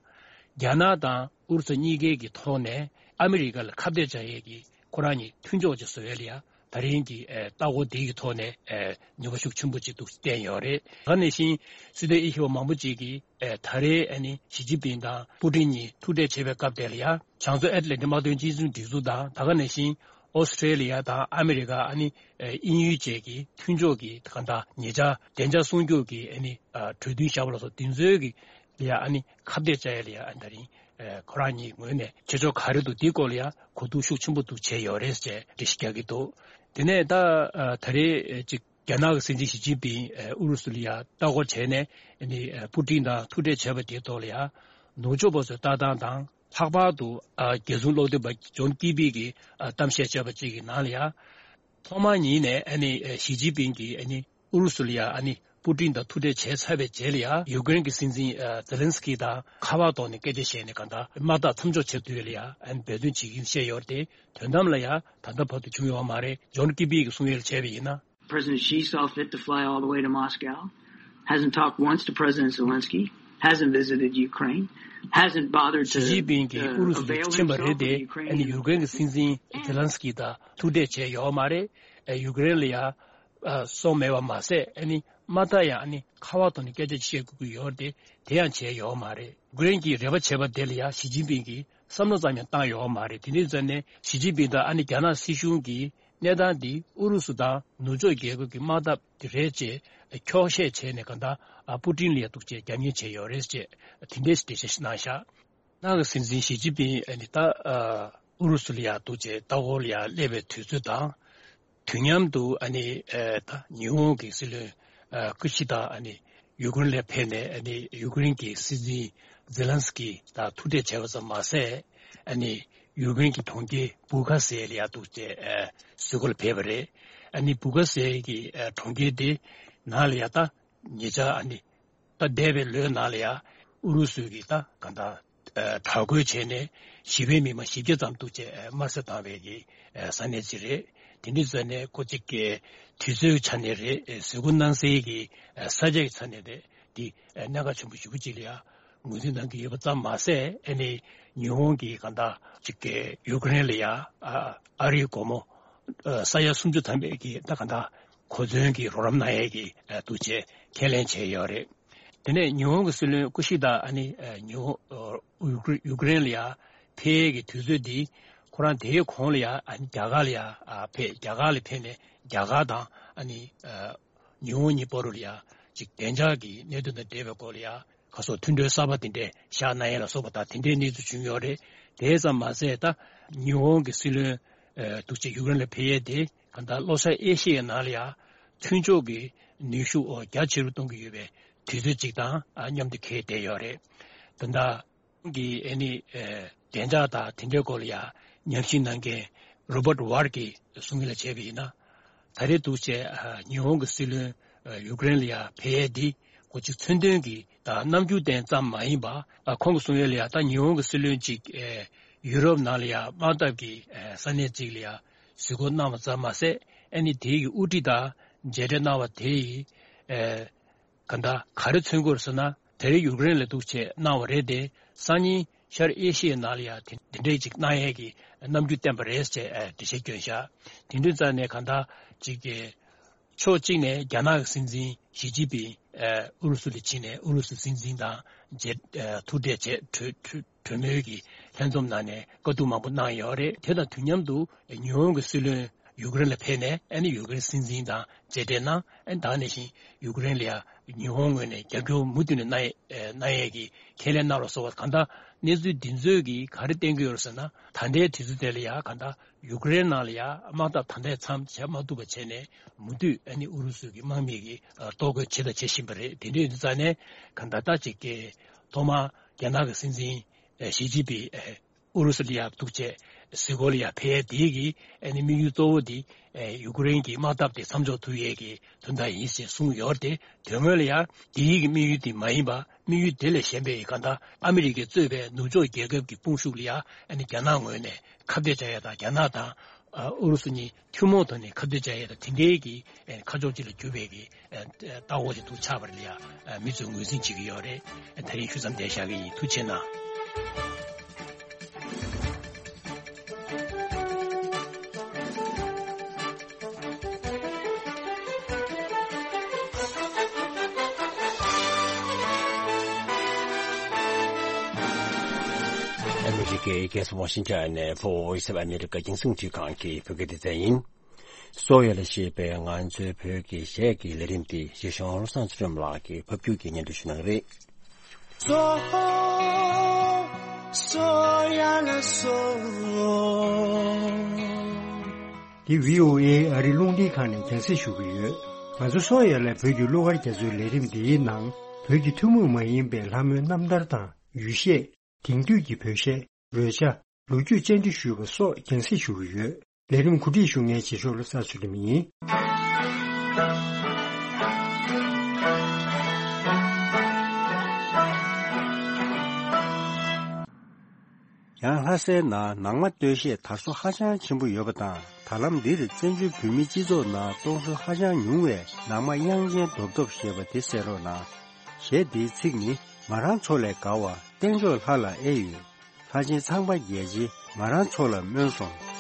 རྒྱ་ནག་དང་ཨུ་རུ་སུ་གཉིས་ཀའི་གི་ཐོག་ནས་ཨ་མི་རི་ཀ་ལ་ཁ་གཏད་བཅག་ཡས་ཀྱི་ཁོ་རང་གཉིས་མཐུན་ཕྱོགས་ཀྱི་བཟོ་ཡས་ལ་ཡ། ད་རིང་གི་ཨེ་ལྟ་སྐོར་འདི་གི་ཐོག་ནས་ཨེ་ནུས་པ་ཤུགས་ཆེན་པོ་ཅིག་འདུག་བསྟན་ཡོད་རེད། ད་ག་ནང་བཞིན་སྲིད་དོན་དབྱེ་ཞིབ་པ་མང་པོ་ཅིག་གིས་ཨེ་ད་རེས་ཨ་ནི་ཞི་ཅིན་ཕིང་དང་པུ་ཏིན་གཉིས་ཐུག་འཕྲད་བྱེད་པའི་སྐབས་དེ་ལ་ཡ་བྱང་མཚོ་ཨེཊ་ལན་ཊིག་དམག་དོན་གཅིག་མཚུངས་སྒྲིག་འཛུགས་དང་ད་ག་ནང་བཞིན་ཨོ་སི་ཀྲེ་ལི་ཡ་དང་ཨ་མི་རི་ཀ་ཨ་ནི་ཨེ་དབྱིན་ཡུལ་བཅས་ཀྱི་མཐུན་ཕྱོགས་ཀྱི་གང་ལྟར་ཉེ་ཆར་བདེ་འཇགས་སྲུང་སྐྱོབ་ཀྱི་ཨ་ནི་ཨ་གྲོས་མཐུན་བཞག་པ་ལ་སོགས་དེ་ཚོའི་གི་ལ་ཡ་ཨ་ནི་ཁ་གཏད་བཅག་ཡས་ལ་ཡ་ཨ་ནི་ད་རིང་ཨེ་ཁོ་རང་གཉིས་ངོས་ནས་བྱེད་ཕྱོགས་ག་རེ་འདུག་འདིའི་སྐོར་ལ་ཡ་གོ་བསྡུར་ཤུགས་ཆེན་པོ་འདུག་བྱས་ཡོད་རེད་ཅེས་འགྲེལ་བཤད་རྒྱག་གི་འདུག་དེ་ནས་ད་ཨ་ད་རེས་ཨེ་ཅིག་རྒྱ་ནག་གི་སྲིད་འཛིན་ཞི་ཅིན་ཕིང་ཨེ་ཨུ་རུ་སུ་ལ་ཡ་ལྟ་སྐོར་བྱས་ནས་ཨ་ནི་ཨེ་པུ་ཏིན་དང་ཐུག་འཕྲད་བྱས་པ་དེའི་ཐོག་ལ་ཡ་ནུབ་ཕྱོགས་པ་ཚོའི་ལྟ་སྟངས་དང་ལྷག་པར་དུ་ཨ་རྒྱལ་སྲུང་སློབ་སྟོན་པ་ཇོན་ཀི་པི་གིས་ཨ་གཏམ་བཤད་བྱས་པ་ཅིག་གི་ནང་ལ་ཡ། ཐོག་མ་ཉིད་ནས་ཨ་ནི་ཞི་ཅིན་ཕིང་གིས་ཨ་ནི་ཨུ་རུ་སུ་ལ་ཡ་ཨ་ནི་པུ་ཏིན་དང་ཐུག་འཕྲད་བྱས་ཚར་བའི་རྗེས་ལ་ཡ་ཡུ་ཀེ་རེན་གྱི་སྲིད་འཛིན་ཨ་ཛེ་ལན་སི་ཀི་དང་ཁ་པར་ཐོག་ནས་སྐད་ཆ་བཤད་ནས་གང་ལྟར་དམག་འཐབ་མཚམས་འཇོག་བྱེད་ཐུབ་ཡས་ལ་ཡ་ཨ་ནི་འབད་བརྩོན་བྱེད་ཀྱིན་བཤད་ཡོད་རེད་དེ་དོན་དམ་ལ་ཡ་ད་ལྟ་བར་དུ་བྱུང་ཡོད་མ་རེད། ཇོན་ཀི་པི་གིས་གསུང་ཡས་ལ་བྱས་པ་ཡིན་ན། President Xi saw fit to fly all the way to Moscow, hasn't talked once to President Zelensky, hasn't visited Ukraine, hasn't bothered to ཞི་ཅིན་ཕིང་གིས་ཨུ་རུ་སུ་ལ་ཕྱིན་པ་རེད་དེ་ཨ་ནི་ཡུ་ཀེ་རེན་གྱི་སྲིད་འཛིན་ཛེ་ལན་སི་ཀི་དང་ཐུག་འཕྲད་བྱས་ཡོད་མ་རེད། ཨ་ཡུ་ཀེ་རེན་ལ་ཡ་ཨ་སོང་མེད་པ་མ་ཟད་ཨ་ནི་མ་མཐའ་ཡང་ཨ་ནི་ཁ་པར་ཐོག་ནས་སྐད་ཆ་བཤད་དགོས་ཀྱི་ཡོད་རེད་དེ་དེ་ཡང་བྱས་ཡོད་མ་རེད། ཡུ་ཀེ་རེན་གྱིས་རེ་བ་བྱས་པ་དེ་ལ་ཡ་ཞི་ཅིན་ཕིང་གིས་བསམ་བློ་ཙམ་ཡང་བཏང་ཡོད་མ་རེད། དེ་འདྲའི་ཚོད་ནས་ཞི་ཅིན་ཕིང་དང་ཨ་ནི་རྒྱ་ནག་སྲིད་གཞུང་གིས་གནས་སྟངས་འདི་ཨུ་རུ་སུ་དང་ནུབ་ཕྱོགས་རྒྱལ་ཁབ་ཀྱི་དམག་འཐབ་དེ་རེད་ཅེས་འཁྱོག་བཤད་བྱས་ནས་གང་ལྟར་པུ་ཏིན་ལ་ཡ་འདུག་ཅེས་རྒྱབ་གཉེར་བྱས་ཡོད་རེད་ཅེས་དེ་འདྲའི་འགྲེལ་བཤད་ཞིག་གནང་ཤག་ནང་གི་སྲིད་འཛིན་ཞི་ཅིན་ཕིང་ཨ་ནི་ད་ཨུ་རུ་སུ་ལ་ཡ་འདུག་ཅེས་ལྟ་སྐོར་ལ་ཡ་སླེབས་པའི་དུས་ཚོད་དང་། དུས་མཉམ་དུ་ཨ་ནི་ཨེ་ད་ཉི་ཧོང་གི་སྲིད་བློན་ཨ་ཀུ་ཤི་ད་ཨ་ནི་ཡུ་ཀེ་རེན་ལ་ཕེབས་ནས་ཨ་ནི་ཡུ་ཀེ་རེན་གྱི་སྲིད་འཛིན་ཛེ་ལན་སི་ཀི་དང་ཐུག་འཕྲད་བྱས་པ་ཙམ་མ་ཟད་ཨ་ནི་ཡུ་ཀེ་རེན་གྱི་གྲོང་ཁྱེར་བུ་ཁ་སེ་ལ་ཡ་འདུག་ཅེས་ཨ་གཟིགས་སྐོར་ལ་ཕེབས་པ་རེད། ཨ་ནི་བུ་ཁ་སེ་གི་ཨ་གྲོང་ཁྱེར་དེ་ནང་ལ་ཡ་ད་ཉེ་ཆར་ཨ་ནི་ད་འདས་པའི་ལོའི་ནང་ལ་ཡ་ཨུ་རུ་སུ་གི་ད་གང་ལྟར་ཨ་དྲག་རྒོལ་བྱས་ནས་ཞི་བའི་མི་མང་བཞི་བརྒྱ་ཙམ་འདུག་ཅེས་ཨ་དམར་གསོད་བཏང་བའི་གི་ཨ་ས་གནས་ཅིག་རེད། དེ་འདྲ་བྱས་ནས་ཁོ་གཅིག་གི་དུས་ཚོད་ཆ་ནས་རེད། ཨ་གཟིགས་སྐོར་གནང་སའི་གི་ཨ་ས་ཆ་གི་ཆ་ནས་རེད། འདི་ཨ་གནད་འགག་ཆེན་པོ་ཞེ་པོ་ཅིག་ལ་ཡ་ངོས་འཛིན་གནང་གི་ཡོད་པ་ཙམ་མ་ཟད་ཨ་ནི་ཉི་ཧོང་གི་གང་ལྟར་གཅིག་གི་ཡུ་ཀེ་རེན་ལ་ཡ་ཨ་ཨ་རིའི་སྒོ་མོ་ཨ་ས་ཡ་སུམ་ཅུ་ཐམ་པའི་གི་ད་གང་ལྟར་གོ་མཚོན་གྱི་རོགས་རམ་གནང་ཡས་ཀྱི་ཨ་འདུག་ཅེས་ཁས་ལེན་བྱས་ཡོད་རེད། དེ་ནས་ཉི་ཧོང་གི་སྲིད་བློན་ཀུ་ཤི་ད་ཨ་ནི་ཨ་ཉི་ཧོང་ཨ་ཡུ་ཀེ་ཡུ་ཀེ་རེན་ལ་ཡ་ཕེབས་ཡས་ཀྱི་དུས་ཚོད་འདི་ཁོ་རང་དེའི་གོང་ལ་ཡ་ཨ་ནི་རྒྱ་གར་ལ་ཡ་ཨ་ཕེབས། རྒྱ་གར་ལ་ཕེབས་ནས་རྒྱ་གར་དང་ཨ་ནི་ཨ་ཉི་ཧོང་གཉིས་བར་དུ་ལ་ཡ་ ཅིག་བདེ་འཇགས་ཀྱི་གནད་དོན་དང་འབྲེལ་བའི་སྐོར་ལ་ཡང་ཁ་སོགས་མཐུན་གྲོས་གསར་པ་དེ་འདྲས་བཞག་གནང་ཡས་ལ་སོགས་པ་དང་དེ་འདྲའི་གནས་ཚུལ་བྱུང་ཡོད་རེད། དེ་ཙམ་མ་ཟད་ད་ཉི་ཧོང་གི་སྲིད་བློན་འདུག་ཅེས་ཡུཀ་རེན་ལ་ཕེབས་ཡས་དེ་གང་ལྟར་ལྷོ་ཤར་ཨེ་ཤི་ཡའི་ནང་ལ་ཡང་མཐུན་ཕྱོགས་ཀྱི་ནུས་ཤུགས་རྒྱ་ཆེ་རུ་གཏོང་གི་ཡོད་པའི་དུས་ཚོད་ཅིག་དང་མཉམ་དུ་འཁེལ་བསྡད་ཡོད་རེད། ད་ལྟ། གི་ཨ་ནི་ཨེ་བདེ་འཇགས་དང་དེ་འདྲའི་སྐོར་ལ་ཡང་ཉམས་ཞིབ་གནང་མཁན་རོ་བར་ཝར་གྱིས་གསུང་གི་ལ་བྱས་པ་ཡིན་ན། ད་རེས་འདུག་བྱས་ཨ་ཉི་ཧོང་གི་སྲིད་བློན་ཨ་ཡུཀ་རེན་ལ་ཡང་ཕེབས་ཡས་འདི་ཁོ་ཅིག་མཚོན་དོན་གྱི་དང་རྣམ་འགྱུར་ལྡན་ཙམ་མ་ཡིན་པ། ཨ་ཁོང་གིས་གསུང་ཡས་ལ་ཡང་ད་ཉི་ཧོང་གི་སྲིད་བློན་ཅིག་ཨེ་ཡུ་རོབ་ནང་ལ་ཡང་དམག་འཐབ་ཀྱི་ཨེ་ས་གནས་ཅིག་ལ་ཡང་གཟིགས་སྐོར་གནང་བ་ཙམ་མ་ཟད། ཨ་ནི་དེའི་གི་དབུ་ཁྲིད་དང་མཇལ་འཕྲད་གནང་བ་དེ་ཡིས་ཨེ། ག་འདྲ་ག་རེ་མཚོན་གྱི་ཡོད་ཟེར་ན། དེ་རིང་ཡུཀ་རེན་ལ་འདུག་བྱས་གནང་བ་རེད་དེ། སང་ཉིན་ཤར་ཨེ་ཤི་ཡའི་ནང་ལ་ཡང་དེ་དེ་འདྲའི་ཅིག་གནང་ཡས་ཀྱི་རྣམ་འགྱུར་བསྟན་པ་རེད་ཅེས་ཨ་འགྲེལ་བཤད་བསྐྱོན་བཞག་དེ་འདྲའི་རྩ་ནས་གང་ལྟར་ཅིག་གི་ཕྱོགས་གཅིག་ནས་རྒྱ་ནག་གི་སྲིད་འཛིན་ཞི་ཅིན་ཕིང་ཨ་ཨུ་རུ་སུ་ལ་ཕྱིན་ནས་ཨུ་རུ་སུ་སྲིད་འཛིན་དང་མཇལ་ཨ་ཐུག་འཕྲད་བྱས་གྲོས་གྲོས་གྲོས་མོལ་གྱི་ལྷན་འཛོམས་གནང་ནས་བཀའ་བསྡུར་མང་པོ་གནང་ཡོད་རེད། དེ་དང་དུས་མཉམ་དུ་ཉི་ཧོང་གི་སྲིད་བློན་ཡུཀ་རེན་ལ་ཕེབས་ནས་ཨ་ནི་ཡུཀ་རེན་སྲིད་འཛིན་དང་མཇལ་འཕྲད་གནང་། ཨ་ནི་ད་ག་ནང་བཞིན་ཡུཀ་རེན་ལ་ཡང་ཉི་ཧོང་ངོས་ནས་རྒྱབ་སྐྱོར་མུ་མཐུད་ནས་གནང་ཡས་གནང་ཡས་ཀྱི་ཁས་ལེན་གནང་རོགས་ཟེར་བ། གང་ལྟར་གནས་ཚུལ་འདི་ཚོས་ཀྱིས་ག་རེ་བསྟན་གྱི་ཡོད་རེད་ཟེར་ན། ད་ལྟའི་དུས་ཚོད་དེ་ལ་ཡང་གང་ལྟར་ཡུཀ་རེན་ནང་ལ་ཡང་དམག་འཐབ་ད་ལྟའི་མཚམས་བྱེད་མ་ཐུབ་པ་བྱས་ནས་མུ་མཐུད་ཨ་ནི་ཨུ་རུ་སུ་གི་དམག་མི་གི་ཨ་གཏོར་རྒོལ་བྱས་དང་བྱེད་བཞིན་པ་རེད། དེ་འདྲ་ཡིན་དུས་ཙང་ནས་གང་ལྟར་ད་ཅིག་གི་ཐོག་མར་རྒྱ་ནག་གི་སྲིད་འཛིན་ཨ་ཞི་ཅིན་ཕིང་ཨ་ཨུ་རུ་སུ་ལ་ཡང་འདུག་བྱས་གཟིགས་སྐོར་ལ་ཡང་ཕེབས་ཡས་དེ་གི་ཨ་ནི་དམིགས་ཡུལ་གཙོ་བོ་དེ་ཨ་ཡུཀ་རེན་གྱི་དམག་འཐབ་དེ་མཚམས་འཇོག་ཐུབ་ཡས་ཀྱི་དོན་དག་ཡིན་ཞེས་གསུངས་ཡོད་རེད་དེ། དོན་དངོས་ལ་ཡང་དེའི་གི་དམིགས་ཡུལ་དེ་མ་ཡིན་པ། དམིགས་ཡུལ་དེ་ལས་གཞན་པའི་གང་ལྟར་ཨ་མི་རི་ཀས་གཙོས་པའི་ནུབ་ཕྱོགས་རྒྱལ་ཁབ་ཀྱི་དཔུང་ཤུགས་ལ་ཡང་ཨ་ནི་རྒྱ་ནག་ངོས་ནས་ཁ་གཏད་བྱ་ཡས་དང་། རྒྱ་ནག་དང་ཨ་ཨུ་རུ་སུ་གཉིས་ཐུན་མོང་ཐོག་ནས་ཁ་གཏད་བྱ་ཡས་དང་། དེ་འདྲའི་གི་ཨ་ཁ་ཕྱོགས་གཅིག་ལ་གྱུར་པའི་གི་ཨ་ལྟ་བ་ཞིག་ཏུ་ཆགས་པ་རེད་ལ་ཡང་མི་ཚོས་ངོས་འཛིན་བྱེད་ཀྱི་ཡོད་རེད། དེ་རིང་ཞུ་མཚམས་འདིར་བཞག་གི་ཡིན། ཐུགས་རྗེ་གནང་། ཨ་མི་རི་ཀའི་རྒྱལ་ས་ཝ་ཤིང་ཊོན་ནས་བྷོ་ཨིས་ཨོཕ་ཨ་མི་རི་ཀ་རྒྱང་སྲིང་འཕྲིན་ཁང་གི་བོད་སྐད་སྡེ་ཚན་ཡིན། སོ་ཡ་ལ་ཞེས་པའི་ང་ཚོའི་བོད་ཀྱི་གཞས་ཀྱི་ལས་རིམ་འདི་གཞིས་གཞུང་བློ་བཟང་ཚེ་རིང་ལགས་ཀྱིས་ཕབ་སྒྱུར་གྱིས་སྙན་སྒྲོན་ཞུ་གནང་གི་རེད། སོ། སོ་ཡ་ལ་སོ། འདི་བྷི་ཨོ་ཨེ་ཨ་རིའི་རླུང་འཕྲིན་ཁང་ནས་རྒྱང་སྲིང་ཞུ་གི་ཡོད། ང་ཚོ་སོ་ཡ་ལ་བོད་ཀྱི་གླུ་གར་རྒྱ་མཚོའི་ལས་རིམ་འདིའི་ནང་བོད་ཀྱི་ཐུན་མོང་མ་ཡིན་པའི་ལྷ་མོའི་རྣམ་ཐར་དང་ཡུལ་གཞས། དེང་དུས་ཀྱི་བོད་གཞས། རོལ་ཆ། ལོ་རྒྱུས་བཅར་འདྲི་ཞུས་པ་སོགས་རྒྱང་སྲིང་ཞུ་གི་ཡོད། ལས་རིམ་གོ་སྒྲིག་ཞུ་མཁན་རྗེས་ཕྱོགས་བློ་བཟང་ཚུལ་ཁྲིམས་ཡིན། ཡང་ལྷ་སའི་ནང་ནང་མ་སྟོད་གཞས་དར་སྲོལ་ཧ་ཅང་ཆེན་པོ་ཡོད་པ་དང་། ད་ལམ་འདིར་བཙན་བྱོལ་བོད་མིའི་སྤྱི་ཚོགས་ནང་གཏོང་སྲོལ་ཧ་ཅང་ཉུང་བས། ནང་མ་དབྱངས་ཅན་རྡོབ་རྡོབ་ཞེས་པ་དེ་གསན་རོགས་གནང་། གཞས་འདིའི་ཚིག་ནི། མ་རང་མཚོ་ལས་དགའ་བ། བསྟན་མཆོག་ལྷ་ལ་ཨེ་ཡོད། ལྷ་ཆེན་ཚངས་པ་རྒྱལ་རྗེ། མ་རང་མཚོ་ལ་སྨོན་སོང་།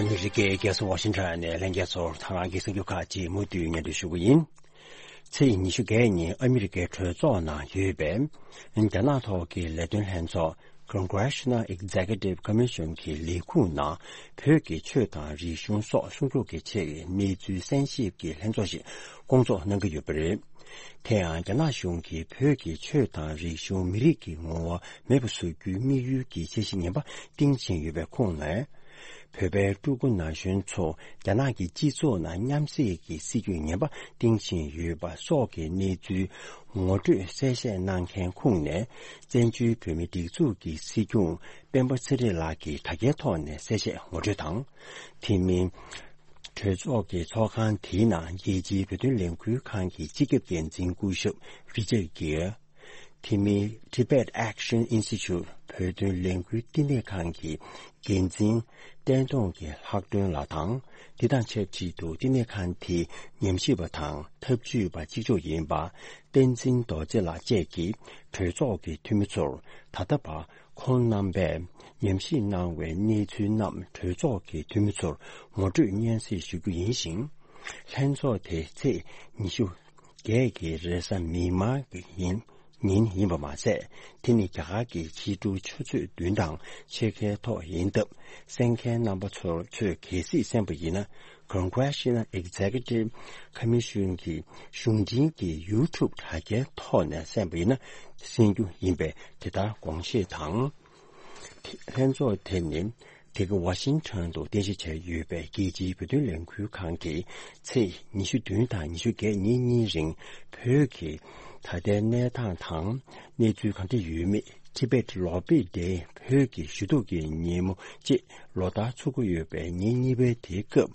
ཨ་མི་རི་ཀའི་རྒྱལ་ས་ཝ་ཤིང་ཊོན་ནས་ལྷན་རྒྱས་ཚོར་ཐེངས་རང་གི་གསར་འགྱུར་ཁག་ཅིག་མུ་མཐུད་སྙན་སྒྲོན་ཞུ་གི་ཡིན། ཚེས་ཉི་ཤུ་བརྒྱད་ཉིན་ཨ་མི་རི་ཀའི་གྲོས་ཚོགས་ནང་ཡོད་པའི་རྒྱ་ནག་ཐོག་གི་ལས་དོན་ལྷན་ཚོགས་Congressional Executive Commission གྱི་ལས་ཁུངས་ནང་བོད་ཀྱི་ཆོས་དང་རིག་གཞུང་སོགས་སྲུང་སྐྱོབ་ཀྱི་ཆེད་ཀྱི་གནས་ཚུལ་གསན་ཞིབ་ཀྱི་ལྷན་ཚོགས་ཤིག་སྐོང་ཚོགས་གནང་གི་ཡོད་པ་རེད། དེ་ཡང་རྒྱ་ནག་གཞུང་གིས་བོད་ཀྱི་ཆོས་དང་རིག་གཞུང་མི་རིགས་ཀྱི་ངོ་བོ་མེད་པ་བཟོ་རྒྱུའི་དམིགས་ཡུལ་གྱི་འཆར་གཞི་ངན་པ་བཏིང་བཞིན་ཡོད་པའི་ཁོངས་ནས། བོད་པའི་ཕྲུ་གུ་ན་གཞོན་ཚོ་རྒྱ་ནག་གི་སྤྱི་ཚོགས་ནང་མཉམ་བསྲེས་ཀྱི་སྲིད་ཇུས་ངན་པ་བཏིང་བཞིན་ཡོད་པ་སོགས་ཀྱི་གནས་ཚུལ་ངོ་སྤྲོད་གསལ་བཤད་གནང་མཁན་ཁོངས་ནས། བཙན་བྱོལ་བོད་མིའི་སྒྲིག་འཛུགས་ཀྱི་སྲིད་སྐྱོང་སྤེན་པ་ཚེ་རིང་ལགས་ཀྱིས་དྲ་རྒྱའི་ཐོག་ནས་གསལ་བཤད་ངོ་སྤྲོད་དང་། དེ་མིན། གྲོས་ཚོགས་ཀྱི་ཚོགས་ཁང་དེའི་ནང་རྒྱལ་སྤྱིའི་བོད་དོན་ལས་འགུལ་ཁང་གི་སྤྱི་ཁྱབ་འགན་འཛིན་སྐུ་ཞབས་Richard Gere། དེ་མིན་Tibet Action Institute བོད་དོན་ལས་འགུལ་བསྟི་གནས་ཁང་གི་འགན་འཛིན་བསྟན་སྟོང་གི་ལྷག་སྒྲོན་ལགས་དང་། འདི་དང་ཆབས་ཅིག་ཏུ་བསྟི་གནས་ཁང་དེའི་ཉམས་ཞིབ་པ་དང་འཐབ་ཇུས་པ་གཅིག་ལྕོགས་ཡིན་པ་བསྟན་འཛིན་རྡོ་རྗེ་ལགས་བཅས་ཀྱིས་གྲོས་ཚོགས་ཀྱི་འཐུས་མི་ཚོར་ད་ལྟ་བར་ཁོང་རྣམ་པས་ཉམས་ཞིབ་གནང་བའི་གནས་ཚུལ་རྣམས་གྲོས་ཚོགས་ཀྱི་འཐུས་མི་ཚོར་ངོ་སྤྲོད་སྙན་སེང་ཞུ་རྒྱུ་ཡིན་ཞིང་། ལྷན་ཚོགས་དེ་ཚེས་ཉི་ཤུ་བརྒྱད་ཀྱི་རེས་གཟའ་མིག་དམར་གྱི་ཉིན་ཉིན་ཡིན་པ་མ་ཟད། དེ་ནི་རྒྱ་གར་གྱི་ཕྱི་དྲོ་ཆུ་ཚོད་བདུན་དང་ཕྱེད་ཀའི་ཐོག་ཡིན་སྟབས། གསན་མཁན་རྣམ་པ་ཚོར་ཚོས་གལ་སྲིད་གསན་པ་ཡིན་ན། Congressional Executive Commission གྱི་གཞུང་འབྲེལ་གྱི་YouTube དྲ་རྒྱའི་ཐོག་ནས་གསན་པ་ཡིན་ན་གསན་རྒྱུ་ཡིན་པའི་དེ་ལྟར་དགོངས་བཞེས་དང་། ལྷན་ཚོགས་དེ་ནི་དེ་ག་ཝ་ཤིང་ཊོན་དུ་རྟེན་གཞི་བྱས་ཡོད་པའི་རྒྱལ་སྤྱིའི་བོད་དོན་ལས་འགུལ་ཁང་གིས་ཚེས་ཉི་ཤུ་བདུན་དང་ཉི་ཤུ་བརྒྱད་ཉིན་གཉིས་རིང་བོད་ཀྱི་ད་ལྟའི་གནས་སྟངས་དང་གནས་ཚུལ་གང་འདྲ་ཡོད་མེད། ཊི་བེཊ་ལོག་པའི་སྡེ་བོད་ཀྱི་ཞུ་གཏུག་གི་ཉིན་མོ་བཅས་ལོ་ལྟར་ཚུགས་ཀྱི་ཡོད་པའི་ཉིན་གཉིས་པའི་དེའི་སྐབས།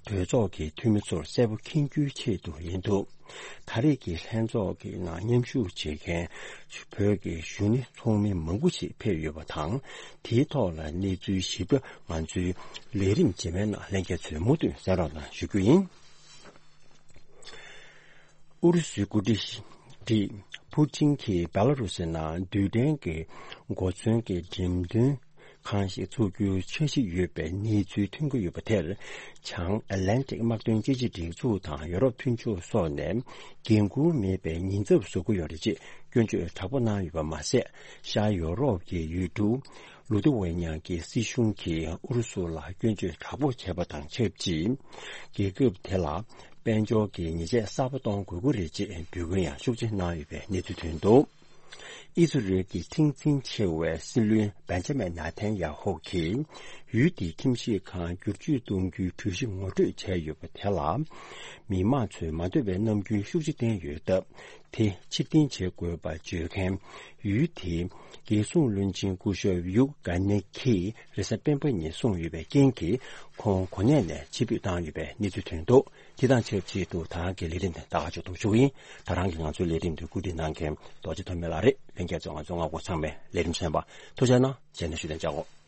གྲོས་ཚོགས་ཀྱི་འཐུས་མི་ཚོར་གསལ་པོ་མཁྱེན་རྒྱུའི་ཆེད་དུ་ཡིན་འདུག་ད་རེས་ཀྱི་ལྷན་ཚོགས་ཀྱི་ནང་མཉམ་ཞུགས་བྱེད་མཁན་བོད་ཀྱི་གཞོན་ནུ་ཚོགས་མི་མང་པོ་ཞིག་ཕེབས་ཡོད་པ་དང་། དེའི་ཐོག་ལ་གནས་ཚུལ་ཞིབ་ཕྲ་ང་ཚོའི་ལས་རིམ་རྗེས་མའི་ནང་ལྷན་རྒྱས་ཚོས་མུ་མཐུད་གསན་རོགས་གནང་ཞུ་རྒྱུ་ཡིན། ཨུ་རུ་སུའི་འགོ་ཁྲིད་ཁྲི་ཕུ་ཅིན་གྱིས་བེ་ལ་རུ་སི་ནང་རྡུལ་ཕྲན་གྱི་གོ་མཚོན་གྱི་འགྲེམས་སྟོན་ཁང་ཞིག་འཚོགས་རྒྱུའི་འཆར་གཞི་ཡོད་པའི་གནས་ཚུལ་ཐོན་གྱི་ཡོད་པ་དེར། བྱང་ཨེ་ལན་ཏིག་དམག་དོན་སྤྱི་ཆིངས་སྒྲིག་འཛུགས་དང་ཡོ་རོབ་མཐུན་ཕྱོགས་སོགས་ནས་འགན་འཁུར་མེད་པའི་ཉེན་ཚབས་བཟོ་གི་ཡོད་རེད་ཅེས་སྐྱོན་བརྗོད་དྲག་པོ་གནང་ཡོད་པ་མ་ཟད། ཤར་ཡོ་རོབ་ཀྱི་ཡུལ་གྲུ་ལུ་ཐི་ཝེ་ནི་ཡ་གི་སྲིད་གཞུང་གིས་ཨུ་རུ་སུ་ལ་སྐྱོན་བརྗོད་དྲག་པོ་བྱས་པ་དང་ཆབས་ཅིག་རྒྱལ་ཁབ་དེ་ལ་དཔལ་འབྱོར་གྱི་ཉེས་ཆད་གསར་པ་གཏོང་དགོས་ཀྱི་རེད་ཅེས་འབོད་སྐུལ་ཡང་ཤུགས་ཆེ་གནང་ཡོད་པའི་གནས་ཚུལ་ཐོན་འདུག་ཨི་ཟི་རེལ་གྱི་ཁྲིམས་འཛིན་ཆེ་བའི་སྲིད་བློན་བན་ཇ་མན་ནེ་ཐན་ཡ་ཧུ་གིས་ཡུལ་དེའི་ཁྲིམས་ཞིབ་ཁང་བསྒྱུར་བཅོས་གཏོང་རྒྱུའི་གྲོས་གཞི་ངོ་སྤྲོད་བྱས་ཡོད་པ་དེ་ལ། མི་མང་ཚོས་མ་འདོད་པའི་རྣམ་འགྱུར་ཤུགས་ཆེ་བསྟན་ཡོད་སྟབས། དེ་ཕྱིར་འཐེན་བྱེད་དགོས་པ་བརྗོད་མཁན་ཡུལ་དེའི་རྒྱལ་སྲུང་བློན་ཆེན་སྐུ་ཞབས་ཡུག་ག་ནེ་ཁིས་རེས་གཟའ་སྤེན་པ་ཉིན་གསུངས་ཡོད་པའི་རྐྱེན་གྱིས། ཁོང་གོ་གནས་ནས་ཕྱིར་འབུད་བཏང་ཡོད་པའི་གནས་ཚུལ་ཐོན་འདུག་དེ་དང་ཆབས་ཅིག་ཏུ་ད་ག་གི་ལས་རིམ་དེ་ད་ག་ཅིག་ཏུ་ཞུགས་ཡིན། ད་རང་གི་ང་ཚོའི་ལས་རིམ་དུ་བཀོད་སྒྲིག་གནང་མཁན་རྡོ་རྗེ་ཐོགས་མེད་ལགས་རེད། ལྷན་རྒྱས་ཚོ་ང་ཚོ་སྔ་དགོང་ཚང་མས་ལས་རིམ་གསན་པ་ཐུགས་རྗེ་གནང་། རྗེས་ནས་ཞུ་ལན་བཅར་གོ།